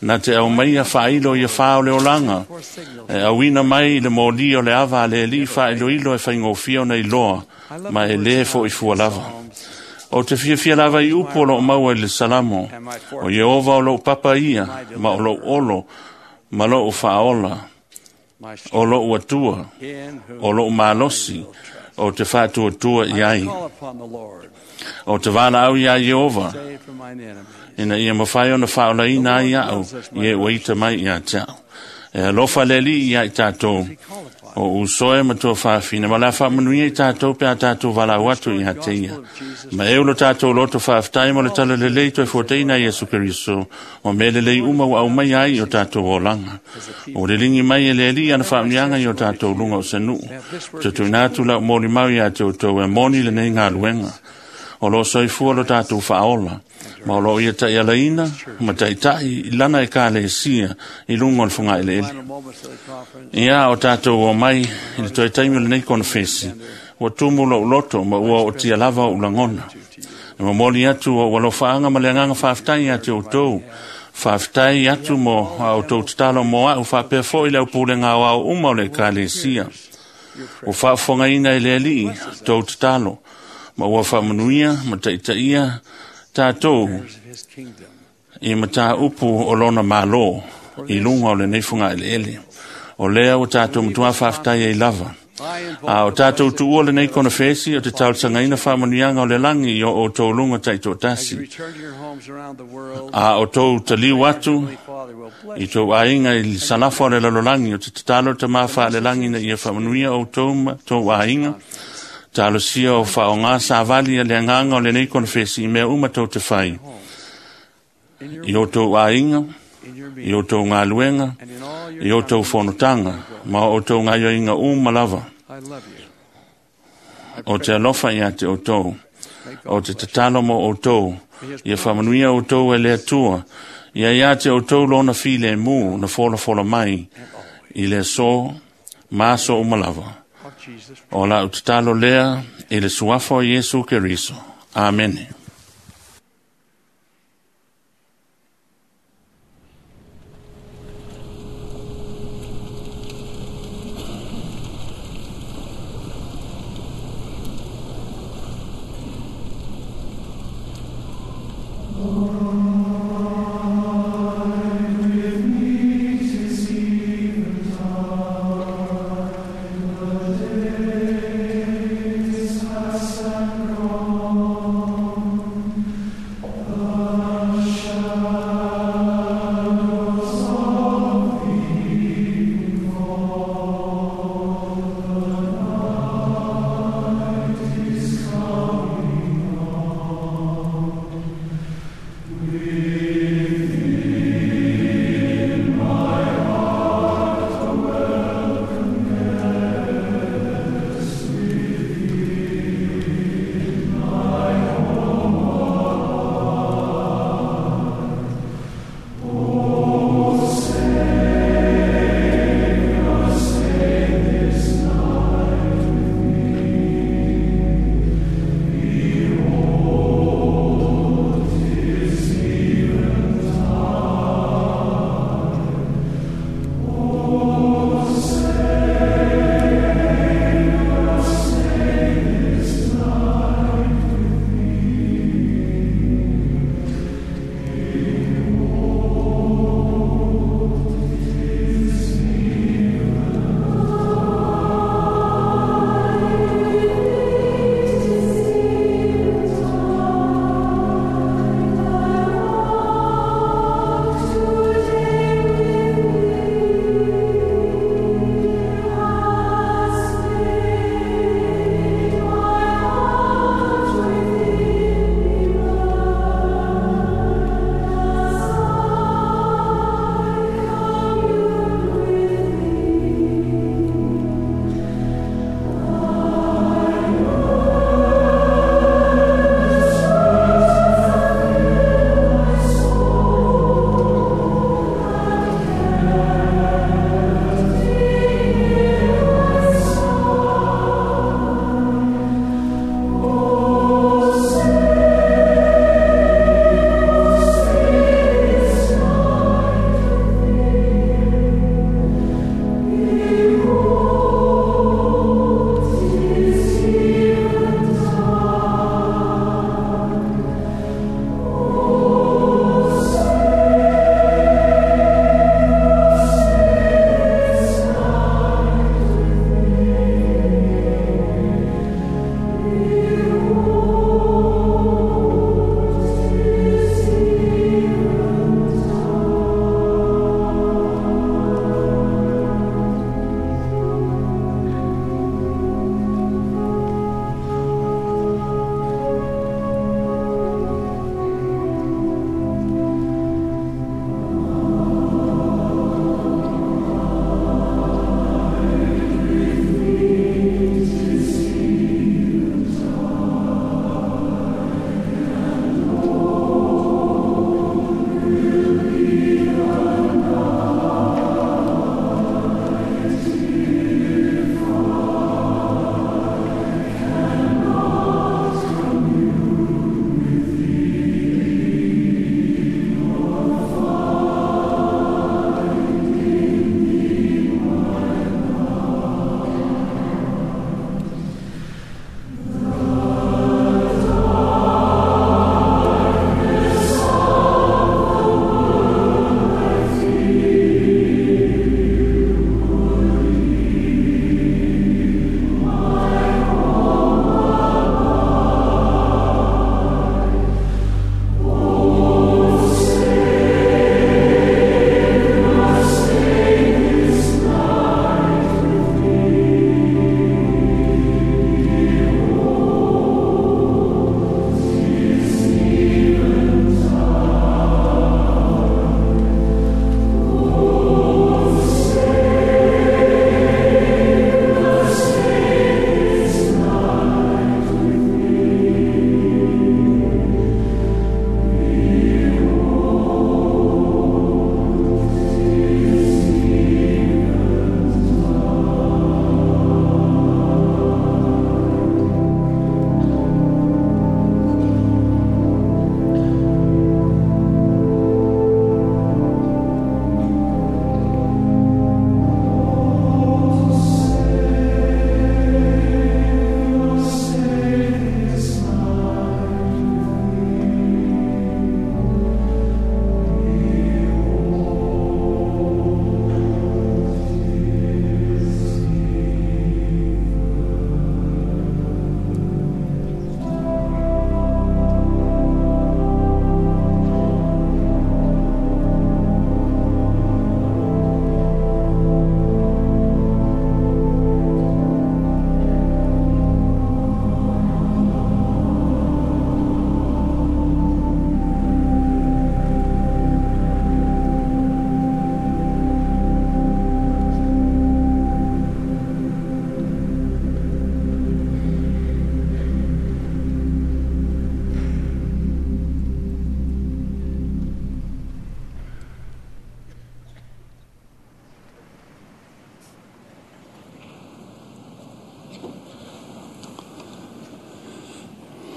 Na te au mai ia faailo ia fā o le olaga, e auina mai i le moli o le ava a le Alii faailoilo e faigofie ona iloa, ma e lē fo'i fua lava. O te fiafia lava i upu o loo maua i le Salamo, o Ieova o lou papa ia, ma o lou olo, ma lou faaola, o lou atua, o lou malosi, o te faatuatua i ai. O te valaau iā Ieova, ina ia mafai ona faaolaina ai au i e ua ita mai ia te au. E alofa le Alii ia i tatou, o usoe ma tuafafine, ma le a faamanuia i tatou pe a tatou valaau atu ia te ia. Ma e ulo tatou loto faafetai mo le talalelei toe fuataina Iesu Keriso, o mea lelei uma ua aumai ai i o tatou olaga. O le ligi mai e le Alii ana faamanuiaga i o tatou luga o se nuu. Te tuuina atu lau molimau ia te outou e moni lenei galuega. O loo soifua lo tatou faaola, ma o loo ia taialaina ma taitai i lana ekalesia i luga o le fogaeleele. Ia o tatou o mai i le toe taimi o lenei konefesi, ua tumu lou loto ma ua ootia lava ou lagona. E momoli atu ou alofaaga ma le agaga faafetai ia te outou, Faafetai atu mo a outou tatalo mo a'u faapea fo'i le aupulega aoao uma o le Ekalesia. Ua faafofogaina e le Alii tou tatalo, ma ua faamanuia ma taitaia tatou i mataupu o lona Malo i luga o lenei fogaeleele. O lea ua tatou matuā faafetai ai lava. A o tatou tuua lenei konefesi o te talosagaina faamanuiaga o le lagi i o outou luga taitoatasi. A o tou taliu atu i tou aiga i le salafa o le lalolagi, o te tatalo le Tamā Faalelagi ina ia faamanuia outou ma tou aiga. Talosia o faaaogā savali a le agaga o lenei konefesi i mea uma tou te fai, i outou aiga, i outou galuega, i outou fonotaga, ma o outou gaioiga uma lava. O te alofa ia te outou, o te tatalo mo outou, ia faamanuia outou e le Atua, ia ia te outou lona filemu na folafola mai i le aso ma aso uma lava. O lau tatalo lea i le suafa o Iesu Keriso. Amene. Days has gone.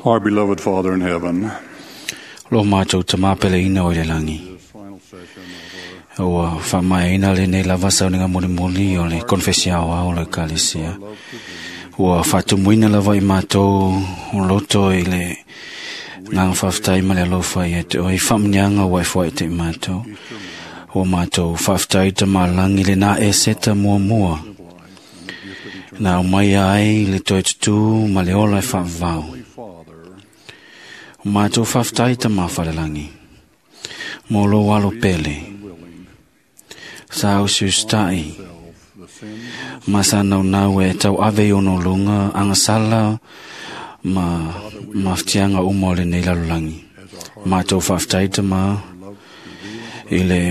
Our beloved Father in heaven, Lo mātou tamapele ina o le langi. Ua whaamaina le nei lava sauninga mulimuli o le konfesia o le kalesia. Ua whaatumuina lava i mātou o loto i le nganga whaftai ma le alofa i te oi whaamnianga ua e fua i te mātou. Ua mātou whaftai ta malangi le nā e seta mua mua. Nā o mai ai le toi tutu ma le ola e whaavau. O mātou whaftai ta mawhalelangi. Mō lo alo pele. Sa usiustai. Ma sa nau nau e tau ave i ono lunga angasala ma maftianga uma o le nei lalolagi. Mātou whaftai ta ma i le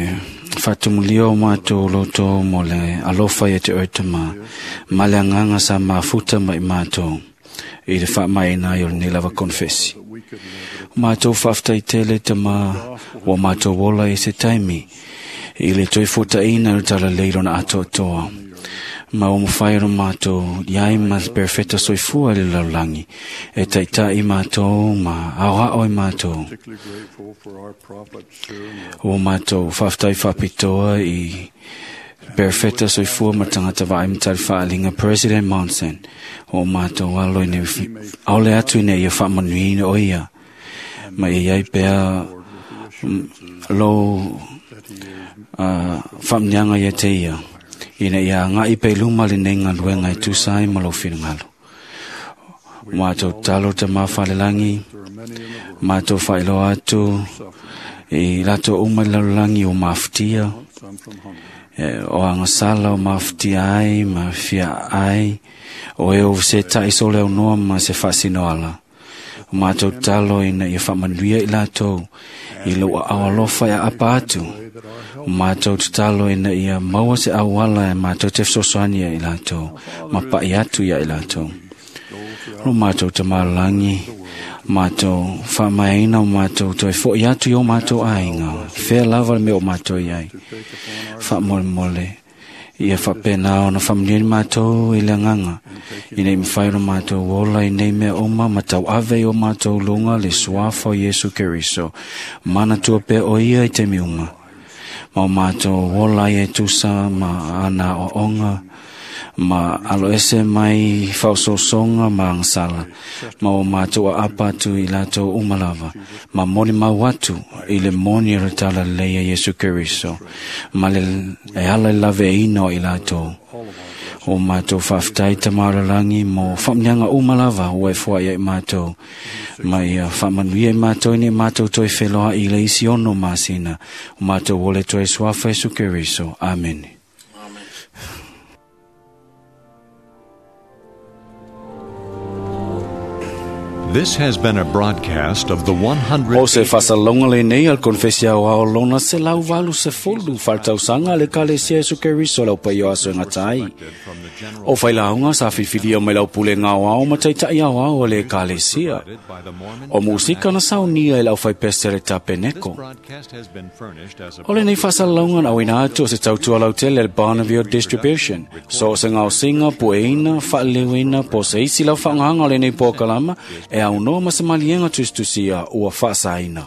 whatumulio o mātou loto mo le alofa i te oita ma ma le anganga sa mafuta mai mātou i le whaamaina i o le nei lava konfesi. Mātou whaftai tele ta ma wa mātou wola i se taimi i le toi futaina o tala leiro na atoatoa. Ma o mwhai ro mātou iai ma perfecta soifua le laulangi e taitai mātou ma aoa i mātou. O mātou whaftai whapitoa i perfecta soifua ma tangata vaai matari whaalinga President Monson. O mātou alo ine aole atu ine ia whaamanuina o ia. Ma ia iai pea lo uh, whaamnianga ia te ia. Ina ia ngai pe luma le nei ngaluenga e tusai ma lo whingalo. Mātou talo te mawhalelangi, mātou whailoa atu, i lato uma i lalolagi o mafutia, e, o angasala o mafutia ai, mafia ai, o e o se tai sole o noa ma se whaasinoala. O mātou talo ina ia whaamanuia i latou, i lo awalofa e apa atu. O mātou talo ina ia maua se awala e mātou te fesoasoani ia i latou, ma pai atu ia i latou. O mātou te malangi, mātou whaamaina o mātou toi fo i atu i o mātou ainga, whea lava le mea o mātou iai. Whaamolemole, ia whapena ona whaamniani mātou i le nganga, i nei mwhai o mātou ola i nei mea oma, ma tau ave i o mātou lunga le suafa o Yesu Keriso, mana tua pe o ia i te miuma. Ma o mātou ola i e tusa ma ana o onga, ma alo ese mai whaososonga ma angsala, ma o mātou a apa atu i latou umalava, ma moni mau atu i le moni o le tala leia Yesu Keriso, ma le e ala i lave e ino i latou. O mātou whaftai ta mauralangi mo whamnianga umalava o e fua ia i mātou. Ma ia whamanuia i mātou ni mātou toi wheloa i le isi ono masina. O mātou ole toi suafa Yesu Keriso. Amen. This has been a broadcast of the one hundred. O se fasalonga le nei al konfesia o ao lona se lau valu se fulu faltausanga le kalesia Yesu Keriso lau pai o aso ngatai. O whailaunga sa fifilia mai lau pule ngao ao ma taitai ao ao le kalesia. O musika na saunia e lau whaipeste le tapeneko. O le nei fasalonga na wina atu o se tautua lau tele le Barneville Distribution. So se ngao singa, pueina, whaalewina, po se isi lau whanganga le nei pōkalama e au noa ma se malienga tustusia ua whaasaina.